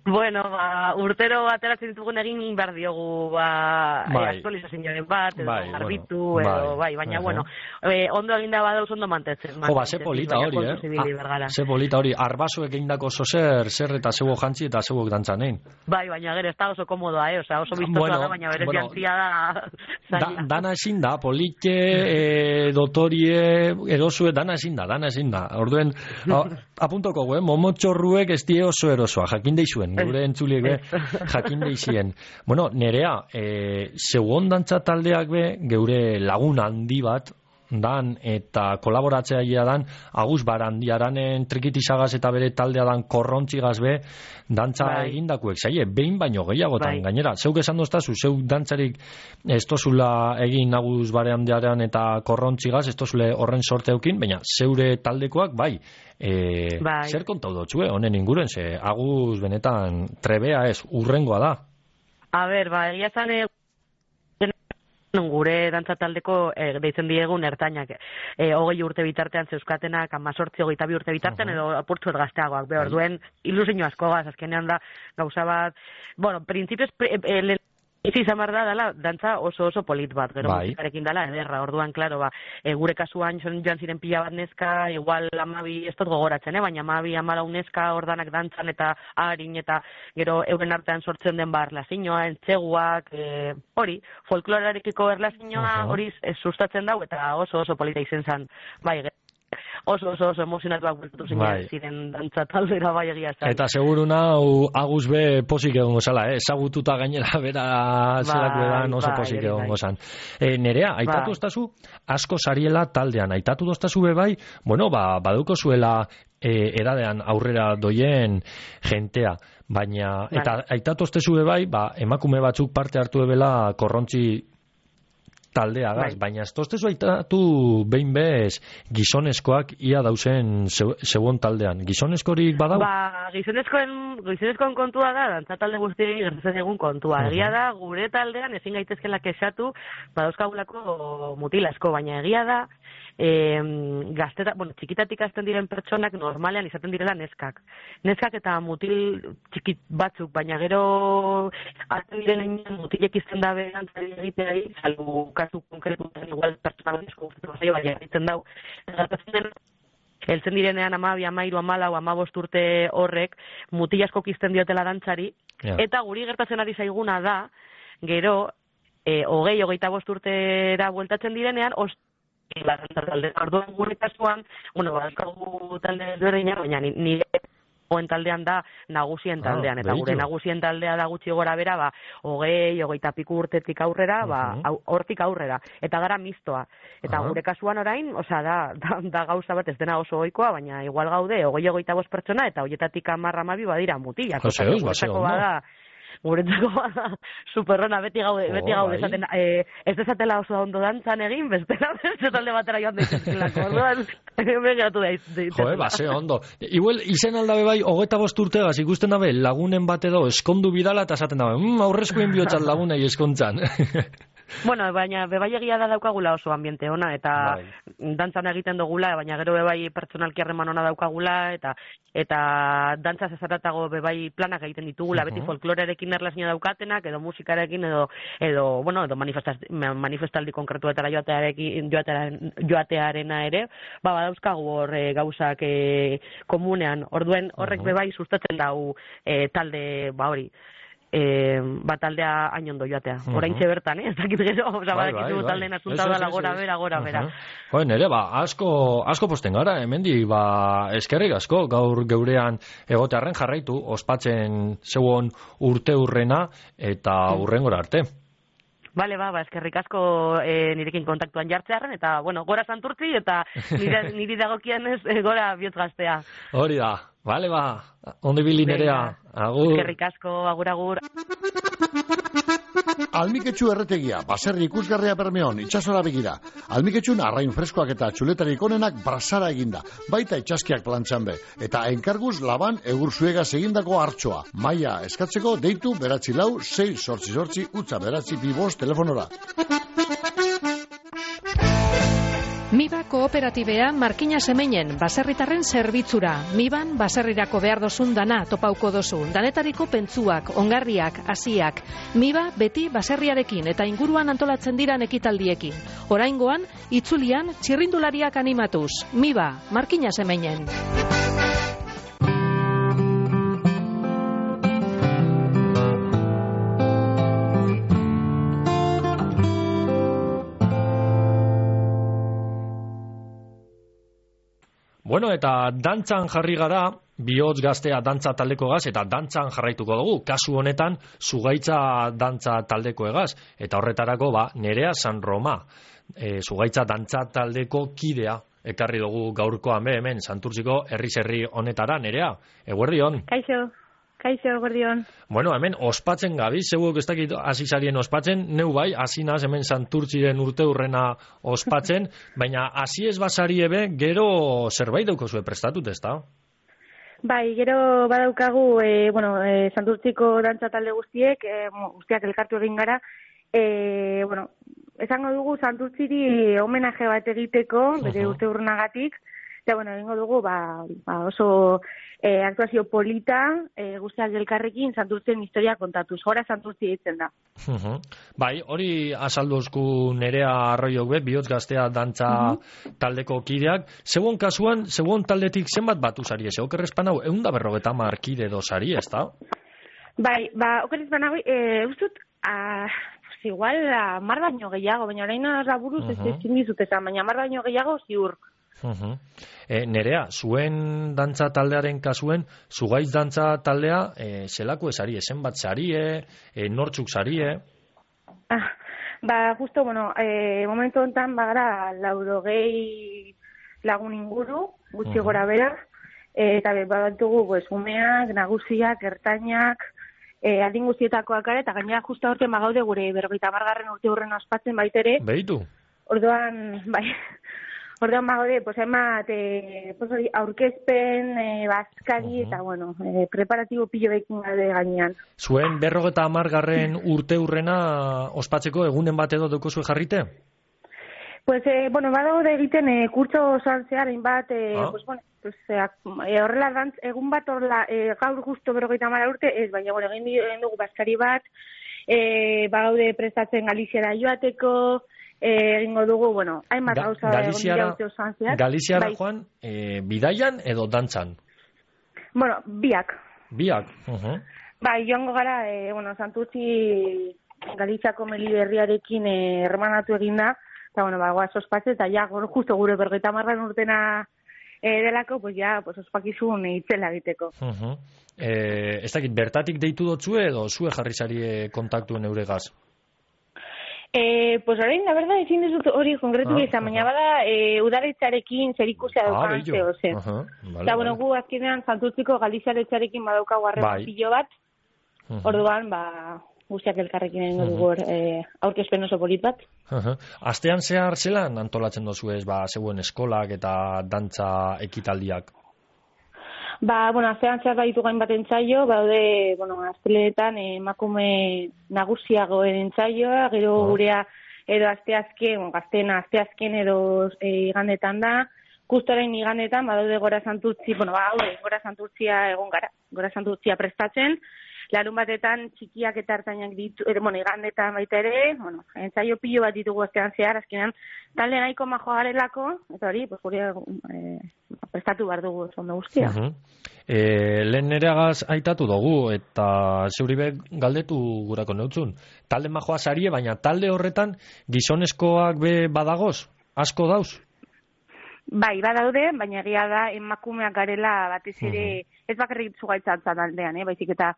Bueno, ba, urtero ateratzen ditugun egin behar diogu, ba, Bai. bai. aktualizazioaren bat, edo Bai, garbitu, bueno, edo, bai. bai, baina, Aha. bueno, e, ondo eginda badauz ondo mantetzen. Jo, ba, ze mantentzen, polita baina hori, kontuz ibili eh? behar gara. Ze polita hori, arbasoek egindako zozer, zer eta zeuok jantzi eta zeuok dantzanein. Bai, baina gero, ez da oso komodoa, eh? Osa, oso biztosoa Bueno, da, baina berez bueno, jantzia da... Da, zaila. dana ezin da, politxe, e, dotorie, erosue, dana ezin da, dana ezin da. Orduen, a, apuntoko, eh, momotxorruek ez die oso erosoa, jakin deizuen, gure entzuliek be, jakin deizien. Bueno, nerea, e, zeuon dantza taldeak be, geure lagun handi bat, dan eta kolaboratzailea dan Agus Barandiaranen trikitizagaz eta bere taldea dan korrontzigaz be dantza Bai. egindakuek zaie, behin baino gehiagotan Bai. gainera, zeuk esan doztazu, zeuk dantzarik ez tozula egin Agus Barandiaran eta korrontzigaz, ez tozule horren sorte eukin, baina zeure taldekoak bai, e, Bai. zer kontau dotzue, honen inguruen, ze Agus benetan trebea ez, urrengoa da. A ber, ba, egia zan, e, gure dantza taldeko e, deitzen diegun ertainak e, hogei urte bitartean zeuskatenak amazortzi hogeita bi urte bitartean edo apurtzuet gazteagoak behar duen ilusio asko gaz, azkenean da gauza bat, bueno, printzipioz pre, e, le, Izi izan behar da, dala, dantza oso oso polit bat, gero Bai. musikarekin dala, ederra, orduan, klaro, ba, e, gure kasuan joan joan ziren pila bat neska, igual amabi, ez dut gogoratzen, eh? baina amabi, amalau neska, ordanak dantzan eta harin, eta gero euren artean sortzen den bar, erlazioa, entzeguak, e, hori, folklorarekiko erlazioa, hori uh-huh. sustatzen dau, eta oso oso polita izen zen, bai, oso oso oso emozionatuak bultatu ziren Bai. ziren dantza taldera bai egia zen. Eta seguru nau Agus be posik egongo zala, eh? Ezagututa gainera bera zelak bedan oso bai, posik bai. egongo zan. E, nerea, aitatu Bai. ostazu asko sariela taldean, aitatu ostazu be bai, bueno, ba, baduko zuela e, edadean aurrera doien jentea, baina, Bai. eta aitatu ostezu be bai, ba, emakume batzuk parte hartu ebela korrontzi taldeagaz, Bai. baina ez toztezu aitatu behin bez gizonezkoak ia dauzen zegoen taldean. Gizonezkorik badau? Ba, gizonezkoen, gizonezkoen kontua da, dantza talde guztiei gertatzen egun kontua. Uh-huh. Egia da, gure taldean ezin gaitezkela kexatu, badauzkagulako mutilasko, baina egia da, e, gazteta, bueno, txikitatik hasten diren pertsonak normalean izaten direla neskak. Neskak eta mutil txikit batzuk, baina gero hasten diren egin mutilek izten da berantzari egiteari, salbu kasu konkretutan igual pertsona bezko guztatu zaio, baina egiten dau. Gertatzen den, heltzen direnean amabi, amairu, amalau, amabost urte horrek mutilasko kizten diotela dantzari, Ja. eta guri gertatzen ari zaiguna da, gero, e, hogei, hogeita bost urtera bueltatzen direnean, os la talde. Orduan gure kasuan, bueno, badaukagu talde ezberdinak, baina ni- nire oen taldean da nagusien taldean, eta gure beitu. nagusien taldea da gutxi gora bera, ba, hogei, hogeita piku urtetik aurrera, ba, Mhm. hau- hortik aurrera, eta gara mistoa. Eta Aha. gure kasuan orain, osea, da, da, da gauza bat ez dena oso ohikoa, baina igual gaude, hogei, hogeita bost pertsona, eta hoietatik hamar hamabi badira mutilak. Jose, Osea, eus, ba, ze guretzako ondo. bada, guretzako bada superrona, beti gaude, Jo, beti gaude bai. esaten, eh, ez dezatela oso ondo dantzan egin, bestela beste talde batera joan daitezkelako. Orduan, hemen geratu da iz- Jo, ba, ze ondo. Igual, izen aldabe bai, hogeita bost urtegaz ikusten dabe, lagunen bat edo eskondu bidala, eta esaten dabe, mm, aurrezkoen bihotzat lagunei eskontzan. Bueno, baina bebai egia da daukagula oso ambiente ona, eta Bai. dantzan egiten dugula, baina gero bebai pertsonalki harreman ona daukagula, eta eta dantzaz ezaratago bebai planak egiten ditugula, beti Mhm. folklorearekin erlazioa daukatenak, edo musikarekin, edo, edo bueno, edo manifestaz- manifestaldi konkretuetara joatearekin, joatearen, joatearena ere, ba, badauzkagu hor e, gauzak e, komunean, orduen horrek Mhm. bebai sustatzen dau e, talde, ba hori, e, ba, taldea hain ondo joatea. Mhm. Oraintxe bertan, eh? Ez dakit gero, oza, Bai, badakizu bai, bai. taldeen asunta Ez, ez, dela ez, gora ez. bera, gora bera. Aha. Jo, nere, ba, asko, asko posten gara, hemendi, ba, eskerrik asko, gaur geurean egotearren jarraitu, ospatzen zeuon urte urrena, eta urrengora arte. Bale, ba, ba, eskerrik asko e, nirekin kontaktuan jartzearen, eta, bueno, gora santurtzi, eta nire, niri dagokienez e, gora bihotz gaztea. Hori da, bale, ba, ondo ibili nerea, agur. Eskerrik asko, agur, agur. Almiketxu erretegia, baserri ikusgarria Bermeon, itsasora begira. Almiketxun arrain freskoak eta txuletarik onenak brasara eginda, baita itxaskiak plantxan be. Eta enkarguz laban egur zuegaz egindako hartxoa. Maia eskatzeko deitu beratzi lau, sei sortzi sortzi, utza beratzi bibos telefonora. Miba kooperatibea Markina Semeinen baserritarren zerbitzura. Miban baserrirako behar dozun dana topauko dozu. Danetariko pentsuak, ongarriak, hasiak. Miba beti baserriarekin eta inguruan antolatzen diran ekitaldiekin. Oraingoan, itzulian txirrindulariak animatuz. Miba, Markina Semeinen. Bueno, eta dantzan jarri gara, bihotz gaztea dantza taldeko egaz, eta dantzan jarraituko dugu. Kasu honetan, zugaitza dantza taldeko egaz. Eta horretarako, ba, Nerea San Roma, e, zugaitza dantza taldeko kidea. Ekarri dugu gaurkoan be hemen, Santurtziko herri-herri honetara, Nerea. Eguerdion. Kaixo, kaixo, eguerdion. Bueno, hemen ospatzen gabiz, zeuok ez dakit hasi zarien ospatzen, neu bai, hasi naz hemen Santurtziren urte urrena ospatzen, baina hasi ez basari ebe, gero zerbait daukazue prestatut, ez da? Bai, gero badaukagu, e, bueno, e, Santurtziko dantza talde guztiek, e, guztiak elkartu egin gara, e, bueno, esango dugu Santurtziri homenaje bat egiteko, bere Ujú. urte urrenagatik, Eta, bueno, egingo dugu, ba, ba oso e, aktuazio polita, e, guztiak elkarrekin, Santurtzien historia kontatuz. Gora Santurtzi ditzen da. Uh-huh. Bai, hori azalduzku Nerea Arroiok be, bihotz gaztea dantza uh-huh. taldeko kideak. Segun kasuan, segun taldetik zenbat batu sari, ez? Okerrezpan hau, egun da berrogeta markide do sari, ez da? Bai, ba, okerrezpan hau, e, ustut, a, pues igual, mar baino gehiago, baina orain laburuz uh-huh. ez ezin dizut esan, baina mar baino gehiago ziur. Uh-huh. E, Nerea, zuen dantza taldearen kasuen, zugaiz dantza taldea, e, zelako esari, esen bat sarie, e, nortzuk sarie? Ah, ba, justo, bueno, e, momentu honetan bagara laurogei lagun inguru, gutxi uh-huh. gora bera, e, eta badatugu, pues, umeak, nagusiak, ertainak, e, adin guztietakoak gara, eta gainera justo aurten bagaude gure berrogeita hamargarren urte hurren ospatzen baitere. Behitu? Orduan, bai... Orduan bagode, pues, emat, e, pues, aurkezpen, e, bazkari, uh-huh. eta, bueno, e, preparatibo pilo bekin gade gainean. Zuen berrogeta amargarren urte hurrena ospatzeko egunen bat edo dukozue jarrite? Pues, e, bueno, badaude egiten e, kurtso osoan zehar, hainbat, e, ah. pues, bueno, pues, e, horrela dantz, egun bat horrela, e, gaur justo berrogeita amara urte, ez, baina, bueno, egin, egin dugu bazkari bat, e, bagaude prestatzen Galiziara joateko, egingo dugu, bueno, hainbat Ga, gauza egon dira urte osoan zehar. Galiziara bai. joan, e, bidaian edo dantzan? Bueno, biak. Biak, uh-huh. Bai, joango gara, e, bueno, Santurtzi Galiziako Meliberriarekin e, hermanatu eginda, eta, bueno, ba, goaz ospatze, eta ja, justo gure bergeita marran urtena e, delako, pues ja, pues ospakizun itzela egiteko. Uh-huh. E, ez dakit, bertatik deitu dotzue edo zue jarri zarie kontaktuen euregaz? Eh, pues orain, la verdad, ezin dizut hori konkretu ah, izan, baina bada, eh, udaletxarekin zerikusia daukan ah, zeo, zen. Uh-huh. Vale, eta, bueno, gu azkenean Santurtziko Galizialetxarekin badaukagu harreman bai. pilo bat, uh-huh. orduan, ba, guztiak elkarrekin egingo dugu uh-huh. eh, aurkezpen oso polit bat. Uh-huh. Astean zehar zelan antolatzen dozu ez, ba, zeuen eskolak eta dantza ekitaldiak? Ba, bueno, astean zehar baditu gain bat entzaio, baude, bueno, asteletan emakume nagusiagoen entzaioa, gero oh. gurea edo asteazken, bueno, gaztena asteazken edo e, igandetan da, justoren igandetan, badaude Gora Santurtzi, bueno, badaude Gora Santurtzia egon gara, Gora Santurtzia prestatzen, larun batetan txikiak eta hartainak ditu, er, bueno, igandetan baita ere, bueno, entzaio pilo bat ditugu astean zehar, azkenean, talde nahiko majoa garelako, eta hori, pues, gure, e, prestatu behar dugu ondo guztia. Uh-huh. E, lehen nereagaz aitatu dugu, eta zeuribe galdetu gurako neutzun. Talde majoa sarie, baina talde horretan gizonezkoak be badagoz? Asko dauz? Bai, badaude, baina egia da emakumeak garela batez ere, uh-huh. ez bakarrik zugaitzatza taldean, eh, baizik eta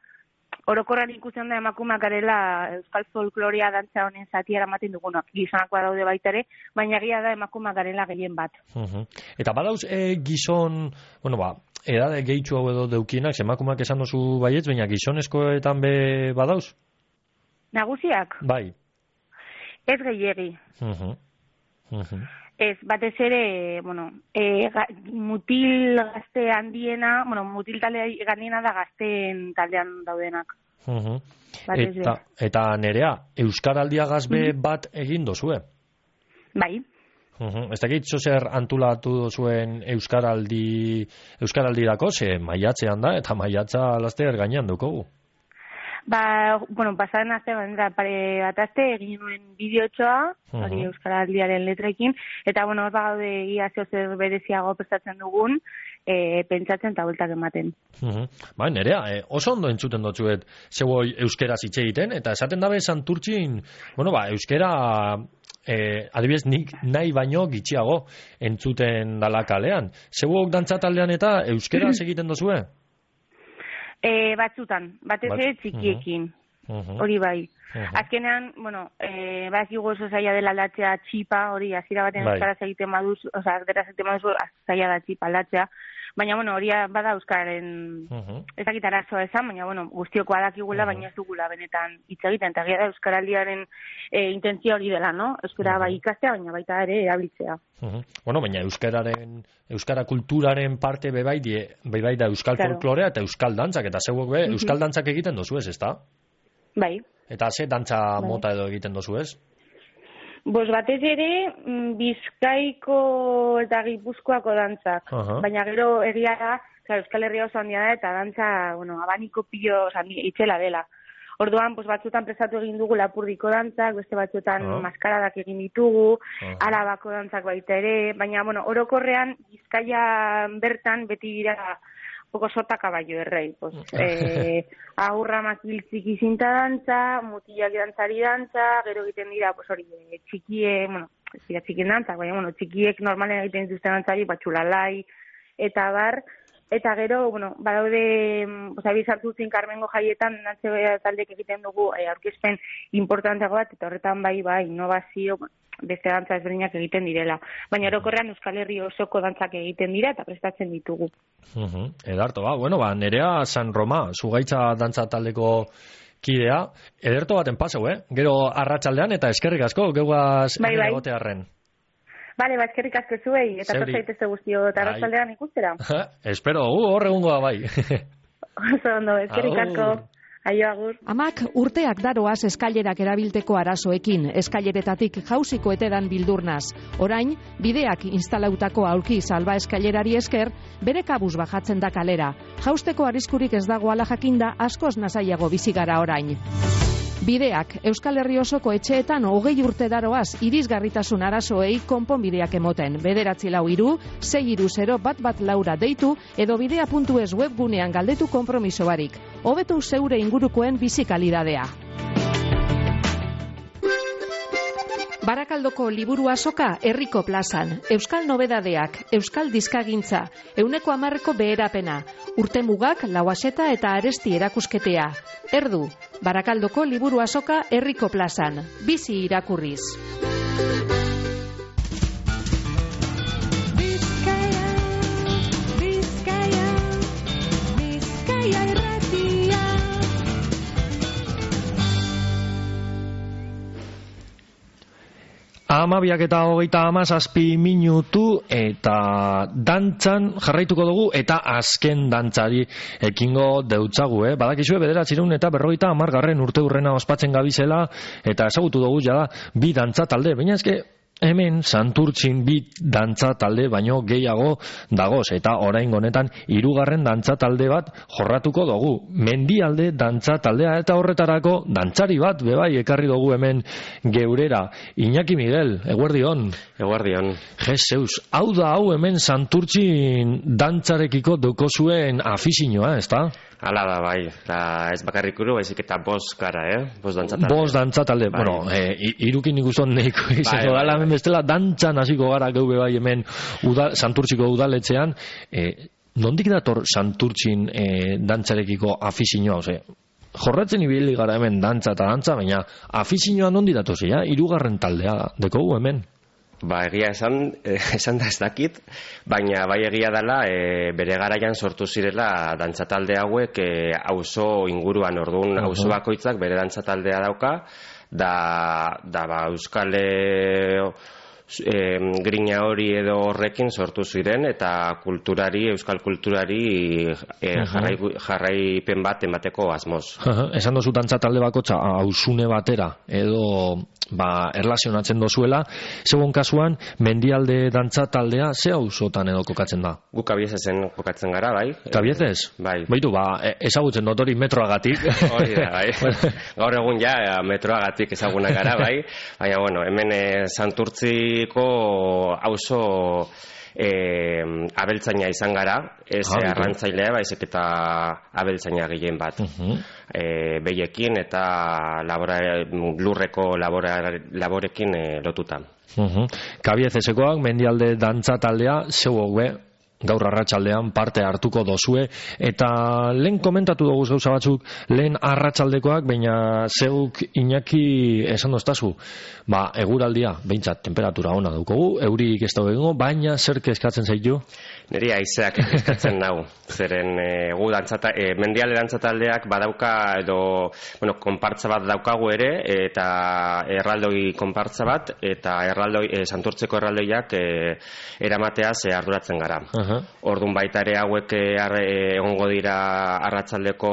orokorran ikusten da emakumeak garela euskal folklorea dantza honen zatiara ematen dugunak, gizonakoa daude baita ere, baina egia da emakumeak garela gehien bat. Uh-huh. Eta badauz e, gizon, bueno ba, edade gehitxu hau edo deukienak, emakumeak esan dozu baietz, baina gizonezkoetan be badauz? Nagusiak? Bai. Ez gehiegi. Uh-huh. Uh-huh. Ez, batez ere, bueno, e, ga, mutil gazte handiena, bueno, mutil talde gandiena da gazteen taldean daudenak. Uh-huh. Eta, eta Nerea, Euskaraldiagaz be uh-huh. bat egin dozue? Bai. Uh-huh. Ez dakit zozer antulatu dozuen Euskaraldi, Euskaraldirako, ze maiatzean da, eta maiatza laster gainean dukogu. Ba, bueno, pasaren aste, bandera, pare bat aste, egin nuen bideotxoa, hori uh-huh. Euskaraldiaren letrekin, eta, bueno, hor bagaude ia zer bereziago prestatzen dugun, e, pentsatzen eta bueltak ematen. Uh-huh. Ba, Nerea, e, oso ondo entzuten dotzuet zeuoi euskera zitxe egiten, eta esaten dabe Santurtzin, bueno, ba, euskera, e, adibidez, nik nahi baino gitxiago entzuten dala kalean. Zeuok dantzataldean eta euskera egiten dozue? E, batzutan, batez ere txikiekin, uh-huh. hori bai. Uh-huh. Azkenean, bueno, e, bakigu oso zaila dela aldatzea txipa, hori hasiera baten bai. euskaraz egiten baduz, oza, deraz egiten baduz, zaila da txipa aldatzea. Baina, bueno, hori bada euskararen uh-huh. ezakit arazoa esan, baina, bueno, guztioko adakigula, uh-huh. baina ez dugula benetan hitz egiten. Eta gira da euskaraldiaren e, intentzia hori dela, no? Euskara uh-huh. bai ikastea, baina baita ere erabiltzea. Uh-huh. Bueno, baina euskararen, euskara kulturaren parte bebai, die, bebai da euskal claro. folklorea eta euskal dantzak, eta zeuok be, uh-huh. euskal dantzak egiten dozu ez, ezta? Bai. Eta ze dantza bai. mota edo egiten dozu ez? Bos batez ere, mm, Bizkaiko eta Gipuzkoako dantzak. Aha. Baina gero egia da, claro, Euskal Herria oso handia da, eta dantza, bueno, abaniko pilo, oza, itzela dela. Orduan, pues, batzutan prestatu egin dugu Lapurdiko dantzak, beste batzutan Ah. maskaradak egin ditugu, Ah. Arabako dantzak baita ere, baina, bueno, orokorrean, Bizkaia bertan beti dira poco sota caballo errei. Pues, eh, aurramak hiltziki zinta dantza, mutilak dantzari dantza, gero egiten dira, pues hori, eh, txikie, bueno, ez dira txikien dantza, baina, bueno, txikiek normalen egiten dituzten dantzari, batxulalai, eta bar, eta gero, bueno, badaude, pues, abizartuzin Carmengo jaietan, dantze taldek egiten dugu, eh, aurkezpen importanteago bat, eta horretan bai, bai, innovazio, bueno, beste dantza ezberdinak egiten direla. Baina orokorrean Euskal Herri osoko dantzak egiten dira eta prestatzen ditugu. Uh-huh. Ederto, ba, bueno, ba, Nerea San Roma, zugaitza dantza taldeko kidea, ederto baten paseu, eh? Gero arratsaldean eta eskerrik asko, geugaz Bai, bai. egotearren. Bale, ba, eskerrik asko zuei, eta Zeuri. torzaitezte guztio, eta Bai. arratsaldean ikustera. Espero, gu, hor egungoa bai. Oso ondo, eskerrik Agur. asko. Aio, agur. Amak urteak daroaz eskailerak erabilteko arazoekin, eskaileretatik jausiko etedan bildurnaz. Orain, bideak instalautako aulki salba eskailerari esker, bere kabuz bajatzen da kalera. Jausteko arriskurik ez dago ala jakinda, askoz nasaiago bizi gara orain. Bideak, Euskal Herri osoko etxeetan hogei urte daroaz irisgarritasun arazoei konponbideak emoten. Bederatzi lau iru, sei iru zero bat bat laura deitu, edo bidea puntu es webgunean galdetu konpromiso barik. Hobetu zeure ingurukoen bizi kalidadea. Barakaldoko liburu azoka herriko plazan. Euskal nobedadeak, Euskal dizkagintza, euneko hamarreko beherapena, urtemugak, lauaseta eta aresti erakusketea. Erdu, Barakaldoko liburu azoka herriko plazan. Bizi irakurriz. Bizkaia, Bizkaia, Bizkaia irratia. Amabiak eta hogeita hamazazpi minutu eta dantzan jarraituko dugu eta azken dantzari ekingo deutzagu, eh? Badakizue bederatzireun eta berrogeita hamargarren urte urrena ospatzen gabizela eta ezagutu dugu jada bi dantza talde, baina eske hemen Santurtzin bi dantza talde baino gehiago dagoz eta oraingo honetan hirugarren dantza talde bat jorratuko dugu. Mendialde dantza taldea eta horretarako dantzari bat bebai ekarri dugu hemen geurera. Iñaki Miguel, eguerdion. Eguerdion. Jezeus, hau da hau hemen Santurtzin dantzarekiko dukozuen afizioa, ezta? Hala da, bai. Da, ez bakarrik uru, baizik eta bost gara, eh? Bost dantza talde. Bost dantza talde. Bai. Bueno, e, irukin ikuston neiko izango Bai, dala bai, hemen bestela dantzan hasiko gara geube bai hemen udal, Santurtziko udaletxean. E, nondik dator Santurtzin e, dantzarekiko afizioa, ose? Jorratzen ibili gara hemen dantza eta dantza, baina afizioa nondi datozi, ja? Hirugarren taldea dekogu hemen. Ba, egia esan, eh, esan da ez dakit, baina bai egia dela e, bere garaian sortu zirela dantza talde hauek e, auzo inguruan, orduan Uh-huh. auzo bakoitzak bere dantza taldea dauka, da, da ba, Euskal e, e, grina hori edo horrekin sortu ziren eta kulturari, euskal kulturari e, Uh-huh. jarrai, jarraipen bat emateko asmoz. Esan dozu dantza talde bakotxa hausune batera edo ba, erlazionatzen dozuela, segun kasuan Mendialde dantza taldea ze auzotan edo kokatzen da? Guk Kabiezezen kokatzen gara, bai. Kabiezez? Bai. Baitu, ba, e- ezagutzen dut hori metroagatik. Hori da, bai. Gaur egun ja metroagatik ezagunak gara, bai. Baina, bueno, hemen e, Santurtziko auzo e, abeltzaina izan gara, ez Ah, e, bitu. arrantzailea, baizik eta abeltzaina gehien bat. Uh-huh. E, behiekin eta labora, lurreko labora, laborekin e, lotuta. Uh-huh. Kabiezesekoak Mendialde dantza taldea zeuok be gaur arratsaldean parte hartuko dozue eta lehen komentatu dugu gauza batzuk lehen arratsaldekoak, baina zeuk Iñaki esan doztazu, ba eguraldia behintzat temperatura ona daukogu, eurik ez dago egingo, baina zer kezkatzen zaitu? Niri haizeak eskatzen nau, zeren e, gu dantzata, e, Mendialde dantza taldeak badauka edo, bueno, konpartza bat daukagu ere, eta erraldoi konpartza bat, eta erraldoi, e, Santurtzeko erraldoiak e, eramateaz e, arduratzen gara. Uh-huh. Uh-huh. Ordun baita ere hauek eh, arre, egongo dira arratsaldeko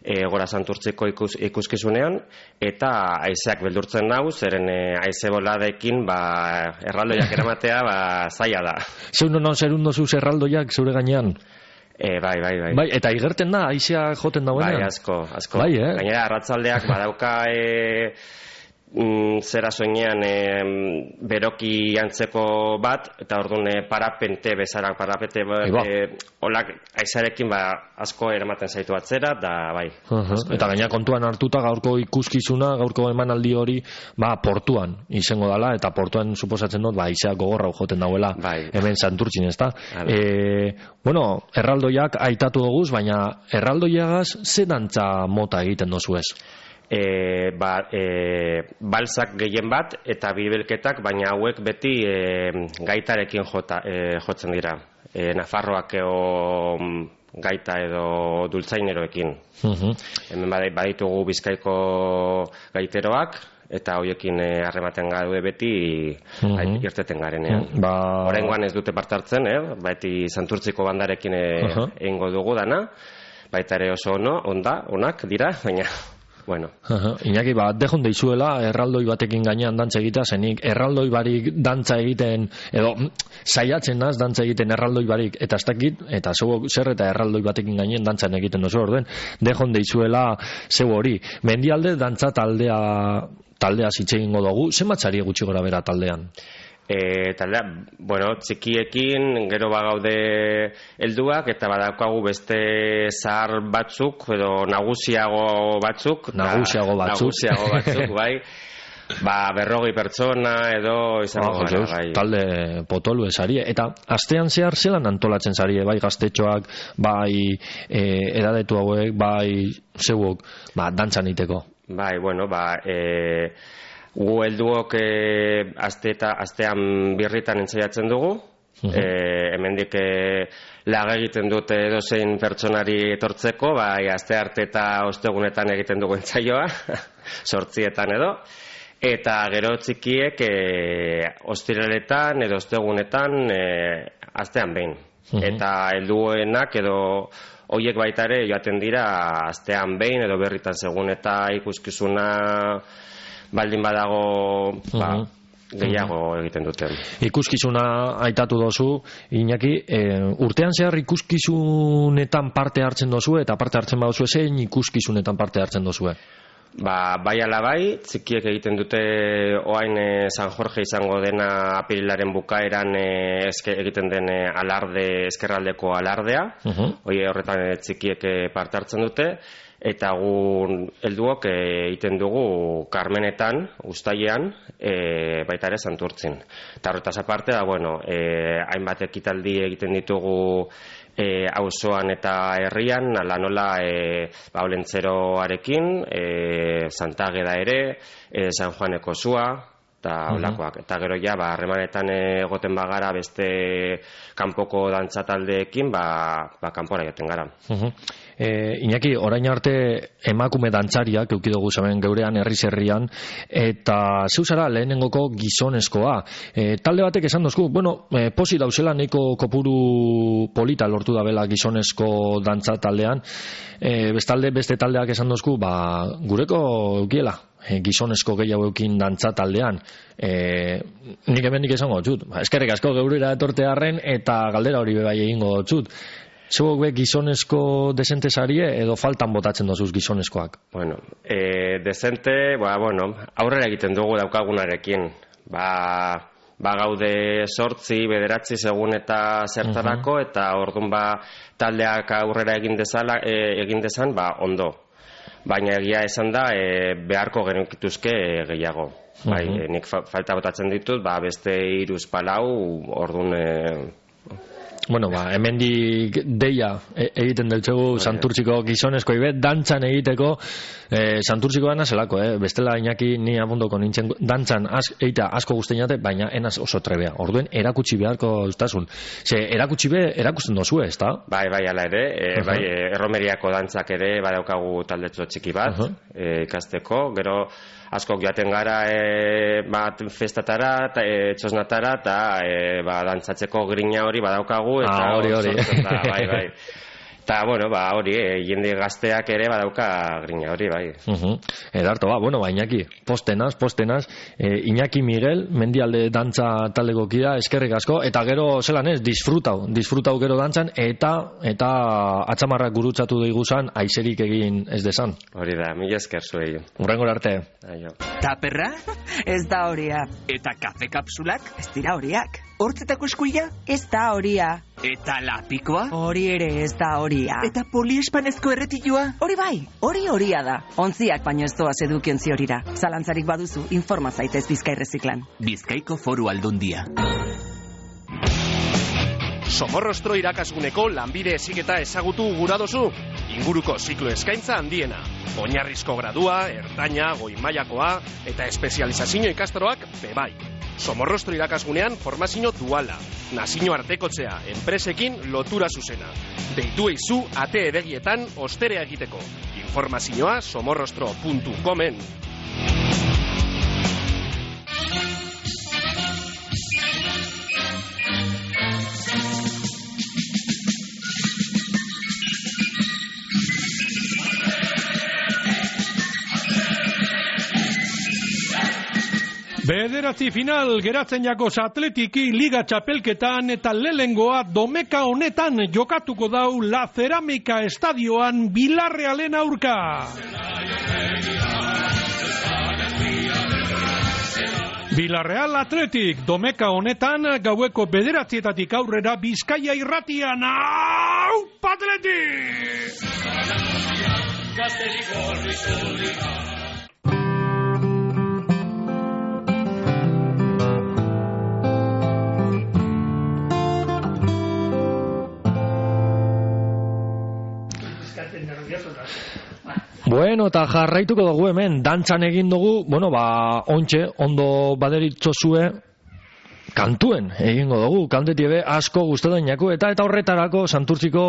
e, gora santurtziko ikus, ikuskizunean, eta haizeak beldurtzen nau, zeren e, haize boladekin ba, erraldoiak eramatea ba, zaila da. Zeu non zerun dozu erraldoiak zure gainean? E, bai, bai, bai. Bai, eta igerten da, haizea joten dauenean? Bai, asko, asko. Bai, eh? Gainera, arratsaldeak badauka e, mm, zera soinean e, beroki antzeko bat, eta orduan e, parapente bezara, parapente e, olak aizarekin ba, asko eramaten zaitu atzera, da bai. Uh-huh. Eta gaina kontuan hartuta gaurko ikuskizuna, gaurko emanaldi hori, ba, portuan izango dala, eta portuan suposatzen dut, ba, aizea gogorra joten dauela, bai. Hemen Santurtzin, ezta? E, bueno, erraldoiak aitatu doguz, baina erraldoiagaz ze dantza mota egiten dozu ez? E, ba, e, balsak gehien bat eta bibelketak, baina hauek beti e, gaitarekin jota, e, jotzen dira. E, Nafarroak eo gaita edo dultzaineroekin. Uh-huh. Hemen baditugu Bizkaiko gaiteroak, eta hoiekin harrematen gaude beti uh-huh. irteten garenean. Uh-huh. Ba... Oraingoan ez dute parte hartzen, eh? Beti Santurtziko bandarekin uh-huh. egingo dugu dana, baita ere oso ono, onda, onak dira, baina... Bueno. Uh-huh. Iñaki, ba, dejon deizuela erraldoi batekin gainean dantza egitea, zenik erraldoi barik dantza egiten, edo saiatzen naz dantza egiten erraldoi barik, eta ez dakit, eta zeu zer eta erraldoi batekin gainean dantzan egiten dozu orduen, dejon deizuela zeu hori. Mendialde dantza taldea taldea zitze egingo dugu, zenbatzari gutxi gora bera taldean? E, taldea, bueno, txikiekin gero bagaude helduak eta badaukagu beste zahar batzuk edo nagusiago batzuk nagusiago batzuk nagusiago batzuk, bai, ba, berrogei pertsona edo izango gara, bai. Talde potolu esarie, eta astean zehar zelan antolatzen zarie, bai gaztetxoak, bai e, edadetu hauek, bai zeuok, ba, dantzan iteko. Bai, bueno, ba, e, gu helduok e, aste eta astean birritan entzaiatzen dugu. Uh-huh. E, hemendik e, lag egiten dute edozein pertsonari etortzeko, bai aste arte eta ostegunetan egiten dugu entsaioa, zortzietan edo. Eta gero txikiek e, ostiraletan edo ostegunetan e, astean behin. Uh-huh. Eta helduenak edo hoiek baita ere joaten dira astean behin edo berritan segun eta ikuskizuna baldin badago ba, gehiago egiten duten. Ikuskizuna aitatu dozu, Iñaki, e, urtean zehar ikuskizunetan parte hartzen dozu eta parte hartzen baduzu zein ikuskizunetan parte hartzen dozu? Ba, bai ala bai, txikiek egiten dute oain e, San Jorge izango dena apirilaren bukaeran e, eske, egiten den e, alarde, eskerraldeko alardea, uh-huh. Hoi horretan e, txikiek e, parte hartzen dute, eta gu helduok egiten dugu Karmenetan, Uztailean, e, baita ere Santurtzin. Eta horretaz aparte da, bueno, e, hainbat ekitaldi egiten ditugu e, auzoan eta herrian, ala nola e, ba, Olentzeroarekin, e, Santageda ere, e, San Juaneko Zua, eta olakoak. Eta gero ja, ba, harremanetan egoten bagara beste kanpoko dantza taldeekin, ba, ba kanpora joten gara. Uh-huh. E, Iñaki, orain arte emakume dantzariak eukidugu zamen geurean herri-herrian, eta zeu zara lehenengoko gizonezkoa. E, talde batek esan dozku, bueno, e, posi dauzela neiko kopuru polita lortu dabela gizonezko dantza taldean, e, bestalde beste taldeak esan dozku, ba, gureko eukiela. E, gizonezko gehiago eukin dantza taldean. E, nik hemen nik esango txut. Ba, eskerrik asko geurera etortearen eta galdera hori bebai egingo txut. Zeuok be gizonezko desente zarie edo faltan botatzen dozuz gizonezkoak? Bueno, e, desente, ba, bueno, aurrera egiten dugu daukagunarekin. Ba, ba gaude sortzi, bederatzi segun eta zertarako, uh-huh. Eta orduan ba taldeak aurrera egin dezala, e, egin dezan, ba, ondo. Baina egia esan da, e, beharko genukituzke e, gehiago. Uh-huh. Bai, e, nik fa- falta botatzen ditut, ba, beste iruz palau, orduan... E, Bueno, ba, hemendik deia e- egiten deltxegu Santurtziko gizonezko ibet, dantzan egiteko e, Santurtziko gana zelako, eh? Bestela Iñaki ni abundoko nintzen dantzan az, eita asko guztien jate, baina enaz oso trebea. Orduen erakutsi beharko ustasun. Ze, erakutsi be, erakusten dozu, ez da? Bai, bai, ala ere, e, Uh-huh. bai, e, erromeriako dantzak ere badaukagu taldetxo txiki bat, Uh-huh. e, ikasteko, gero askok joaten gara e, bat festatara, ta, e, txosnatara, eta e, ba, dantzatzeko grina hori badaukagu, dugu, eta ah, hori, hori. sortzen da, bai, bai. Eta, bueno, ba, hori, eh, jende gazteak ere badauka grina hori, bai. Uh-huh. Edarto, ba, bueno, ba, Iñaki, postenaz, postenaz, eh, Iñaki Miguel, mendialde dantza taldeko kida, eskerrik asko, eta gero, zelan ez, disfrutau, disfrutau gero dantzan, eta, eta atzamarrak gurutzatu diguzan, aizerik egin ez desan. Hori da, mila esker zuei. Urrengor arte. Aio. Taperra? Ez da horia. Eta kafe kapsulak? Ez dira horiak. Hortzetako eskuila? Ez da horia. Eta lapikoa? Hori ere ez da horia. Eta poliespanezko erretilua? Hori bai, hori horia da. Ontziak baino ez doaz edukiontzi horira. Zalantzarik baduzu, informa zaitez Bizkai Reziklan. Bizkaiko Foru Aldundia. Somorrostro irakasguneko lanbide heziketa ezagutu gura dozu. Inguruko ziklo eskaintza handiena. Oinarrizko gradua, ertaina, goi mailakoa eta espezializazio ikastoroak bebai. Somorrostro irakasgunean formazio duala, nazio artekotzea, enpresekin lotura zuzena. Deitu eizu ate edegietan osterea egiteko. Informazioa somorrostro puntu comen. Bederatzi final geratzen jakoz atletiki liga txapelketan eta lehengoa domeka honetan jokatuko dau La Cerámica estadioan Bilarrealen aurka. Bilarreal Atletik domeka honetan gaueko bederatzietatik aurrera Bizkaia irratian. Aupa Atletik! Bueno, eta jarraituko dugu hemen, dantzan egin dugu, bueno, ba, ontxe, ondo baderitzozue, kantuen egingo dugu, kantetide asko guztetan jako, eta eta horretarako Santurtziko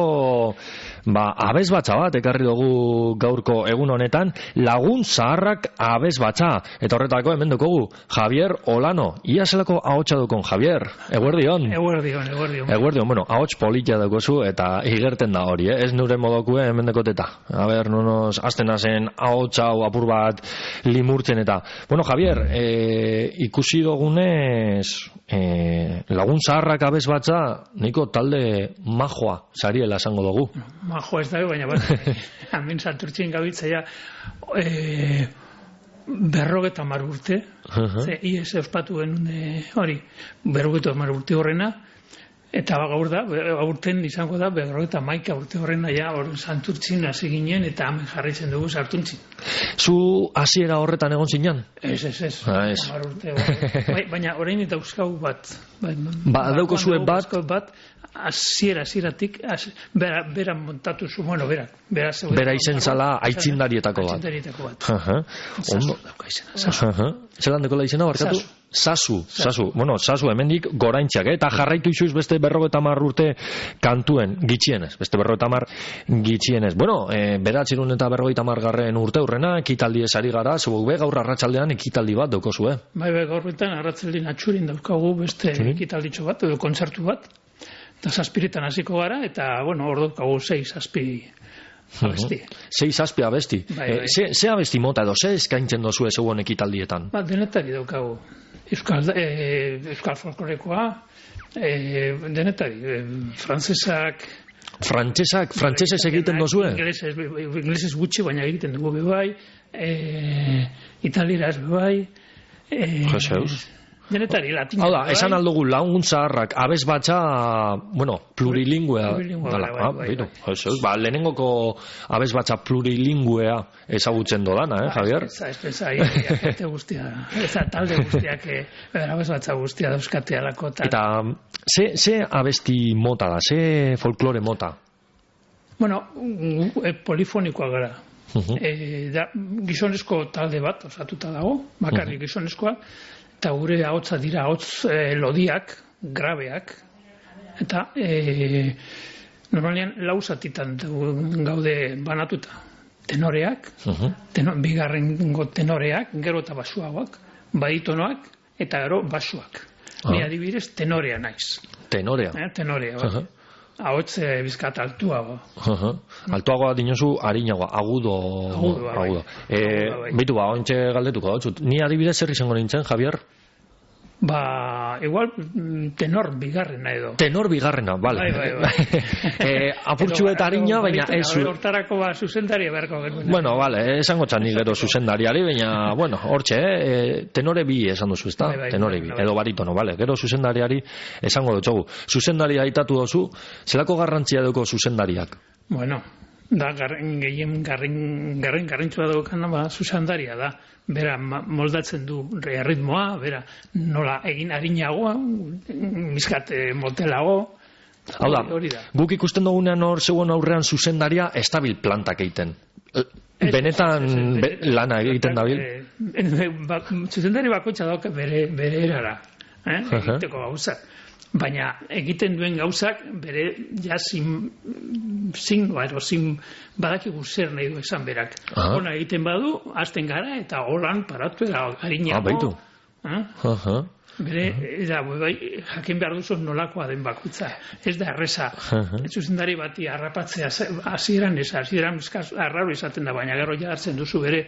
ba, abesbatza bat ekarri dugu gaurko egun honetan, Lagun Zaharrak abesbatza, eta horretarako hemen dukogu Javier Olano, ia zelako ahotsa dukon, Javier, eguerdion. Eguerdion, eguerdion. Eguerdion, bueno, ahots politia dukozu, eta igerten da hori, eh? Ez nure modokue hemen dekoteta. A ber, nonos, azten azen ahotsa hau apur bat limurtzen eta. Bueno, Javier, eh, ikusi dugunez, eh, Lagun Zaharrak abesbatza, nahiko talde majoa sariela esango dugu. Majoa ez da, baina bat, hemen Santurtzien gabitzea e, berrogeta mar urte, uh-huh. Ze ies euspatu genuen hori, berrogeta mar urte horrena, eta gaur da, aurten izango da, berrogeta maika urte horrena, ja, hor Santurtzien hasi ginen, eta hemen jarraitzen dugu Santurtzien. Zu hasiera horretan egon zinan? Ez, ez, ez. Ah, ez. Urte, bai, baina orain eta euskau bat. Bai, ba, dauko zuen bat? bat hasiera hasieratik bera, bera montatu zu, bueno, bera. Bera, bera izen zala aitzindarietako bat. Aitzindarietako bat. Uh-huh. Ondo. Uh-huh. Zeran dekola izena, barkatu? Sasu. Sasu. Bueno, Sasu hemendik goraintxak, eh? Eta jarraitu izuz beste berrogeta mar urte kantuen, gitxienez. Beste berrogeta mar gitxienez. Bueno, e, beratzerun eta berrogeta mar garren urte hurrena, ekitaldi esari gara, zubuk be gaur arratsaldean ekitaldi bat daukozu, eh? Bai, bai, gaur betan arratsaldin atxurin daukagu beste Txurin? ekitalditxo bat, edo kontzertu bat. Eta zazpiretan hasiko gara, eta, bueno, hor daukagu sei zazpi abesti. Uh-huh. Sei zazpi abesti. Bai, bai. E, ze, ze abesti mota edo, ze eskaintzen dozu ez egon ekitaldietan? Ba, denetari daukagu. Euskal, e, Euskal folklorekoa, e, denetari, e, frantzesak... Frantzesak, frantzesez egiten dozue? Inglesez, inglesez gutxi, baina egiten dugu bebai, e, italieraz bebai... E, Jeseus. Denetari, latin. Hau da, esan aldugu Lagun Zaharrak abesbatza, bueno, plurilingüea. Plurilingüea, bai, bai, bai, bai. Ba, lehenengoko abesbatza plurilingüea ezagutzen dodana, eh, Javier? Ez da, ez da, ez da, guztia, ez da, talde guztiak, abesbatza guztia dauzkate alako. Eta, ze, ze abesti mota da, ze folklore mota? Bueno, polifonikoa gara. Uh-huh. E, da, gizonezko talde bat, osatuta dago, bakarrik uh-huh. gizonezkoa, eta gure ahotsa dira ahots e, lodiak, grabeak, eta e, normalian lauzatitan gaude banatuta. Tenoreak, uh-huh. tenor, bigarrengo tenoreak, gero eta basuagoak, baditonoak, eta gero basuak. Uh-huh. Ni adibidez tenorea naiz. Tenorea? Eh, tenorea, bai. Uh-huh. ahots eh, bizkat altuago. Uh-huh. Altuagoa dinozu, arinagoa, agudo. Agudo, bai. agudo. Eh, bai. Beitu ba, ontxe galdetuko dautzut. Ni adibidez zer izango nintzen, Javier? Ba, igual mm, tenor bigarrena edo. Tenor bigarrena, bale. Bai, bai, bai. eh, apurtxu eta harina, baina ez zu... Hortarako ba, zuzendaria beharko genuen. Bueno, bale, esango txani gero zuzendariari, baina, bueno, hortxe, eh, tenore bi esan duzu, ezta? Bai, bai, tenore bai, bi, bai. edo baritono, bale. Gero zuzendariari esango dutxogu. Zuzendaria aitatu dozu, zelako garrantzia duko zuzendariak? Bueno, da garren gehien garrin garrin garrintzua daukana ba zuzendaria da. Bera ma- moldatzen du ritmoa, bera nola egin arinagoa, bizkat eh, motelago. Hau da, Hori da. guk ikusten dugunean hor zegoen aurrean zuzendaria estabil plantak egiten. Eh, Benetan be- lana egiten dabil. Eh, ba, zuzendari bakoitza dauka bere bere erara, eh? Egiteko gauzak. Baina egiten duen gauzak bere ja zin, zin, ero, zin badakigu zer nahi du esan berak. Aha. Ona egiten badu, hasten gara eta holan paratu eta harinago. Ah, baitu. Eh? Aha. Bere, eta, bai, jakin behar duzu nolakoa den bakoitza. Ez da erreza. Aha. Zuzendari bati harrapatzea ze- hasieran ez, hasieran eskaz arraro izaten da, baina gero ja hartzen duzu bere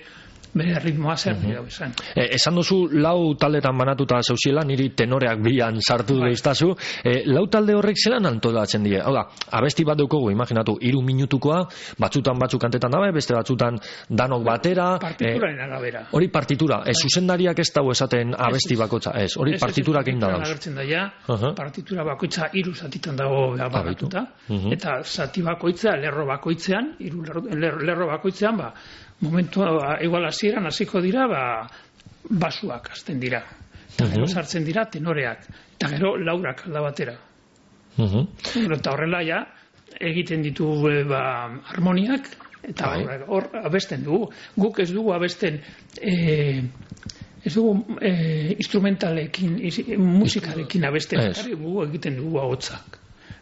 bere ritmoa zer nahi dau esan. Eh, esan duzu lau taldetan banatuta zauziela, niri tenoreak bian sartu Bai. duztazu. Eh, lau talde horrek zelan antolatzen die? Hau da, abesti bat daukogu, imaginatu, hiru minutukoa, batzutan batzuk kantetan dabe, beste batzutan danok batera. Partituraren arabera. Hori partitura, ez zuzendariak ez dago esaten abesti bakotza, ez, hori Ez, ez, partiturak egin da partituran dauz. agertzen da ja, Aha. partitura bakoitza hiru zatitan dago ja, banatuta, Mhm. eta zati bakoitza, lerro bakoitzean, hiru lerro, lerro, lerro bakoitzean, ba, momentu, igual hasieran hasiko dira, ba, basuak hasten dira. Eta gero Mhm. sartzen dira tenoreak, eta gero laurak alda batera. Mhm. Gero, eta horrela ja, egiten ditu e, ba, harmoniak, eta Bai. hor, hor abesten dugu. Guk ez dugu abesten e, ez dugu e, instrumentalekin, is- musikarekin abesten, Ez. bakarrik gu egiten dugu ahotsak.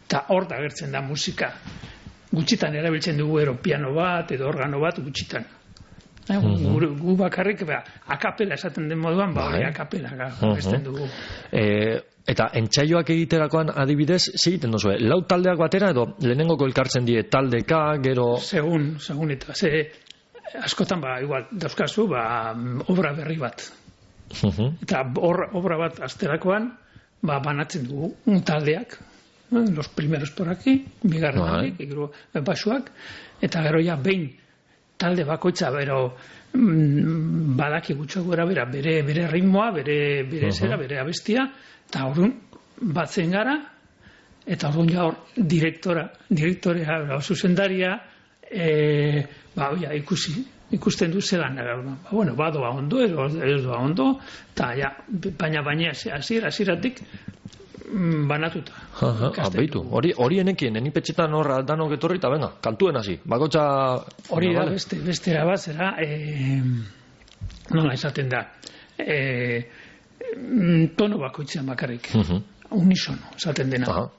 Eta hor da agertzen da musika. Gutxitan erabiltzen dugu ero piano bat edo organo bat gutxitan. Eh, Mhm. gu, gu bakarrik ba, akapela esaten den moduan, ba, Bai. hori akapela ga, Mhm. abesten dugu. Eh, eta entsaioak egiterakoan adibidez, ze egiten duzu, lau taldeak batera edo lehenengoko elkartzen die taldeka, gero... Segun, segun eta ze askotan ba igual dauzkazu ba obra berri bat. Mhm. Eta hor obra bat asterakoan ba banatzen dugu un taldeak, eh, los primeros por aquí, bigarren Bai. aldeek, gero basuak eta gero ja behin talde bakoitza bero mm, badaki gutxo gora bera bere bere ritmoa, bere bere Mhm. zera, bere abestia eta orduan batzen gara eta orduan ja hor direktora, direktorea, ba, zuzendaria eh ba ja ikusi ikusten du zelan ba, bueno, badoa ondo edo ez doa ondo eta ja baina baina hasiera hasieratik mm, banatuta. Aha, ah, beitu, hori hori enekien, enipetxetan hor danok etorri eta venga, kantuen hasi, bakotxa... Hori da Vale. beste bestera bat zera eh, nola esaten da eh, mm, tono bakoitzean bakarrik Mhm. unisono esaten dena. Aha.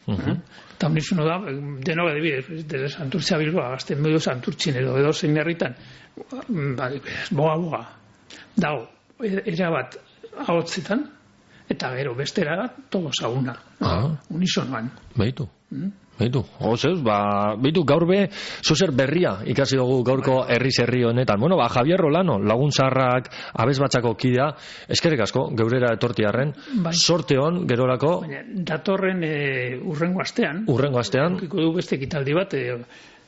Mhm. Eh? Eta unisono da, deno adibidez, desde Santurtzia Bilboa, gazten medio Santurtzin edo edo zein herritan, ba, adibidez, boga boga, dago, erabat ahotzetan, eta gero bestera bat, todos a una, Ah, unisonoan. beitu. Mm? Beitu, gozeuz, ba, beitu gaur be, zozer berria ikasi dugu gaurko herriz herri honetan. Bueno, ba, Javier Rolano, lagun zaharrak, abez batxako kidea, eskerrik asko, geurera etortiarren, Bai. sorte hon, gerorako, Baina, datorren e, urrengo astean, urrengo astean, ukiko du beste ekitaldi bat, e,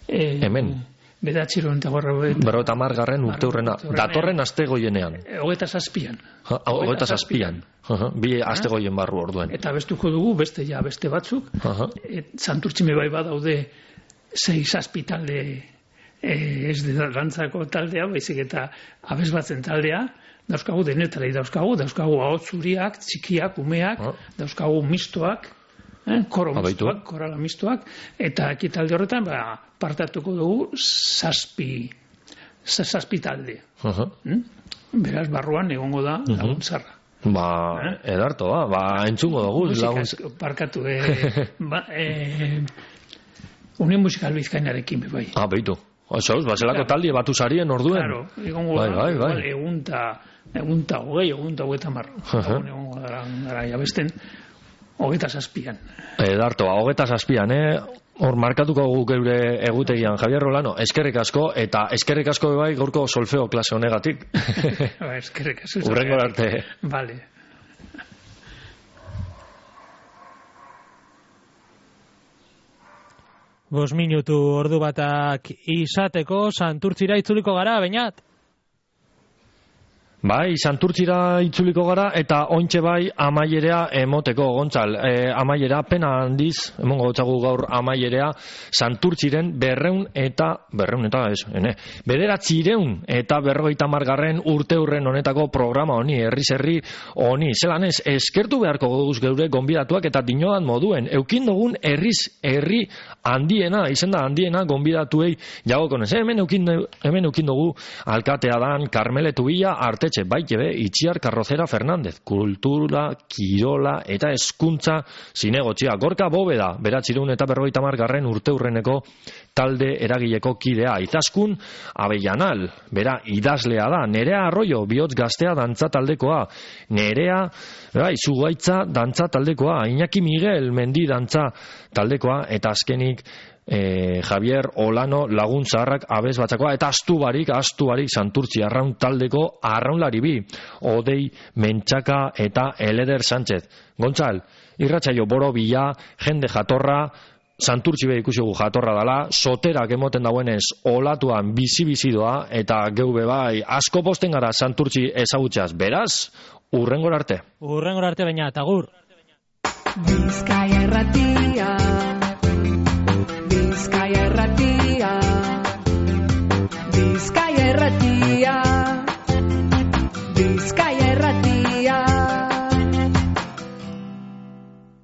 e, hemen, bedatxiron eta gorra berrota margarren urte urrena, datorren aste goienean, hogeta zazpian. Ha, hogeita zazpian, Aha, bi aste goien barru orduen. Eta bestuko dugu beste ja beste batzuk. Aha. Et, Santurtzime bai badaude sei zazpi talde e, ez de dantzako taldea, baizik eta abesbatzen taldea, dauzkagu denetalei dauzkagu, dauzkagu ahots zuriak, txikiak, umeak, dauzkagu mistoak, eh, koro Ah, baitu. mistoak, korala mistoak, eta ekitaldi horretan ba, partatuko dugu zazpi, za- zazpi talde. Aha. Mm? Beraz, barruan egongo da Mhm. laguntzarra. Ba, edarto, ba, ba, entzungo dugu, Musika lagun... esko- parkatu, eh, ba, eh, Unión Musikal Bizkainarekin, be bai. Ah, beitu. Oso, ba, zelako taldi batu sarien orduen. Claro, egongo Bai, da, bai, igual, bai. egunta, egunta hogei, egunta hogeita mar. Aha. Egon egongo gara, gara jabesten. hogeita zazpian. Edartoa, hogeita zazpian, eh? Hor, markatuko guk geure egutegian, Javier Rolano, eskerrik asko, eta eskerrik asko bai gaurko solfeo klase honegatik. Eskerrik asko. Urrengo arte. Vale. Bost minutu ordu batak izateko Santurtzira itzuliko gara, Beñat? Bai, Santurtzira itzuliko gara eta ointxe bai amaierea emoteko, Gontzal. E, amaiera pena handiz, emongo gotzagu gaur amaierea, Santurtziren berreun eta, berreun eta, ez, ene, bederatzireun eta berrogeita margarren urte hurren honetako programa honi, herriz herri honi. Zelan ez, eskertu beharko goguz geure gonbidatuak eta dinodan moduen. Eukin dugun herriz herri handiena, izen da handiena gonbidatuei jagokonez. Hemen eukin, hemen eukin dugu alkatea dan Karmeletu Bila, Artetxe baite be, Itziar Carrocera Fernández, kultura, kirola eta hezkuntza zinegotzia. Gorka Bóveda, beratzireun eta berrogeita margarren urte hurreneko talde eragileko kidea. Izaskun Avellanal, bera idazlea da. Nerea Arroyo, bihotz gaztea dantza taldekoa. Nerea, bai, Zugaitza dantza taldekoa. Iñaki Miguel, mendi dantza taldekoa. Eta azkenik, E, Javier Olano lagun zaharrak abez batzakoa, eta astubarik, astubarik Santurtzi arraun taldeko arraunlari bi, Odei Mentxaka eta Eleder Sánchez. Gontzal, irratsaio boro bila, jende jatorra, Santurtzi be ikusi gu jatorra dala, soterak emoten dauenez olatuan bizi-bizidoa, eta geube bai, asko posten gara Santurtzi ezagutzaz. Beraz, urrengor arte. Urrengor arte, Beñat, agur. Bizkaia Irratia